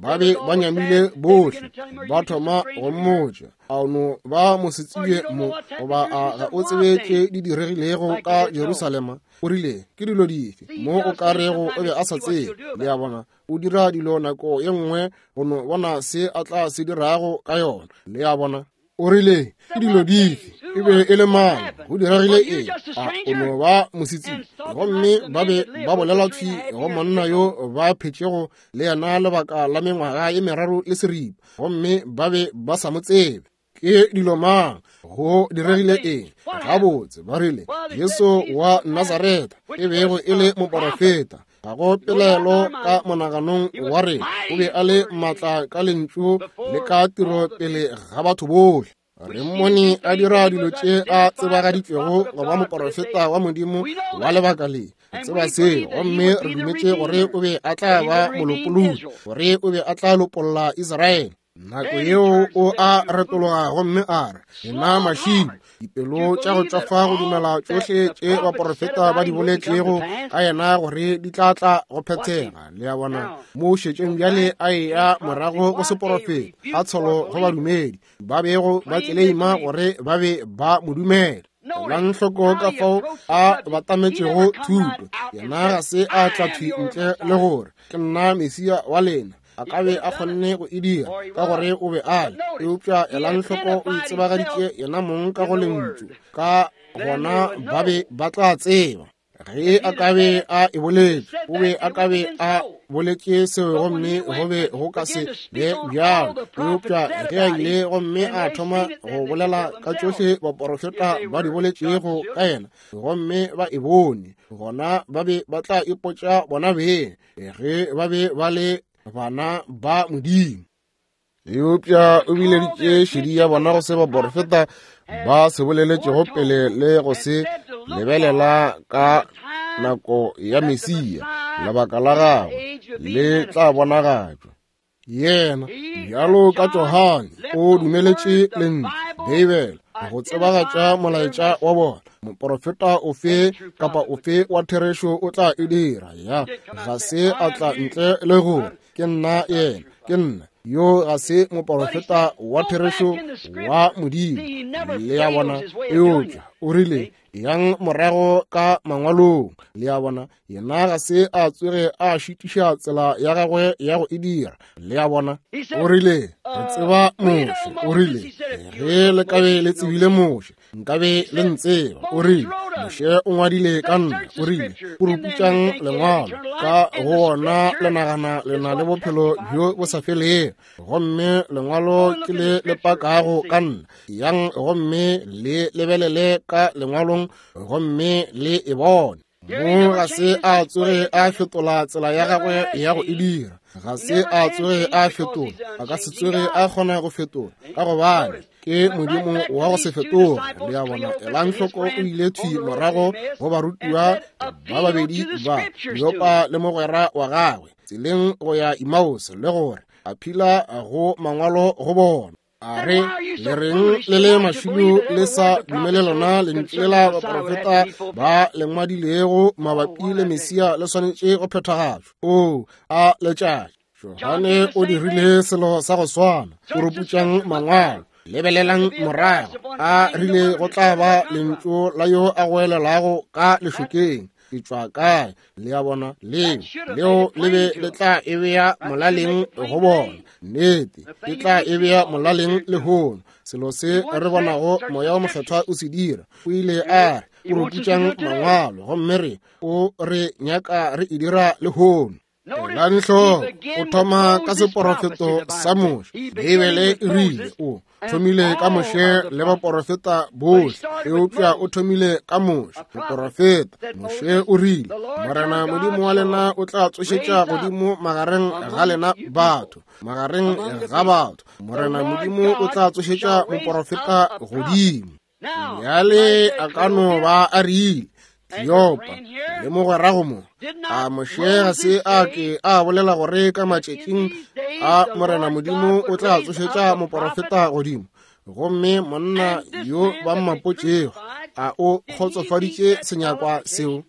Ba be ba nyamile bohle, ba thoma go mmotša, a no ba mosetsebje mo, goba a ga o tsebe tše di diregilego ka Jerusalema? O rile, ke dilo dife mo o ka rego o be a sa tsebe? Le a bona, o dira dilo nako ye nngwe go no bona se a tla se dirago ka yona. Le a bona, o rile, ke dilo dife? E be e le mang? Go diregile eng? A o no ba mosetsebje? Gomme ba be ba bolela thwi go monna yo ba phetšego le yena lebaka la mengwaga ye meraro le seripa, gomme ba be ba sa mo tsebe. Ke dilo mang? Go diregile eng? Gabotse, ba rile, Jesu wa Nazaretha e bego e le moporofeta, ga go pelaelo ka monaganong wa rena, o be a le maatla ka lentšu le ka tiro pele ga batho bohle. Re mmone a dira dilo tše a tsebagaditšwego go ba moporofeta wa Modimo wa lebaka le. Re tseba seo, gomme re dumetše gore o be a tla ba molopolodi, gore o be a tla lopolla Israele. Nako yeo o a retologa gomme a re, lena mašilo, dipelo tša go tšwafa go dumela tšohle tše baporofeta ba di boletšego ka yena gore di tla tla go phethega. Le a bona, mo šetšeng bjale a eya morago go seporofeta, a tsholo go badumedi ba bego ba tleleima gore ba be ba mo dumela. Elang hloko ka fao a batametšego thuto. Yena ga se a tla thwi ntle le gore ke nna Mesia wa lena. A ka be a kgonne go e dira ka gore o be a le, eupša elang hloko o itsebagaditše yena mong ka go lentšu, ka gona ba be ba tla tseba. Ge a ka be a e boletše, o be a ka be a boletše seo, gomme go be go ka se be bjalo. Eupša ge a ile gomme a thoma go bolela ka tšohle baporofeta ba di boletšego ka yena, gomme ba e bone, gona ba be ba tla ipotša bona beng ge ba be ba le bana ba Modimo. Eupša o bileditše šedi ya bona go se baporofeta ba se boleletšego pele le go se lebelela ka nako ya Mesia, lebaka la gagwe le tla bonagatšwa. Yena bjalo ka Johane o dumeletše lentšu Beibele go tsebagatša molaetša wa bona. Moporofeta ofe kapa ofe wa therešo o tla e dira. Ya ga se a tla ntle le gore ke nna yena, ke nna yo, ga se moporofeta wa therešo wa Modimo. Le a bona, eupša o rile, yang morago ka mangwalong. Le a bona, yena ga se a tsoge a šitiša tsela ya gagwe ya go e dira. Le a bona, o rile, re tseba Moshe. O rile, ge le ka be le tsebile Moshe, nkabe le ntseba. O rile, Moshe o ngwadile ka nna. O rile, o ruputšang lengwalo, ka go wona le nagana le na le bophelo bjo bo sa felego, gomme lengwalo ke le le pakago ka nna. Yang gomme le lebelele ka lengwalong gomme le e bone. Mo ga se a tsoge a fetola tsela ya gagwe ya go e dira. Ga se a tsoge a fetola, a ka se tsoge a kgona go fetola, ka gobane ke Modimo wa go se fetoge. Le a bona, elang hloko o ile thwi morago go barutiwa ba babedi ba, Kleopa le mogwera wa gagwe, tseleng go ya Emmaus, le gore a phila go mangwalo go bona. A re, le reng le le mašilo le sa dumele lona lentšu lela baporofeta ba le ngwadilego mabapi le Mesia le swanetše go phethagatšwa? O a letšatši. Johane o dirile selo sa go swana. O ruputšang mangwalo, lebelelang morago. A rile go tla ba lentšu la yo a goelelago ka lešokeng, ke tšwa kae? Le a bona, leo leo le be le tla e bea molaleng go bona. Nnete, e tla e bea molaleng lehono. Selo se re bonago Moya o Mokgethwa o se dira. O ile a re, o ruputšang mangwalo, gomme re o re nyaka re e dira lehono. Elang hloko, o thoma ka seporofeto sa Moshe. Beibele e rile o thomile ka Moshe le baporofeta bohle, eupša o thomile ka Moshe moporofeta. Moshe o rile, Morena Modimo wa lena o tla tsošetša godimo magareng ga lena batho, magareng ga batho. Morena Modimo o tla tsošetša moporofeta godimo. Bjale a ka no ba a rile, Kleopa le mogwerago mo, a Moshe ga se a ke a bolela gore ka matšatšing a Morena Modimo o tla tsošetša moporofeta godimo? Gomme monna yo ba mmapotšego, a o kgotsofaditše senyakwa seo?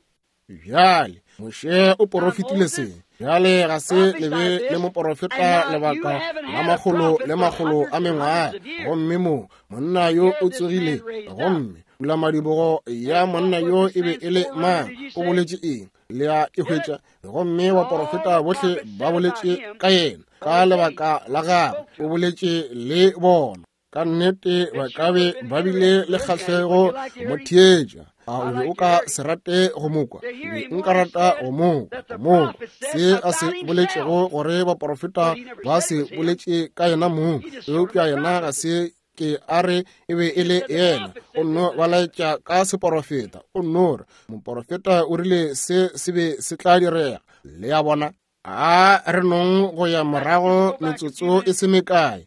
Bjale Moshe o porofetile se. Bjale ga se le be le moporofeta lebaka la makgolo le makgolo a mengwaga, gomme mo monna yo o tsogile, gomme pulamadibogo ya monna yo e be e le mang? O boletše eng? Le a e hwetša. Gomme baporofeta bohle ba boletše ka yena, ka lebaka la gagwe o boletše le bona. Ka nnete ba ka be ba bile le kgahlego mo theetša. A o be o ka se rate go mo kwa? Be nka rata go mo kwa, go mo kwa se a se boletšego, gore baporofeta ba se boletše ka yena mong, eupša yena ga se ke a re e be e le yena. O nno ba laetša ka seporofeta. O nno re moporofeta o rile se se be se tla direga. Le a bona? A re nong go ya morago metsotso e se mekae,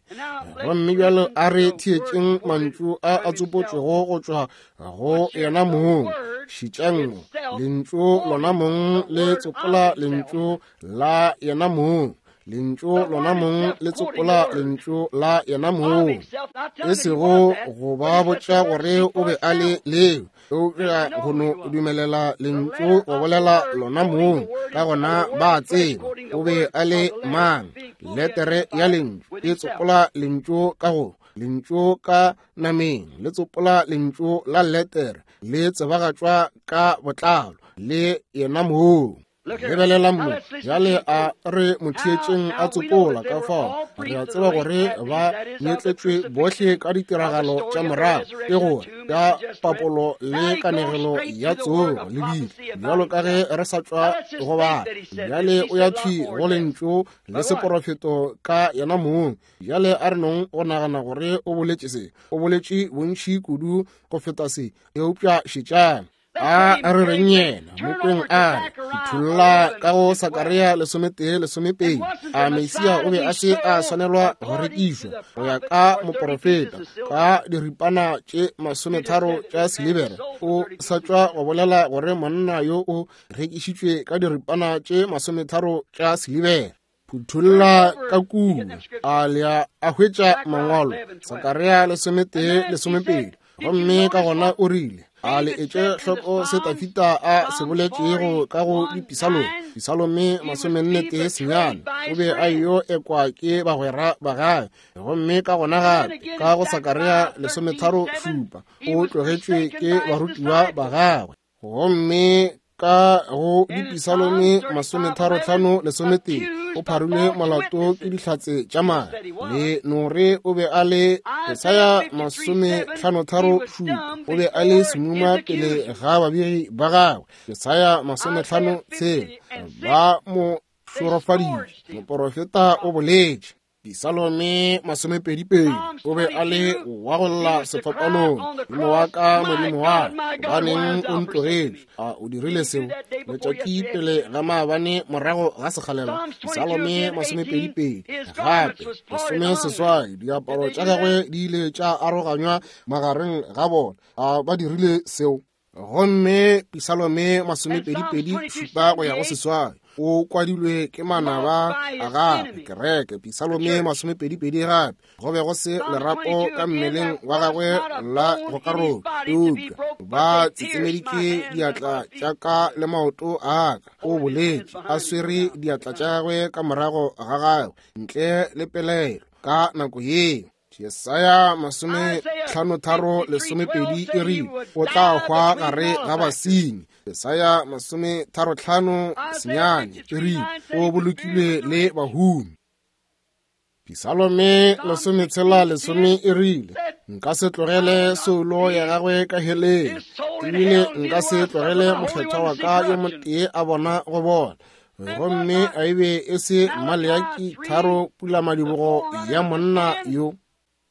gomme bjalo a re theetšeng mantšu a a tsopotšwego go tšwa go yena mong. Šitšang mo, lentšu lona mong le tsopola lentšu la yena mong. Lentšu lona mong le tsopola lentšu la yena mong. E sego go ba botša gore o be a le leo, eupša go no dumelela lentšu go bolela lona mong. Ka gona ba tseba o be a le mang. Letere ya lentšu e tsopola lentšu ka go lentšu ka nameng, le tsopola lentšu la letere, le tsebagatšwa ka botlalo le yena mong. Lebelela mo, bjale a re mo theetšeng a tsopola. Ka fao re a tseba gore ba nyetletšwe bohle ka ditiragalo tša morago, ke gore ka papolo le kanegelo ya tsogo le bile, bjalo ka ge re sa tšwa go bala. Bjale o ya thwi go lentšu le seporofeto ka yena mong. Bjale a re nong go nagana gore o boletše se, o boletše bontši kudu go feta se, eupša šetšang. A re reng yena mokweng a re phuthulla ka go Sakaria lesometee lesomepedi. A Mesia o be a se a swanelwa go rekišwa go ya ka moporofeta ka diripana tše masometharo tša silibere? O sa tšwa go bolela gore monna yo o rekišitšwe ka diripana tše masometharo tša silibere. Phuthulla ka kua, a lea a hwetša mangwalo Sakaria lesometee lesomepedi. Gomme ka gona o rile, a le etše hloko se Dafida a se boletšego ka go dipisalome, Pisalome masomenne tee senyane, o be a yo ekwa ke bagwera ba gagwe. Gomme ka gona gape ka go Sakaria lesometharo šupa, o tlogetšwe ke barutiwa ba gagwe. Gomme ka go dipisalome masometharo hlano lesometee, o pharilwe molato ke dihlatse tša madi. Le nore o be a le Jesaya masomehlanotharo šupa, o be a le semuma pele ga babegi ba gagwe. Jesaya masomehlano tshela, ba mo šorofaditše. Moporofeta o boletše. Pisalome masomepedipedi, o be a le wa go lla sefapanong. Modimo wa ka, Modimo wa ka, gobaneng o ntlogetše? A o dirile seo letšatši pele ga maabane morago ga sekgalela? Pisalome masomepedipedi gape lesomeseswai, diaparo tša gagwe di ile tša aroganywa magareng ga bona. A ba dirile seo? Gomme Pisalome masomepedipedi šupa go ya go seswai, o kwadilwe ke manaba a gagwe. Kereke Pisalome masomepedipedi gape, go be go se lerapo ka mmeleng wa gagwe la go karola, eupša ba tsetsemeditše diatla tša ka le maoto a ka. O boletše a swere diatla tša gagwe ka morago ga gagwe ntle le pelaelo ka nako yeo. Jesaya masomehlanotharo lesomepedi e rile, o tla hwa gare ga basenyi. Jesaya masometharohlano senyane e rile, o bolokilwe le bahumi. Pisalome lesometshela lesome e rile, nka se tlogele soulo ya gagwe ka heleng, ebile nka se tlogele mokgethwa wa ka yo motee a bona go bona. Gomme a ebe e se Maleaki tharo pulamadibogo ya monna yo.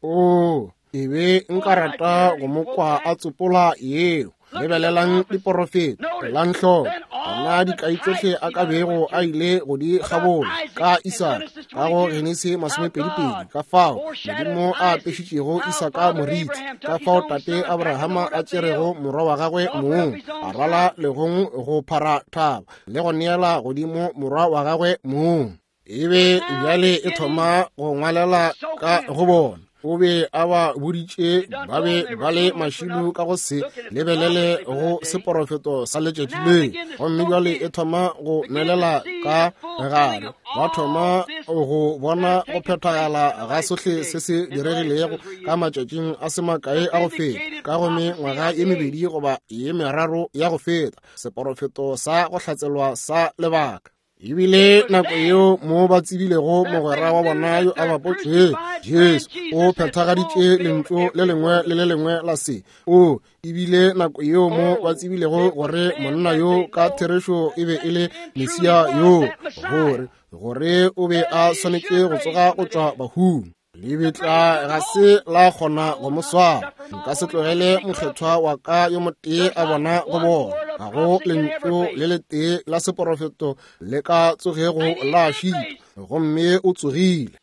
O e be nka rata go mo kwa a tsopola yeo. Lebelelang diporofeta, elang hloko gona dikai tšohle a ka bego a ile go di kgabola ka Isaka ka go Genesi masomepedipedi, ka fao Modimo a apešitšego Isaka moriti, ka fao tate Abrahama a tšerego morwa wa gagwe mong, a rwala legong go phara thaba le go neela godimo morwa wa gagwe mong. E be bjale e thoma go ngwalela ka go bona. O be a ba boditše ba be ba le mašilo ka go se lebelele go seporofeto sa letšatši le. Gomme bjale e thoma go nwelela ka gare, ba thoma go bona go phethagala ga sohle se se diregilego ka matšatšing a se makae a go feta, ka go mengwaga ye mebedi goba ye meraro ya go feta, seporofeto sa go hlatselwa sa lebaka. Ebile nako yeo mo ba tsebilego mogwera wa bona yo a bapotšwego, Jesu o phethagaditše lentšu le lengwe le le lengwe la se. O ebile nako yeo mo ba tsebilego gore monna yo ka therešo e be e le Mesia yo, gore gore o be a swanetše go tsoga go tšwa bahung. Lebitla ga se la kgona go mo swara. Nka se tlogele mokgethwa wa ka yo motee a bona go bona. Ga go lentšu le letee la seporofeto le ka tsogego la šitwa, gomme o tsogile.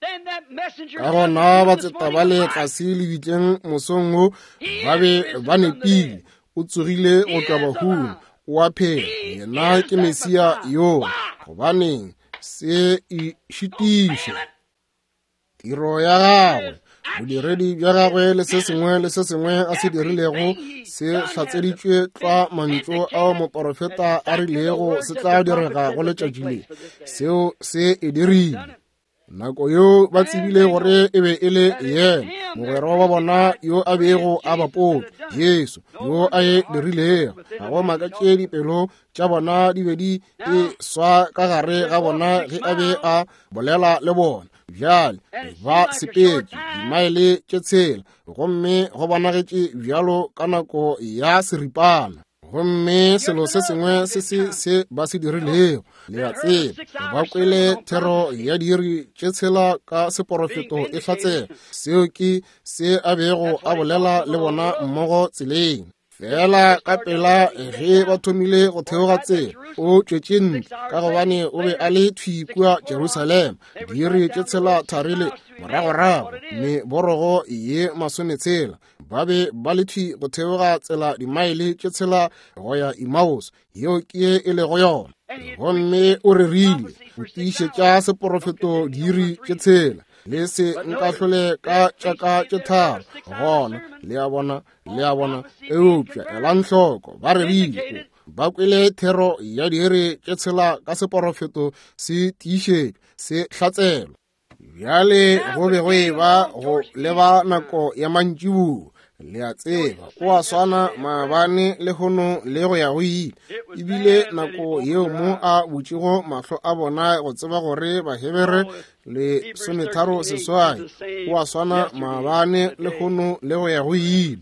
Ka gona batseta ba le tlase lebitleng mosong wo ba be ba nepile. O tsogile go tšwa bahung, o a phela. Yena ke Mesia yo. Gobaneng se e šitiše? Tiro ya gagwe, bodiredi bja gagwe le se sengwe le se sengwe a se dirilego se hlatseditšwe tlwa mantšu ao moporofeta a rilego se tla direga go letšatši le. Seo se e dirile. Nako yeo ba tsebile gore e be e le yena, mogwera wa bona yo a bego a bapotše, Jesu yo a e dirilego. Ga go makatše dipelo tša bona di be di e swa ka gare ga bona ge a be a bolela le bona. Bjale ba sepetše dimaele tše tshela, gomme go bonagetše bjalo ka nako ya seripana. Gomme selo se sengwe se se se ba se dirilego, le a tseba, ba kwele thero ya diiri tše tshela ka seporofeto e hlatsela. Seo ke se a bego a bolela le bona mmogo tseleng. Fela ka pela ge ba thomile go theoga tsela, o tšwetše ntle, ka gobane o be a le thwi kua Jerusalema. Diiri tše tshela tharile moragorago, meborogo ye masometshela, ba be ba le thwi go theoga tsela dimaele tše tshela go ya Emmaus, yeo ke ye e lego yona. Gomme o rerile go tiišetša seporofeto diiri tše tshela. Le se nkahlole ka tšaka tše tharo gona, le a bona, le a bona. Eupša elang hloko, ba rerile, ba kwele thero ya diiri tše tshela ka seporofeto se tiišetšwe, se hlatselwa. Bjale go be go e ba go leba nako ya mantšiboa. Le a tseba, o a swana maabane lehono le go ya go ile. Ebile nako yeo mo a butšego mahlo a bona go tseba gore Bahebere le sometharo seswai, o a swana maabane lehono le go ya go ile.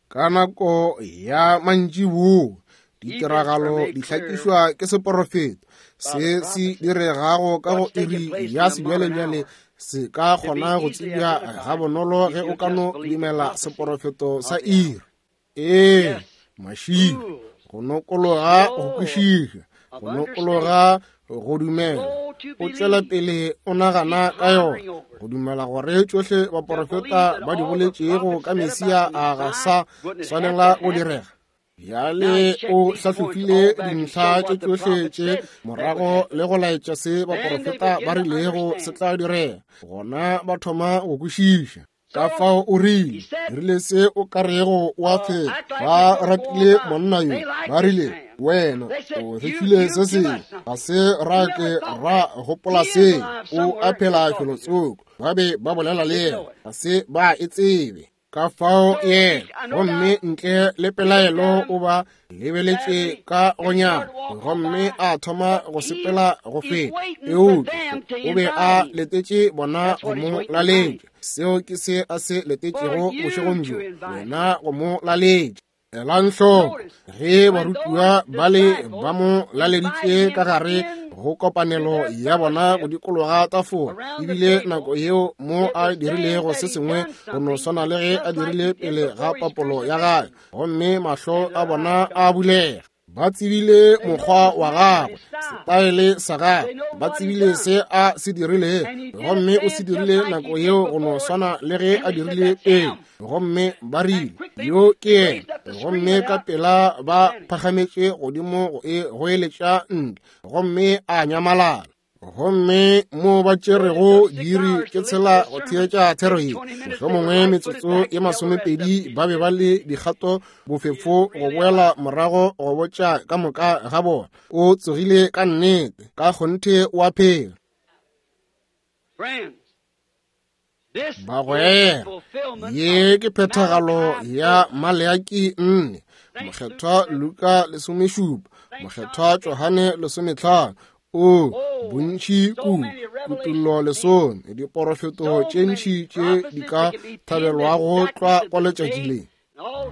Ka nako ya mantšiboa ditiragalo di hlakišwa ke seporofeto. Se se diregago ka go iri ya sebjalebjale se ka kgona go tsebja gabonolo ge o ka no dumela seporofeto sa iri. Ee, mašilo, go nokologa go kwešiša, go nokologa go dumela. O tšwela pele o nagana ka yona, go dumela gore tšohle baporofeta ba di boletšego ka Mesia a ga sa swanela go direga. Bjale o hlahlofile dintlha tše tšohle tše morago le go laetša se baporofeta ba rilego se tla direga. Gona ba thoma go kwešiša. Ka fao o rile, rile se o ka rego o a phela. Ba ratile monna yo, ba rile, wena o re file se sengwe, ga se ra ke ra gopola se, o a phela felotsoko. Ba be ba bolela le yena, ga se ba e tsebe. Ka fao yena, gomme ntle le pelaelo o ba lebeletše ka gonyana, gomme a thoma go sepela go feta. Eupša o be a letetše bona go mo laletša. Seo ke se a se letetšego bošegong bjo, wena go mo laletša. Elang hloko ge barutiwa ba le ba mo laleditše ka gare go kopanelo ya bona go dikologa tafola. Ebile nako yeo mo a dirilego se sengwe go no swana le ge a dirile pele ga papolo ya gagwe, gomme mahlo a bona a bulega. Ba tsebile mokgwa wa gagwe, setaele sa gagwe, ba tsebile se a se dirilego, gomme o se dirile nako yeo go no swana le ge a dirile pele. Gomme ba rile, yo ke yena. Gomme ka pela ba phagametše godimo go e goeletša ntle, gomme a nyamalala. Gomme mo ba tšerego diiri tše tshela go theetša thero ye, mohlomongwe metsotso ye masomepedi ba be ba le dikgato bofefo go boela morago go botša ka moka ga bona. O tsogile ka nnete, ka kgonthe o a phela. Bagwera, ye ke phethagalo ya Maleaki nne, Mokgethwa Luka lesomešupa, Mokgethwa Johane lesometlhano, o bontši kudu, Kutollo lesome, diporofeto tše ntši tše di ka thabelwago tlwa kwa letšatši le.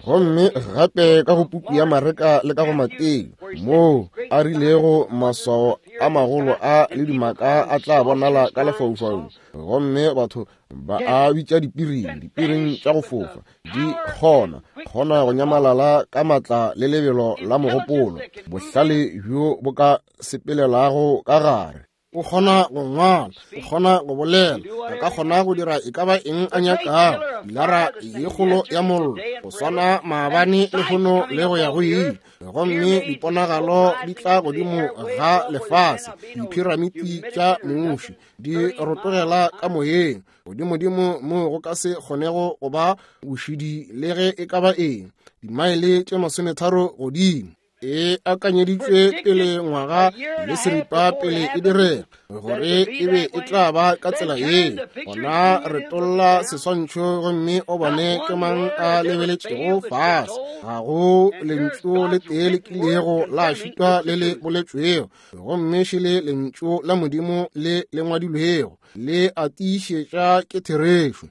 Gomme gape ka go puku ya Mareka le ka go Mateo, moo a rilego maswao a magolo a le dimaka a tla bonala ka lefaufaung, gomme batho ba a bitša dipiring, dipiring tša go fofa, di kgona kgona go nyamalala ka matla le lebelo la mogopolo, bohlale bjo bo ka sepelelago ka gare. O kgona go ngwala, o kgona go bolela, a ka kgona go dira e ka ba eng a nyakago. Pilara ye kgolo ya mollo, go swana maabane lehono le go ya go ile. Gomme diponagalo di tla godimo ga lefase, diphiramiti tša muši di rotogela ka moyeng, godimodimo mo go ka se kgonego go ba bošidi le ge e ka ba eng, dimaele tše masometharo godimo. E akanyeditšwe pele ngwaga le seripa pele e direga, gore e be e tla ba ka tsela ye. Gona re tolla seswantšho gomme o bone ke mang a lebeletšego fase. Ga go lentšu le tee le kilego la šitwa le le boletšwego, gomme šele lentšu la Modimo le le ngwadilwego le a tiišetša ke therešo.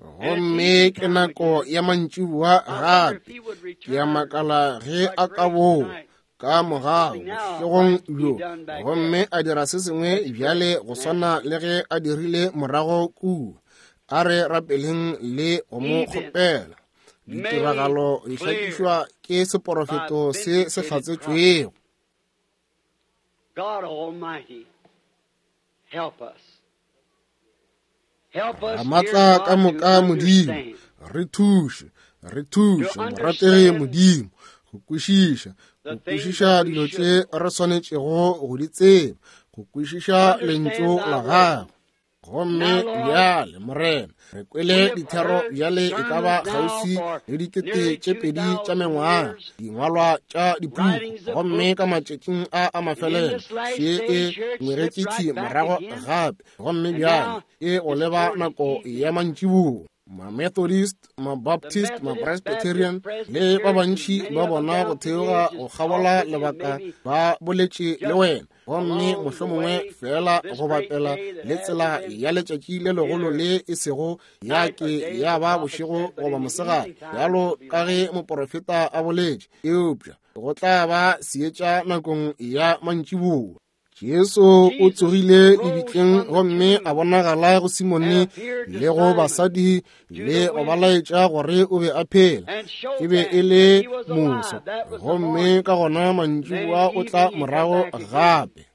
Gomme ke nako ya mantšiboa gape, ke a makala ge a ka boa ka morago bošegong bjo, gomme a dira se sengwe bjale go swana le ge a dirile morago kua. A re rapeleng le go mo kgopela. Ditiragalo di hlakišwa ke seporofeto se se hlatsetšwego. God Almighty, help us. Ramatla ka moka Modimo, re thuše, re thuše, morategi Modimo, go kwešiša, go kwešiša dilo tše re swanetšego go di tseba, go kwešiša lentšu la gago. Gomme bjale, Morena, re kwele dithero bjale e ka ba kgauswi le dikete tše pedi tša mengwaga, dingwalwa tša dipuku, gomme ka matšatšing a a mafelelo še e ngwegetše morago gape, gomme bjale e go leba nako ya mantšiboa. Ma-Methodist, ma-Baptist, ma-Presbyterian le ba bantši ba bona go theoga go kgabola lebaka ba boletše le wena, gomme mohlomongwe fela go bapela le tsela ya letšatši le legolo le e sego ya ke ya ba bošego goba mosegare, bjalo ka ge moporofeta a boletše, eupša go tla ba seetša nakong ya mantšiboa. Jesu o tsogile lebitleng gomme a bonagala go Simone le go basadi le go ba laetša gore o be a phela. E be e le moso, gomme ka gona mantšiboa o tla morago gape.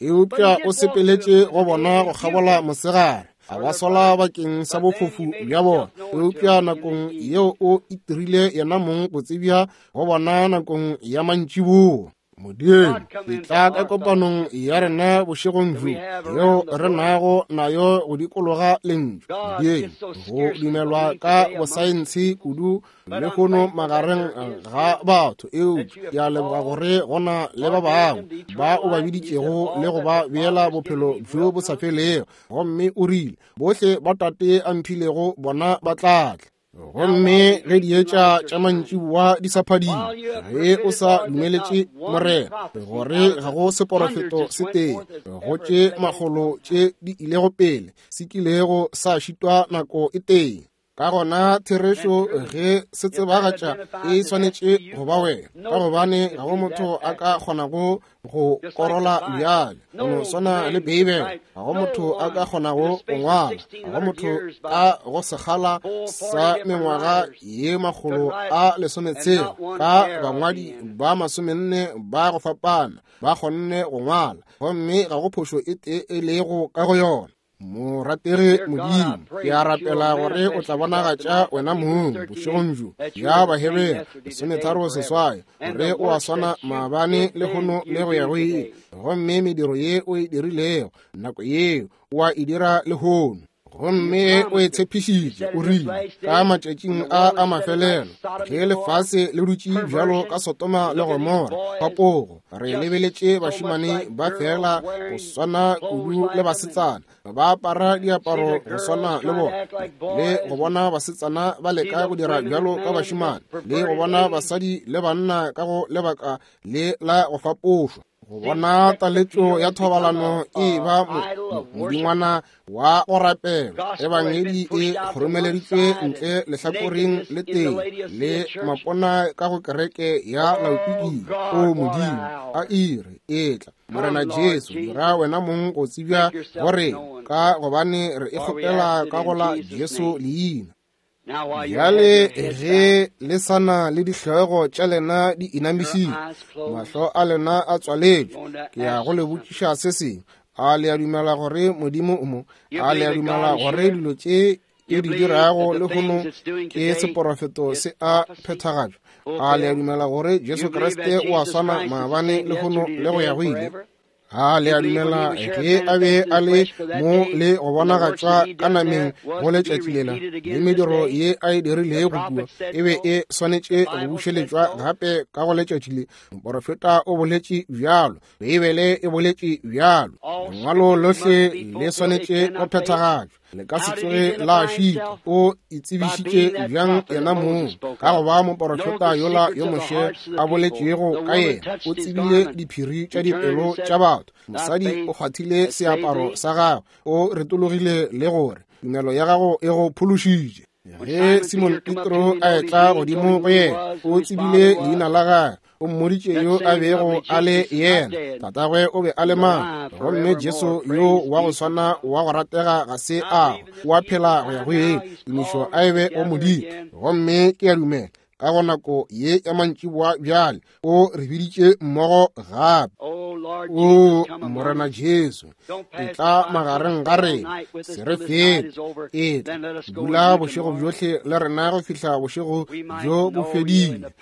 Eupša o sepeletše go bona go kgabola mosegare, a ba sola bakeng sa bofofu bja bona. Eupša nakong yeo o itirile yena mong go tsebja go bona nakong ya mantšiboa. Modimo, etla ka kopanong ya rena bošegong bjo yeo re nago nayo go dikologa lentšu. Modimo, go dumelwa ka bosaense kudu lehono magareng ga batho, eupša ke a leboga gore go na le ba bangwe ba o ba biditšego le go ba beela bophelo bjo bo sa felego. Gomme o rile, bohle ba Tate a mphilego bona ba tla tla. Gomme ge dietša tša mantšiboa di sa phadime, ge o sa dumeletše Morena gore ga go seporofeto se tee go tše makgolo tše di ilego pele se kilego sa šitwa nako e tee. Ka gona therešo ge se tsebagatša e swanetše go ba wena, ka gobane ga go motho a ka kgonago go korola bjale, go no swana le Beibele. Ga go motho a ka kgonago go ngwala, ga go motho ka go sekgala sa mengwaga ye makgolo a lesometshela ka bangwadi ba masomenne ba go fapana ba kgonne go ngwala, gomme ga go phošo e tee e lego ka go yona. Morategi Modimo, ke a rapela gore o tla bonagatša wena mong bošegong bjo ya Bahebere lesometharo seswai, gore o a swana maabane lehono le go ya go ile, gomme mediro ye o e dirilego nako yeo o a e dira lehono. Gomme o e tshepišitše, o rile ka matšatšing a a mafelelo, ge lefase le dutše bjalo ka Sodoma le Gomora, fapogo, re lebeletše bašemane ba fela go swana kudu le basetsana, ba apara diaparo go swana le bona, le go bona basetsana ba leka go dira bjalo ka bašemane, le go bona basadi le banna ka go lebaka le la go fapošwa, go bona taletšo ya thobalano e ba modingwana wa go rapela. Ebangedi e kgoromeleditšwe ntle lehlakoreng le tee le mapona ka go kereke ya Laodikia. O Modimo, a ire etla Morena Jesu, dira wena mong go tsebja gore ka gobane re e kgopela ka go la Jesu leina. Bjale ge le sana le dihlogo tša lena di inamišitše, mahlo a lena a tswaletšwe, ke ya go le botšiša se sengwe. A le a dumela gore Modimo o mo? A le a dumela gore dilo tše e di dirago lehono ke seporofeto se a phethagatšwa? A le a dumela gore Jesu Kriste o a swana maabane lehono le go ya go ile? A le a dumela ge a be a le mo le go bonagatšwa ka nameng go letšatši lela, le mediro ye a e dirilego kua e be e swanetše go bušeletšwa gape ka go letšatši le? Moporofeta o boletše bjalo, Beibele e boletše bjalo, lengwalo lohle le swanetše go phethagatšwa, le ka se tsoge la šitwa. O itsebišitše bjang yena mong ka go ba moporofeta yola yo Moshe a boletšego ka yena? O tsebile diphiri tša dipelo tša batho. Mosadi o kgwathile seaparo sa gagwe, o retologile le gore tumelo ya gago e go phološitše. Ge Simon Petro a etla godimo go yena, o tsebile leina la gagwe, o mmoditše yo a bego a le yena, tatagwe o be a le mang, gomme Jesu yo wa go swana wa go ratega ga se a wa phela go ya go ile. Tumišo a e be go Modimo. Gomme ke a dumela ka go nako ye ya mantšiboa bjale o re biditše mmogo gape. O Morena Jesu, etla magareng ga rena, se re fete, etla dula bošego bjohle le rena go fihla bošego bjo bo fedile.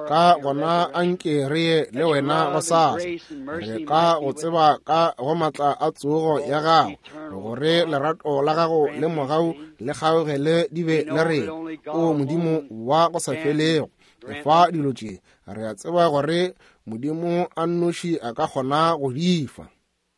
Ka gona anke re ye le wena gosasa, re ka go tseba ka go matla a tsogo ya gago, gore lerato la gago le mogau le kgaogele di be le rena. O Modimo wa go sa felego, fa dilo tše, re a tseba gore Modimo a nnoši a ka kgona go di fa.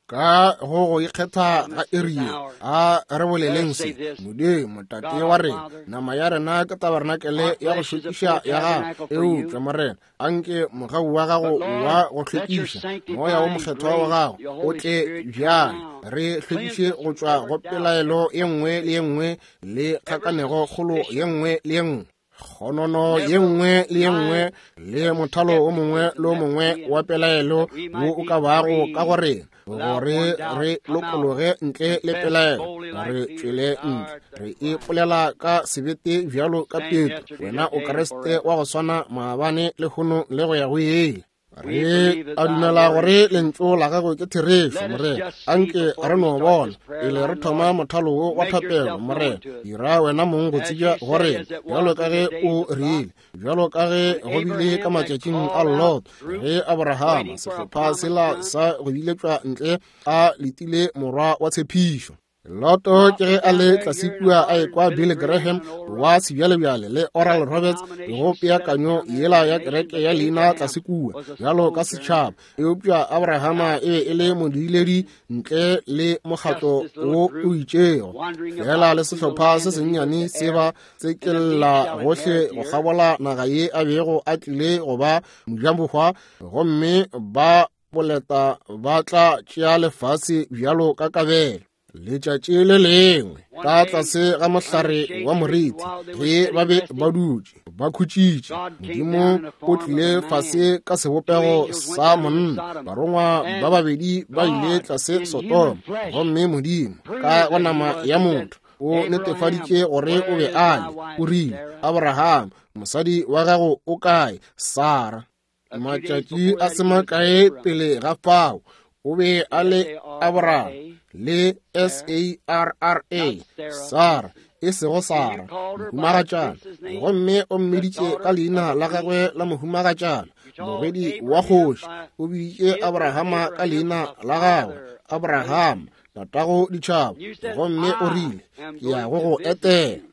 Ka go go ikgetha ga iri ye, a re boleleng se. Modimo Tate wa rena, nama ya rena ke tabernakel ya go hlwekiša ya gago, eupša Morena, anke mogau wa gago wa go hlwekiša, moya wo mokgethwa wa gago o tle bjale, re hlwekiše go tšwa go pelaelo ye nngwe le ye nngwe le kgakanego kgolo ye nngwe le ye nngwe, kgonono ye nngwe le ye nngwe le mothalo o mongwe le o mongwe wa pelaelo wo o ka bago ka go rena, gore re lokologe ntle le pelaelo, re tšwele ntle, re ipolela ka sebete bjalo ka Petro, wena o Kriste wa go swana maabane lehono le go ya go ile. Re a dumela gore lentšu la gago ke therešo, Morena. Anke re no bona pele re thoma mothalo wo wa thapelo, Morena, dira wena mong go tsebja gore bjalo ka ge o rile, bjalo ka ge go bile ka matšatšing a Lot, ge Abrahama sehlopha sela sa go biletšwa ntle a letile morwa wa tshepišo. Loto ke ge a le tlase kua a ekwa Billy Graham wa sebjalebjale le Oral Roberts go peakanyo yela ya kereke ya leina tlase kua bjalo ka setšhaba, eupša Abrahama e be e le modiledi ntle le mokgatlo wo o itšego, fela le sehlopha se sennyane se ba tsekella gohle go kgabola naga ye a bego a tlile go ba mojabohwa, gomme ba boleta ba tla tšea lefase bjalo ka kabelo. Letšatši le lengwe ka tlase ga mohlare wa moriti, ge ba be ba dutše ba khutšitše, Modimo o tlile fase ka sebopego sa monna. Barongwa ba babedi ba ile tlase Sodoma, gomme Modimo ka go nama ya motho o netefaditše gore o be a le. O rile, Abraham, mosadi wa gago o kae? Sara. Matšatši a se makae pele ga fao o be a le Abraham. le S A R R A, Sarah, e sego Sara, mohumagatšana. Gomme o mmiditše ka leina la gagwe la mohumagatšana, morwedi wa kgoši. O biditše Abrahama ka leina la gagwe, Abrahama, tatago ditšhaba. Gomme o rile, ke ya go go etela.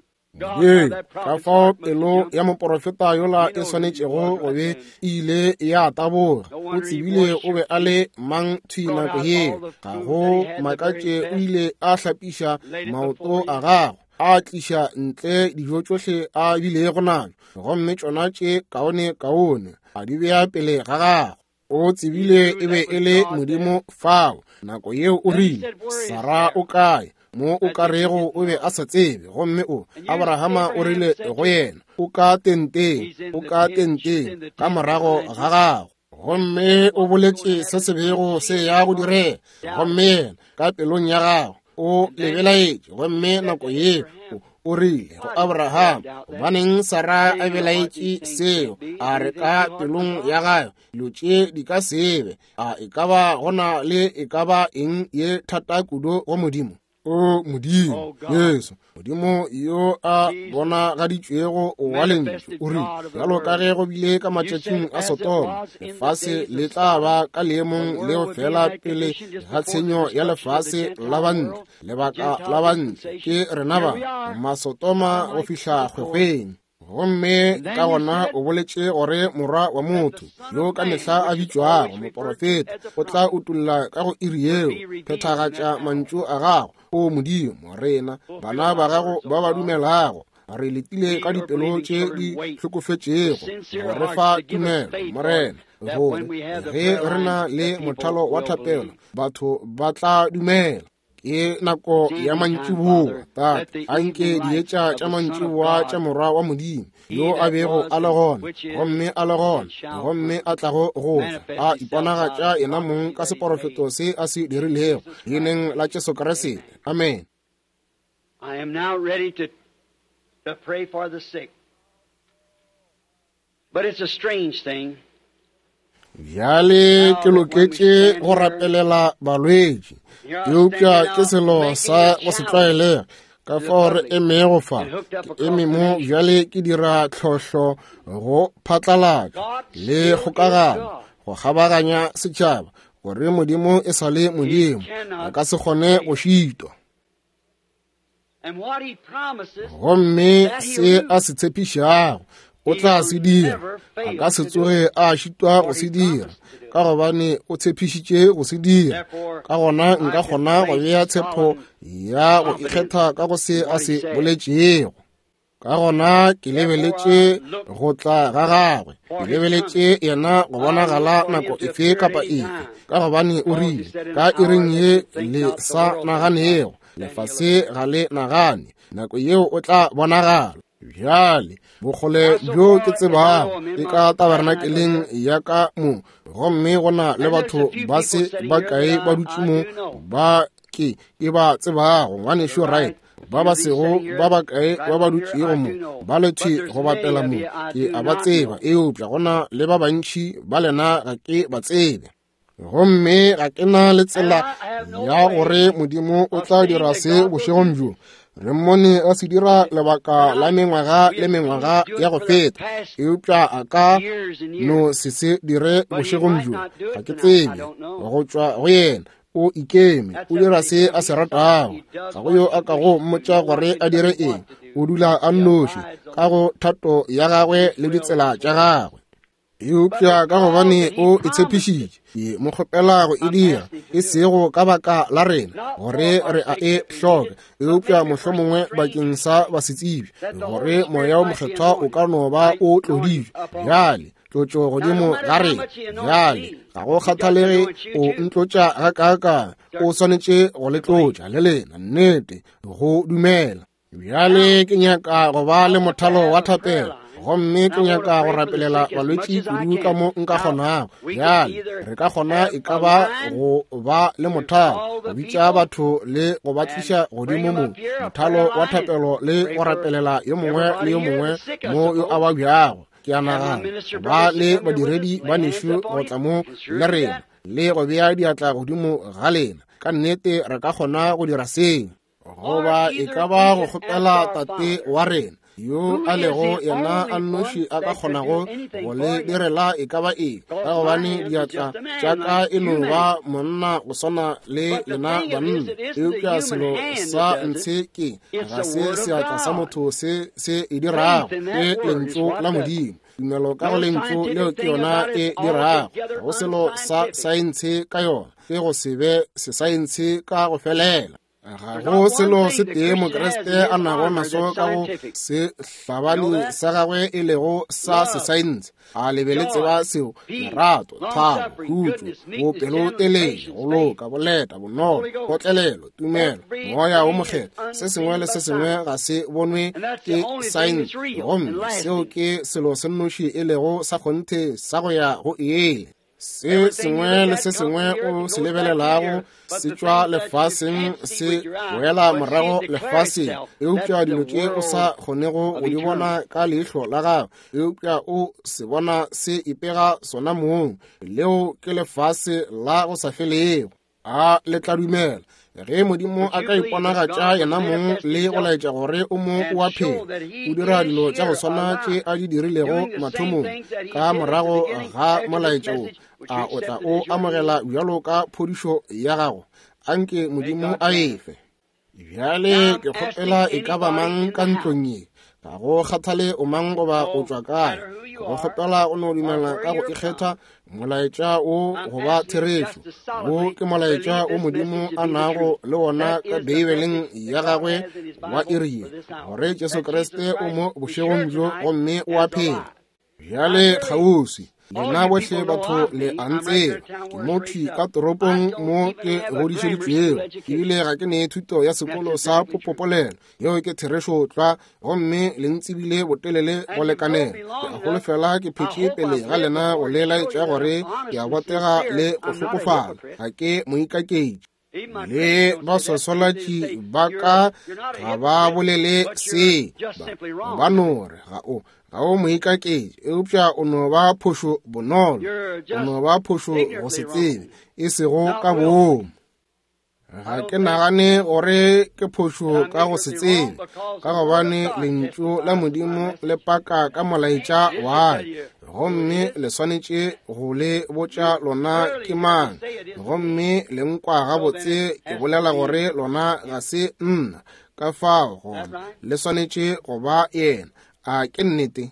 Ee, ka fao pelo ya moporofeta yola e swanetšego go be ile ya taboga. O tsebile o be a le mang thwi nako yeo. Ga go makatše o ile a hlapiša maoto a gagwe, a tliša ntle dijo tšohle a bilego najo, gomme tšona tše kaone kaone a di bea pele ga gagwe. O tsebile e be e le Modimo fao. Nako yeo o rile, Sara o kae? Mo o ka rego o be a sa tsebe. Gomme o Abrahama o rile go yena, o ka tenteng, o ka tenteng ka morago ga gago. Gomme o boletše se se bego se ya go direga. Gomme yena ka pelong ya gago o lebelaetše. Gomme nako yeo o rile go Abraham, gobaneng Sara a belaetše seo? A re ka pelong ya gagwe, dilo tše di ka se be. A e ka ba gona le e ka ba eng ye thata kudu go Modimo? O Modimo, Jesu, Modimo yo a bonagaditšwego wa lentšu, o rile, bjalo ka ge go bile ka matšatšing a Sodoma, lefase le tla ba ka leemong leo fela pele ga tshenyo ya lefase la bantle. Lebaka la bantle ke rena ba Masodoma go fihla kgwekgweng. Gomme ka gona o boletše gore morwa wa motho yo ka mehla a bitšwago moporofeta o tla utolla ka go iri yeo, phethagatša mantšu a gago. O Modimo, rena bana ba gago ba ba dumelago re letile ka dipelo tše di hlokofetšego go re fa tumelo, Morena, gore ge re na le mothalo wa thapelo batho ba tla dumela. Ke nako ya mantšiboa, Tate. Anke dietša tša mantšiboa tša morwa wa Modimo yo a bego a le gona, gomme a le gona, gomme a tlago go tla, a iponagatša yena mong ka seporofeto se a se dirilego leineng la Jesu Kriste. Amen. I am now ready to, to pray for the sick. But it's a strange thing. Bjale ke loketše go rapelela balwetši, eupša ke selo sa go se tlwaelege. Ka fao re emego fa, ke eme mo bjale ke dira tlhohlo go phatlalatša le kgokagano go kgabaganya setšhaba, gore Modimo e sa le Modimo, a ka se kgone go šitwa. Gomme se a se tshepišago o tla se dira, a ka se tsoge a šitwa go se dira, ka gobane o tshepišitše go se dira. Ka gona nka kgona go bea tshepo ya go ikgetha ka go se a se boletšego. Ka gona ke lebeletše go tla ga gagwe, ke lebeletše yena go bonagala nako efe kapa efe, ka gobane o rile, ka iring ye le sa naganego, lefase ga le nagane, nako yeo o tla bonagala. Bjale bokgole bjo ke tsebago ke ka tabernakeleng ya ka mo, gomme go na le batho ba se ba kae ba dutše mo ba ke ke ba tsebago, ngwanešu Wright, ba ba sego ba ba kae ba ba dutšego mo, ba le thwi go bapela mo, ke a ba tseba, eupša go na le ba bantši ba lena ga ke ba tsebe. Gomme ga ke na le tsela ya gore Modimo o tla dira se bošegong bjo. Re mmone a se dira lebaka la mengwaga le mengwaga ya go feta, eupša a ka no se se dire bošegong bjo. Ga ke tsebe go tšwa go yena. O ikeme, o dira se a se ratago. Ga go yo a ka go mmotša gore a dire eng. O dula a nnoši ka go thato ya gagwe le ditsela tša gagwe. Eupša ka gobane o e tshepišitše, ke mo kgopela go e dira, e sego ka baka la rena gore re a e hloka, eupša mohlomongwe bakeng sa basetsebje, gore moya o mokgethwa o ka no ba o tloditšwe bjale, tlotšo godimo ga rena bjale. Ga go kgathalege o ntlotša gakaakang, o swanetše go le tlotša le lena, nnete, go dumela. Bjale ke nyaka go ba le mothalo wa thapelo, gomme ke nyaka go rapelela balwetši kudu ka mo nka kgonago. Bjale re ka kgona e ka ba go ba le mothalo, go bitša batho le go ba tliša godimo mo, mothalo wa thapelo le go rapelela yo mongwe le yo mongwe mo yo a babjago. Ke a nagana ba le badiredi ba nešo go tla mo le rena le go bea diatla godimo ga lena. Ka nnete re ka kgona go dira seo. Goba e ka ba go kgopela Tate wa rena, yo a lego yena a nnoši a ka kgonago go le direla e ka ba eng, ka gobane diatla tša ka e no ba monna go swana le lena banna. Eupša selo sa ntshe ke ga se seatla sa motho se se e dirago, ke lentšu la Modimo. Tumelo ka go lentšu leo ke yona e dirago. Ga go selo sa saense ka yona, ke go se be sesaense ka go felela. Ga go selo se tee Mokriste a nago naso ka go se hlabani sa gagwe e lego sa sesaense. A le be le tseba seo? Lerato, thabo, khutšo, bopelotelele, go loka, boleta, bonolo, kgotlelelo, tumelo, Moya wo Mokgethwa. Se sengwe le se sengwe ga se bonwe ke saense, gomme seo ke selo se nnoši e lego sa kgonthe sa go ya go ele. Se sengwe le se sengwe o se lebelelago se tšwa lefaseng se boela morago lefaseng, eupša dilo tše o sa kgonego go di bona ka leihlo la gago, eupša o se bona se ipega sona mong, leo ke lefase la go sa felego. A le tla dumela ge Modimo a ka iponagatša yena mong le go laetša gore o mo o a phela, o dira dilo tša go swana tše a di dirilego mathomong ka morago ga molaetša wo, a o tla o amogela bjalo ka phodišo ya gago? Anke Modimo a efe. Bjale ke kgopela e ka ba mang ka ntlong ye, ga go kgathale o mang goba o tšwa kae, go kgopela o no dumela ka go ikgetha molaetša wo go ba therešo. Wo ke molaetša wo Modimo a nago le wona ka Beibeleng ya gagwe wa iri ye, gore Jesu Kriste o mo bošegong bjo gomme o a phela. Bjale kgauswi lena bohle batho le a ntseba, ke mo thwi ka toropong mo ke godišeditšwego, ebile ga ke ne thuto ya sekolo sa popopolelo. Yeo ke therešo tlwa, gomme le ntsebile botelele go lekanela. Ke a holofela ke phetše pele ga lena go le laetša gore ke a botega le go hlokofala, ga ke moikaketši. Le baswaswalatši ba ka ga ba bolele se, ba no re ga o ga o moikaketši, eupša o no ba phošo bonolo, o no ba phošo go se tsebe, e sego ka boomo. Ga ke nagane gore ke phošo ka go se tsebe, ka gobane lentšu la Modimo le paka ka molaetša wa, gomme le swanetše go le botša lona ke mang, gomme le nkwa gabotse ke bolela gore lona ga se nna, ka fao gona le swanetše go ba yena. A ke nnete?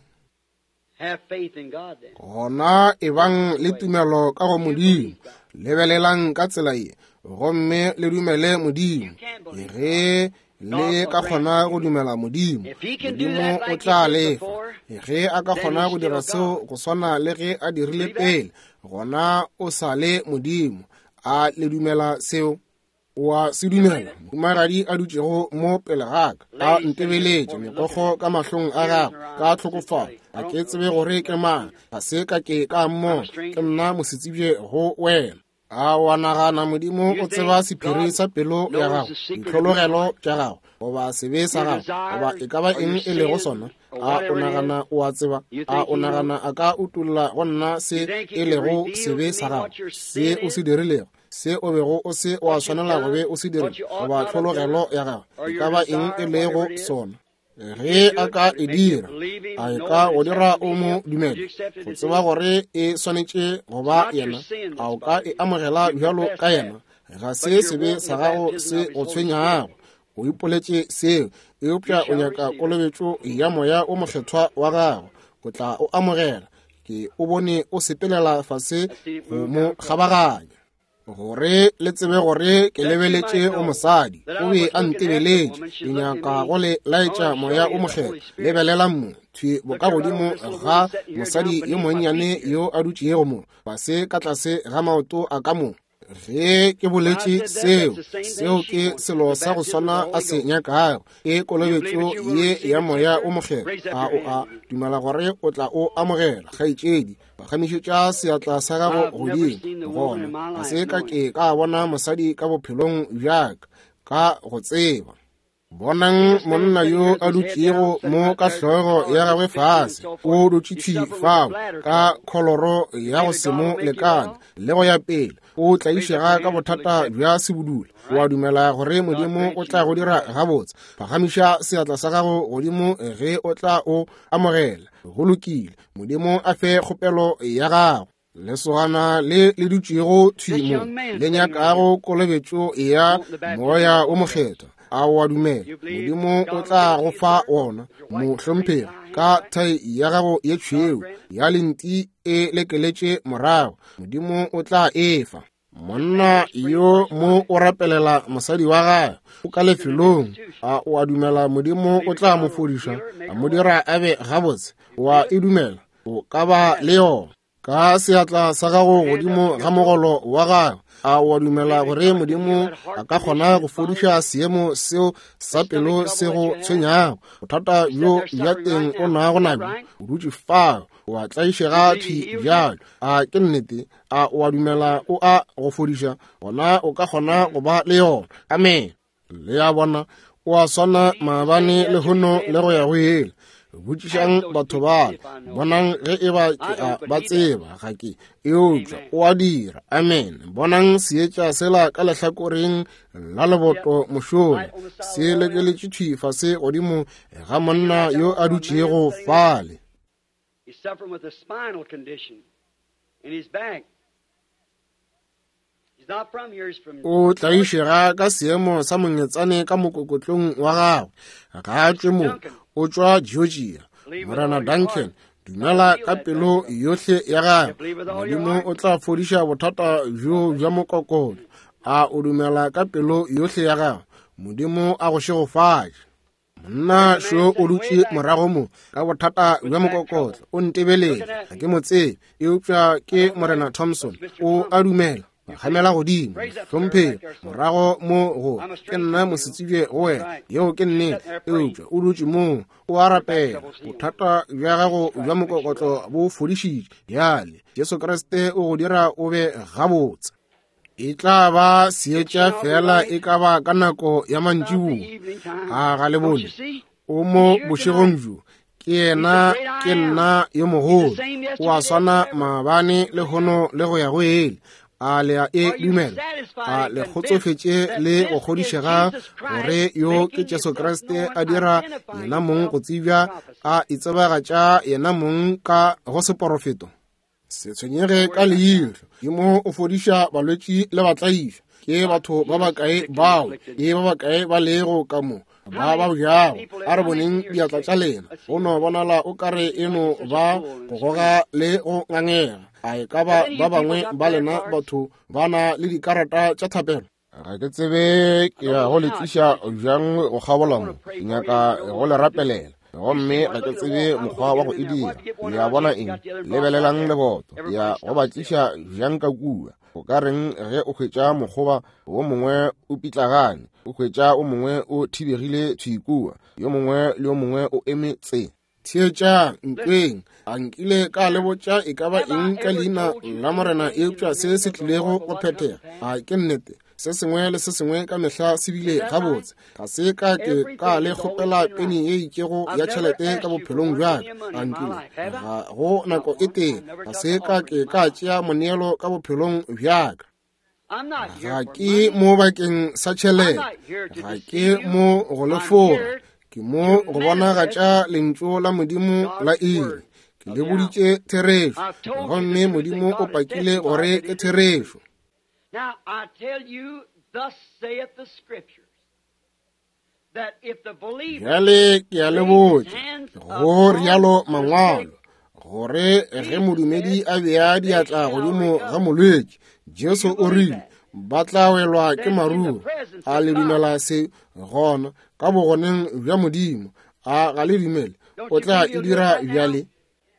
Gona ebang le tumelo ka go Modimo, lebelelang ka tsela ye, gomme le dumele Modimo. Ge le ka kgona go dumela Modimo, Modimo o tla lefa. Ge a ka kgona go dira seo go swana le ge a dirile pele, gona o sa le Modimo. A le dumela seo? O a se dumela? Mohumagadi a dutšego mo pele ga ka, a ntebeletše megokgo ka mahlong a gagwe ka tlhokofalo. Ga ke tsebe gore ke mang, ga se ka ke ka mmona, ke nna mosetsebje go wena. A wa nagana Modimo o tseba sephiri sa pelo ya gago, ditlhologelo tša gago, goba sebe sa gago, goba e ka ba eng e lego sona? A o nagana o a tseba? A o nagana a ka utolla go nna se e lego sebe sa gago, se o se dirilego, se o bego o se wa swanela go be o se dirile, goba tlhologelo ya gago, e ka ba eng e lego sona? Ge a ka e dira, a e ka go dira o mo dumele, go tseba gore e swanetše go ba yena? A o ka e amogela bjalo ka yena? Ga se sebe sa gago se go tshwenyago, o ipoletše seo, eupša o nyaka kolobetšo ya Moya o Mokgethwa wa gago, o tla o amogela. Ke o bone o sepelela fase go mo kgabaganya, gore le tsebe gore ke lebeletše o mosadi, o be a ntebeletše. Ke nyaka go le laetša Moya o Mokgethwa. Lebelela mo thwi bokagodimo ga mosadi yo monnyane yo a dutšego mo, fase ka tlase ga maoto a ka mo. Ge ke boletše seo, seo ke selo sa go swana a se nyakago, ke kolobetšo ye ya Moya o Mokgethwa. A o a dumela gore o tla o amogela, kgaetšedi? Phagamišetša seatla sa gago godimo. Gona ga se ka ke ka bona mosadi ka bophelong bja ka, ka go tseba. Bonang monna yo a dutšego mo ka hlogo ya gagwe fase, o dutše thwi fao ka kholoro ya go se mo lekane le go ya pele, o tlaišega ka bothata bja sebudula. O a dumela gore Modimo o tla go dira gabotse? Phagamiša seatla sa gago godimo ge o tla o amogela. Go lokile, Modimo a fe kgopelo ya gago. Lesogana le le dutšego thwi mo le nyakago kolobetšo ya Moya o Mokgethwa, a o a dumela Modimo o tla go fa wona? Mohlomphegi, ka thai ya gago ye tšhweu ya lenti e lekeletše morago, Modimo o tla e fa. Monna yo mo o rapelela mosadi wa gagwe, o ka lefelong, a o a dumela Modimo o tla mo fodiša, a mo dira a be gabotse? O a e dumela? O ka ba le yona. Ka seatla sa gago godimo ga mogolo wa gago, a o a dumela gore Modimo a ka kgona go fodiša seemo seo sa pelo se go tshwenyago? Bothata bjo bja teng o nago nabjo, o dutše fao, o a tlaišega thwi bjalo. A ke nnete? A o a dumela o a go fodiša? Gona o ka kgona go ba le yona. Amen. Le a bona, o a swana maabane lehono le go ya go ile. Botšišang batho ba, bonang ge e ba ke a ba tseba, ga ke, eupša o a dira. Amen. Bonang seetša sela ka lehlakoreng la leboto mošola, se lekeletše thwi fase godimo ga monna yo a dutšego fale. He's suffering with a spinal condition in his back. He's not from here, he's from O tlaišega ka seemo sa mongetsane ka mokokotlong wa gagwe. Ga a tšwe mo, o tšwa Georgia. Morena Duncan, dumela ka pelo yohle ya gagwe, Modimo o tla fodiša bothata bjo bja mokokotlo. A o dumela ka pelo yohle ya gagwe? Modimo a go šegofatše. Monna šo o dutše morago mo ka bothata bja mokokotlo, o ntebeletše, ga ke mo tsebe, eupša ke Morena Thompson. O a dumela? Phagamela godimo, hlomphegi, morago mo go ke nna mosetsebje go wena, yeo ke nnete, eupša o dutše moo o a rapela. Bothata bja gago bja mokokotlo bo fodišitše bjale. Jesu Kriste o go dira o be gabotse. E tla ba seetša fela e ka ba ka nako ya mantšiboa. A ga le bone? O mo bošegong bjo. Ke yena, ke nna yo mogolo. O a swana maabane lehono le go ya go ile. A le a e dumela? A le kgotsofetše le go kgodišega gore yo ke Jesu Kriste a dira yena mong go tsebja, a itsebagatša yena mong ka go seporofeto? Se tshwenyege ka leihlo. Modimo o fodiša balwetši le batlaišwa. Ke batho ba bakae bao, ke ba bakae ba lego ka mo ba ba bjago? A re boneng diatla tša lena. Go no bonala o kare e no ba go goga le go ngangega. A e ka ba ba bangwe ba lena batho ba na le dikarata tša thapelo? Ga ke tsebe ke ya go le tliša bjang go kgabola mo. Ke nyaka go le rapelela, gomme ga ke tsebe mokgwa wa go e dira. Le a bona eng? Lebelelang leboto. Ke ya go ba tliša bjang ka kua? O ka reng ge o hwetša mokgoba wo mongwe o pitlagane, o hwetša o mongwe o thibegile thwi kua, yo mongwe le yo mongwe o eme tse? Theetšang ntweng, a nkile ka le botša e ka ba eng ka leina la Morena eupša se se tlilego go phethega? A ke nnete? Se sengwe le se sengwe ka mehla se bile gabotse. Ga se ka ke ka le kgopela peni ye itšego ya tšhelete ka bophelong bja ka. A nkile ga go nako e tee ga se ka ke ka tšea moneelo ka bophelong bja ka. Ga ke mo bakeng sa tšhelete, ga ke mo go le fora, ke mo go bonagatša lentšu la Modimo la iri. Ke le boditše therešo, gomme Modimo o pakile gore ke therešo. Now I tell you, thus saith the scriptures, that if the believer Bjale ke a le botša, go rialo mangwalo, gore ge modumedi a bea diatla godimo ga molwetši, Jesu o rile, ba tla welwa ke maruru. A le dumela se? Gona ka bogoneng bja Modimo. A ga le dumele? O tla e dira bjale.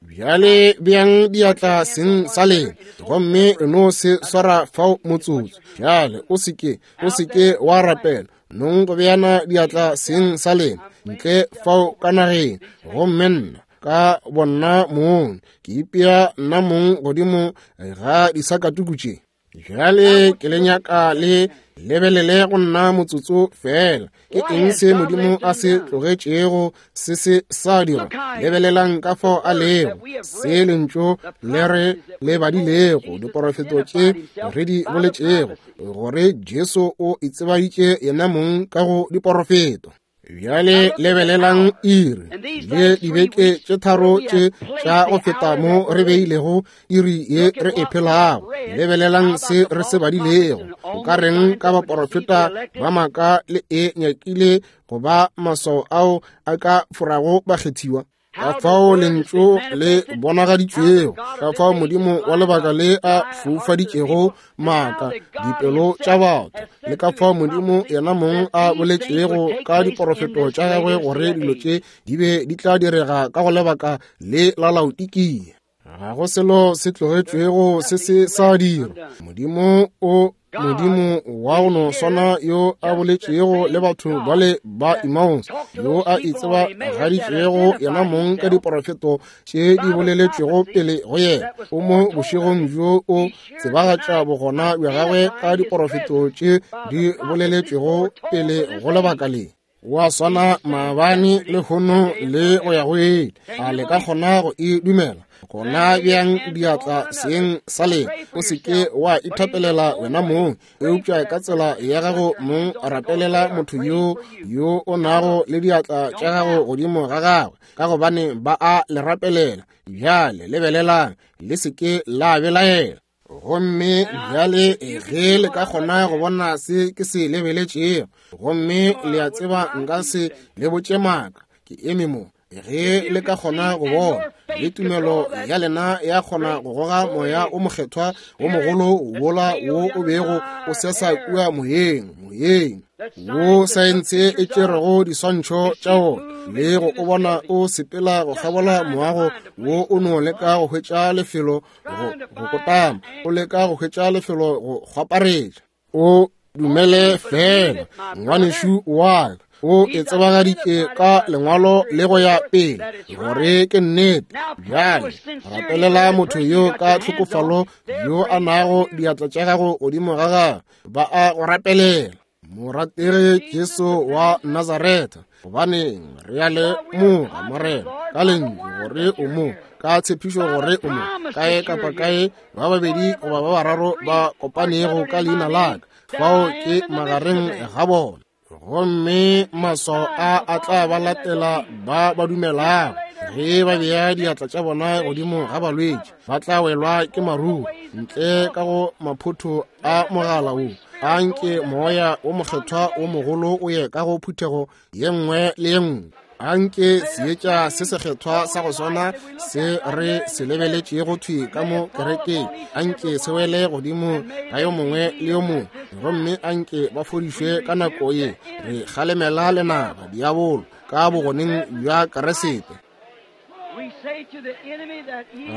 Bjale beang diatla seng sa lena, gomme no se swara fao motsotso. Bjale o se ke, o se ke wa rapela, nong go beana diatla seng sa lena ntle fao ka nageng, gomme nna ka bonna mong ke ipea nna mong godimo ga disakatuku tše. Bjale ke le nyaka le lebelele go nna motsotso fela. Ke eng se Modimo a se tlogetšego se se sa dira? Lebelelang ka fao a lego, se lentšu le re le badilego, diporofeto tše re di boletšego, gore Jesu o itsebaditše yena mong ka go diporofeto. Bjale lebelelang iri le dibeke tše tharo tše tša go feta mo re beilego iri ye re e phelago. Lebelelang se re se badilego. O ka reng ka baporofeta ba maaka le e nyakile go ba maswao ao a ka forago bakgethiwa? Ka fao lentšu le bonagaditšwego, ka fao Modimo wa lebaka le a foufaditšego maaka dipelo tša batho, le ka fao Modimo yena mong a boletšego ka diporofeto tša gagwe gore dilo tše di be di tla direga ka go lebaka le la Laodikia. Ga go selo se tlogetšwego se se sa dirwa. Modimo o Modimo wa go no swana yo a boletšego le batho bale ba Emmaus, yo a itsebagaditšego yena mong ka diporofeto tše di boleletšwego pele go yena, o mo bošegong bjo o tsebagatša bogona bja gagwe ka diporofeto tše di boleletšwego pele go lebaka le. Wa swana maabane lehono le go ya go ile. A le ka kgona go e dumela? Gona bjang diatla seng sa lena. O se ke wa ithapelela wena mong, eupša ka tsela ya gago mong rapelela motho yo yo o nago le diatla tša gago godimo ga gagwe, ka gobane ba a le rapelela. Bjale lebelelang, le se ke la belaela. Gomme bjale ge le ka kgona go bona se ke se lebeletšego, gomme le a tseba nka se le botše maaka, ke eme mo. Ge le ka kgona go bona, le tumelo ya lena ya kgona go goga moya o mokgethwa o mogolo wola wo o bego o sesa kua moyeng, moyeng wo saense e tšerego diswantšho tša wona, le go o bona o sepela go kgabola moago wo o no leka go hwetša lefelo go go kotama, o leka go hwetša lefelo go kgwaparetša. O dumele fela, ngwanešu wa ka, o e tsebagaditše ka lengwalo le go ya pele gore ke nnete. Bjale rapelela motho yo ka tlhokofalo yo a nago diatla tša gago godimo ga gagwe, ba a go rapelela. Morategi Jesu wa Nazaretha, gobaneng re a lemoga, Morena, ka lentšu gore o mo, ka tshepišo gore o mo, kae kapa kae ba babedi goba ba bararo ba kopanego ka leina la ka, fao ke magareng ga bona. Gomme maswao a a tla ba latela ba ba dumelago. Ge ba bea diatla tša bona godimo ga balwetši, ba tla welwa ke maruru ntle ka go maphotho a mogala wo. A nke moya o mokgethwa o mogolo o ye ka go phuthego ye nngwe le ye nngwe. A nke seetša se sekgethwa sa go swana se re se lebeletšego thwi ka mo kerekeng, a nke se wele godimo ga yo mongwe le yo mongwe, gomme a nke ba fodišwe ka nako ye. Re kgalemela lenaba diabolo ka bogoneng bja Keresete.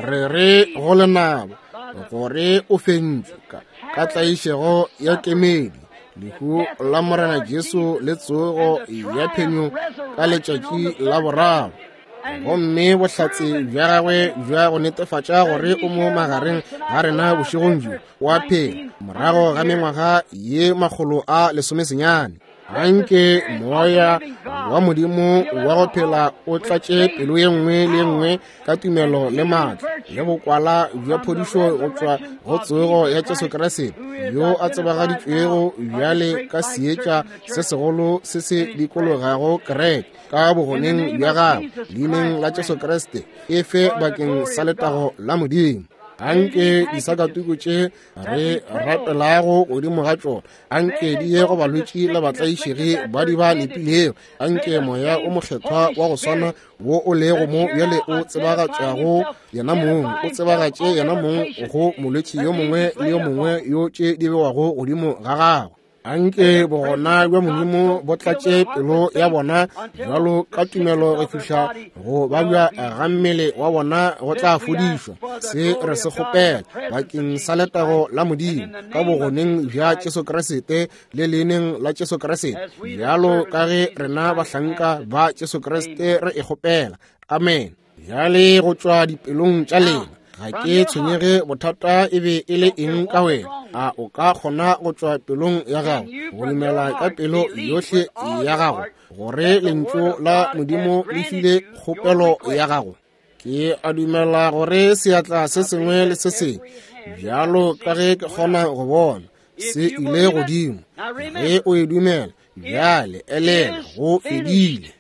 Re re go lenaba gore o fentšwe ka tlaišego ya kemedi, lehu la Morena Jesu le tsogo ya phenyo ka letšatši la boraro, gomme bohlatse bja gagwe bja go netefatša gore o mo magareng ga rena bošegong bjo wa phela morago ga mengwaga ye makgolo a lesomesenyane. Anke moya wa Modimo wa go phela o tlatše pelo ye nngwe le ye nngwe ka tumelo le maatla le bokwala bja phodišo go tšwa go tsogo ya Jesu Kriste, yo a tsebagaditšwego bjale ka seetša se segolo se se dikologago kereke ka bogoneng bja gagwe, leineng la Jesu Kriste, e fe bakeng sa letago la Modimo. Anke disakatuku tše re rapelago godimo ga tšona, anke di ye go balwetši le batlaišegi ba di ba lepilego. Anke moya o mokgethwa wa go swana wo o lego mo bjale o tsebagatšago yena mong, o tsebagatše yena mong go molwetši yo mongwe le yo mongwe yo tše di bewago godimo ga gagwe. Anke bogona bja Modimo bo tlatše pelo ya bona bjalo ka tumelo go fihla go babja ga mmele wa bona go tla fodišwa. Se re se kgopela bakeng sa letago la Modimo ka bogoneng bja Jesu Kriste le leineng la Jesu Kriste, bjalo ka ge rena bahlanka ba Jesu Kriste re e kgopela. Amen. Bjale go tšwa dipelong tša lena, Ga ke tshwenyege bothata e be e le eng ka wena. A o ka kgona go tšwa pelong ya gago, go dumela ka pelo yohle ya gago, gore lentšu la Modimo le file kgopelo ya gago? Ke a dumela gore seatla se sengwe le se sengwe, bjalo ka ge ke kgona go bona, se ile godimo. Ge o e dumela, bjale elela, go fedile.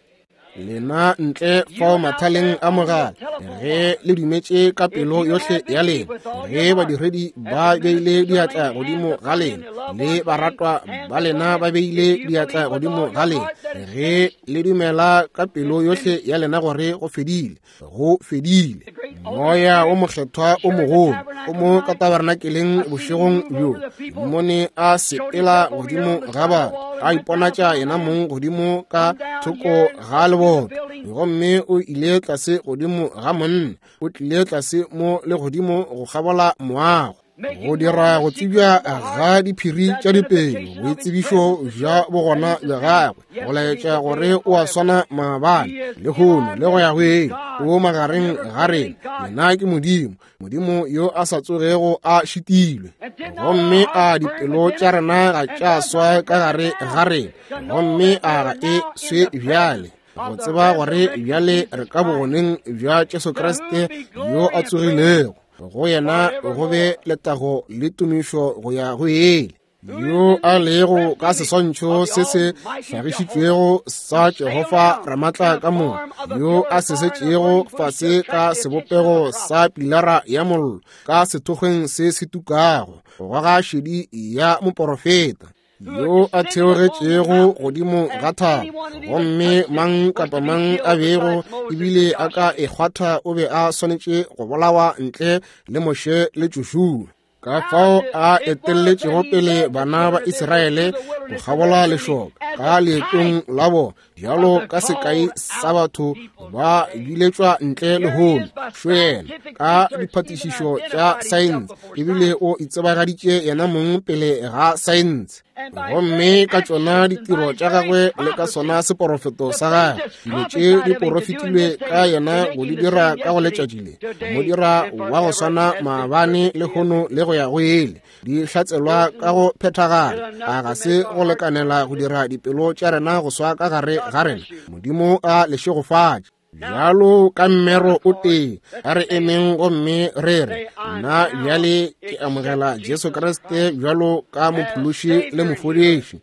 Lena ntle fao mathaleng a mogala, ge le dumetše ka pelo yohle ya lena, ge badiredi ba beile diatla godimo ga lena, le baratwa ba lena ba beile diatla godimo ga lena, ge le dumela ka pelo yohle ya lena gore go fedile, go fedile. Moya o mokgethwa o mogolo o mo ka tabernakeleng bošegong bjo, mmone a sepela godimo ga batho, a iponatša yena mong godimo ka thoko ga leboto, gomme o ile tlase godimo ga monna, o tlile tlase mo le godimo go kgabola moago, go dira go tsebja ga diphiri tša dipelo, boitsebišo bja bogona bja gagwe, go laetša gore o a swana maabane, lehono le go ya go ile. O magareng ga rena. Yena ke Modimo, Modimo yo a sa tsogego a šitilwe. Gomme a dipelo tša rena ga tša swa ka gare ga rena, gomme a ga e swe bjale, go tseba gore bjale re ka bogoneng bja Jesu Kriste yo a tsogilego. Go yena go be letago le tumišo go ya go ile, yo a lego ka seswantšho se se hlagišitšwego sa Jehofa Ramatla ka moka, yo a se setšego fase ka sebopego sa pilara ya mollo ka sethokgweng se se tukago, go goga šedi ya moporofeta, yo a theogetšego godimo ga thaba, gomme mang kapa mang a bego ebile a ka e kgwatha o be a swanetše go bolawa ntle le Moshe le Joshua. Ka fao a etelletšego pele bana ba Israele go kgabola lešoka ka leetong la bona, bjalo ka sekai sa batho ba biletšwa ntle lehono. Šo yena ka diphatišišo tša saense, ebile o itsebagaditše yena mong pele ga saense, gomme ka tšona ditiro tša gagwe le ka sona seporofeto sa gagwe, dilo tše di porofetilwe ka yena go di dira ka go letšatši le, mo dira wa go swana maabane, lehono le go ya go ile, di hlatselwa ka go phethagala. A ga se go lekanela go dira dipelo tša rena go swa ka gare ga rena? Modimo a le šegofatše. Bjalo ka mmero o tee, a re emeng gomme re re, nna bjale ke amogela Jesu Kriste bjalo ka mophološi le mofodiši,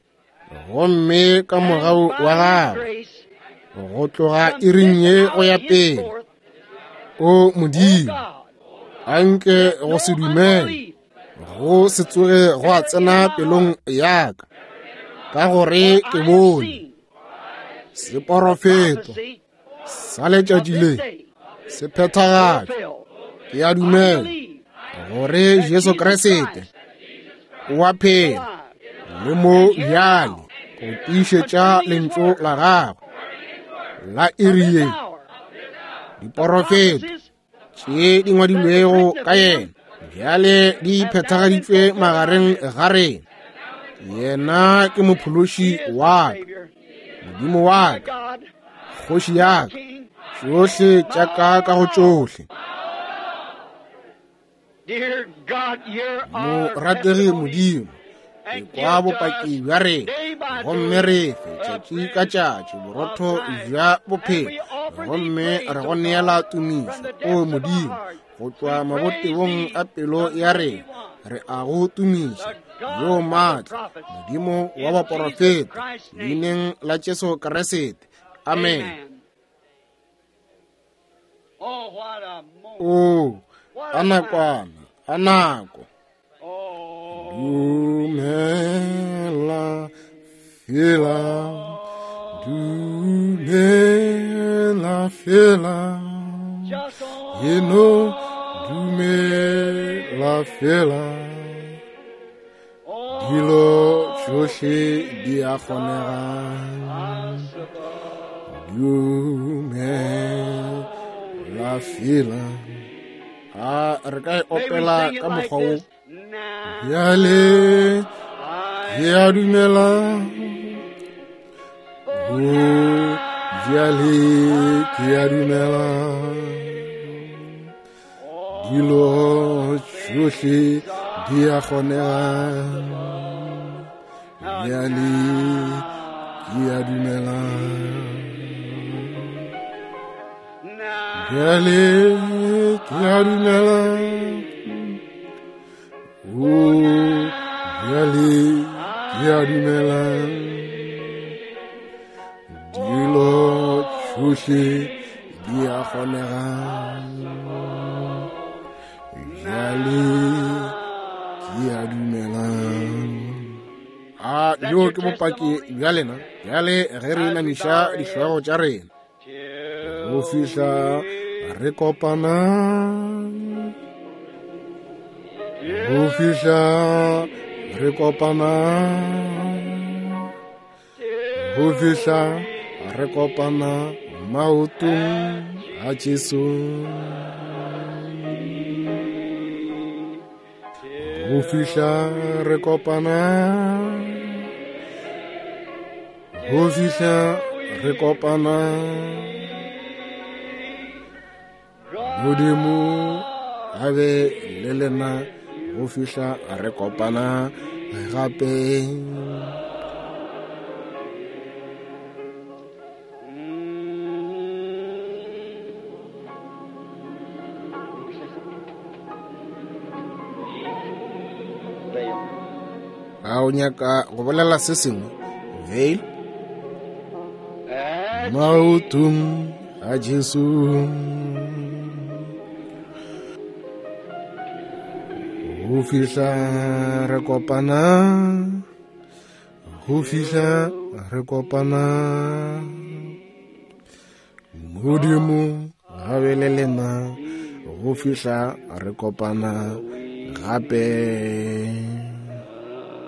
gomme ka mogau wa gagwe go tloga iring ye go ya pele. O Modimo, anke go se dumele go se tsoge go a tsena pelong ya ka, ka gore ke bone seporofeto sa letšatši le se phethagatšwa. Ke a dumela gore Jesu Kriste o a phela le mo bjale go tiišetša lentšu la gagwe la iri ye. Diporofeto tše di ngwadilwego ka yena bjale di phethagaditšwe magareng ga rena. Yena ke mophološi wa ka, Modimo wa ka, kgoši ya ka, tšohle tša ka ka go tšohle. Morategi Modimo, ke kwa bopaki bja rena, gomme re fe tšatši ka tšatši borotho bja bophelo, gomme re go neela tumišo, o Modimo, go tšwa mabotebong a pelo ya rena. Re a go tumiša, yo maatla, Modimo wa baporofeta, leineng la Jesu Kriste. Amen. O, a nakwana, a nako. Dumela fela, dumela fela, eno dumela fela, dilo tšohle di a kgonega. Dumela fela. A re ka e opela ka mokgwa wo? Bjale ke a dumela, o bjale ke a dumela, Dilo tšohle di a kgonega. Bjale ke a dumela. Bjale ke a dumela. O bjale ke a dumela. Dilo tšohle di a kgonega. Bjale ke a dumela. A yo ke bopaki bja lena. Bjale ge re inamiša dihlogo tša rena go fihla re kopana, go fihla re kopana, go fihla re kopana maotong a Jesu. Go fihla re kopana, go fihla re kopana. Modimo a be le lena go fihla re kopana gape. A o nyaka go bolela se sengwe, Veil? Maotong a Jesu. Go fihla re kopana, go fihla re kopana. Modimo a be le lena go fihla re kopana gape.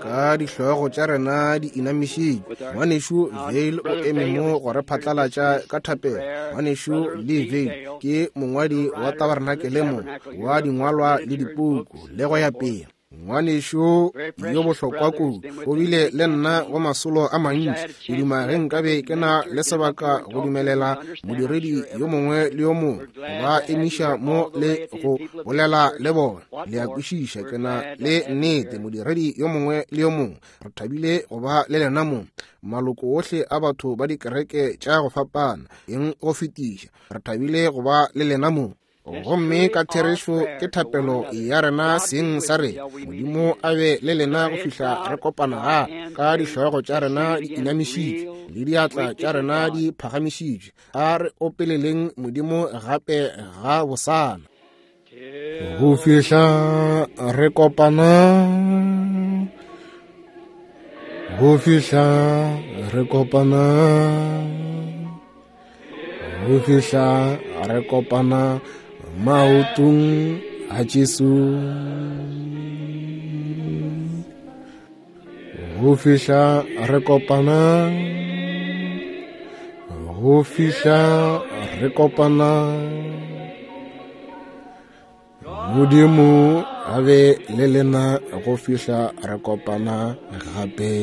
Ka dihlogo tša rena di inamišitšwe, ngwanešu Veil o eme mo go re phatlalatša ka thapelo. Ngwanešu Lee Veil ke mongwadi wa tabarenakele mo wa dingwalwa le dipuku le go ya pele. Ngwanešu yo bohlokwa kudu o bile le nna go masolo a mantši. Ke duma ge nkabe ke na le sebaka go dumelela modiredi yo mongwe le yo mongwe ba emiša mo le go bolela le bona. Le a kwešiša, ke na le nnete modiredi yo mongwe le yo mongwe. Re thabile go ba le lena mo, maloko ohle a batho ba dikereke tša go fapana, eng go fetiša. Re thabile go ba le lena mo. Gomme ka therešo ke thapelo ya rena seng sa rena. Modimo a be le lena go fihla re kopana gape. Ka dihlogo tša rena di inamišitšwe le diatla tša rena di phagamišitšwe, a re opeleleng Modimo gape ga bosana. Go fihla re kopana, go fihla re kopana, go fihla re kopana maotong a Jesu. Go fihla re kopana, go fihla re kopana. Modimo a be le lena go fihla re kopana gape.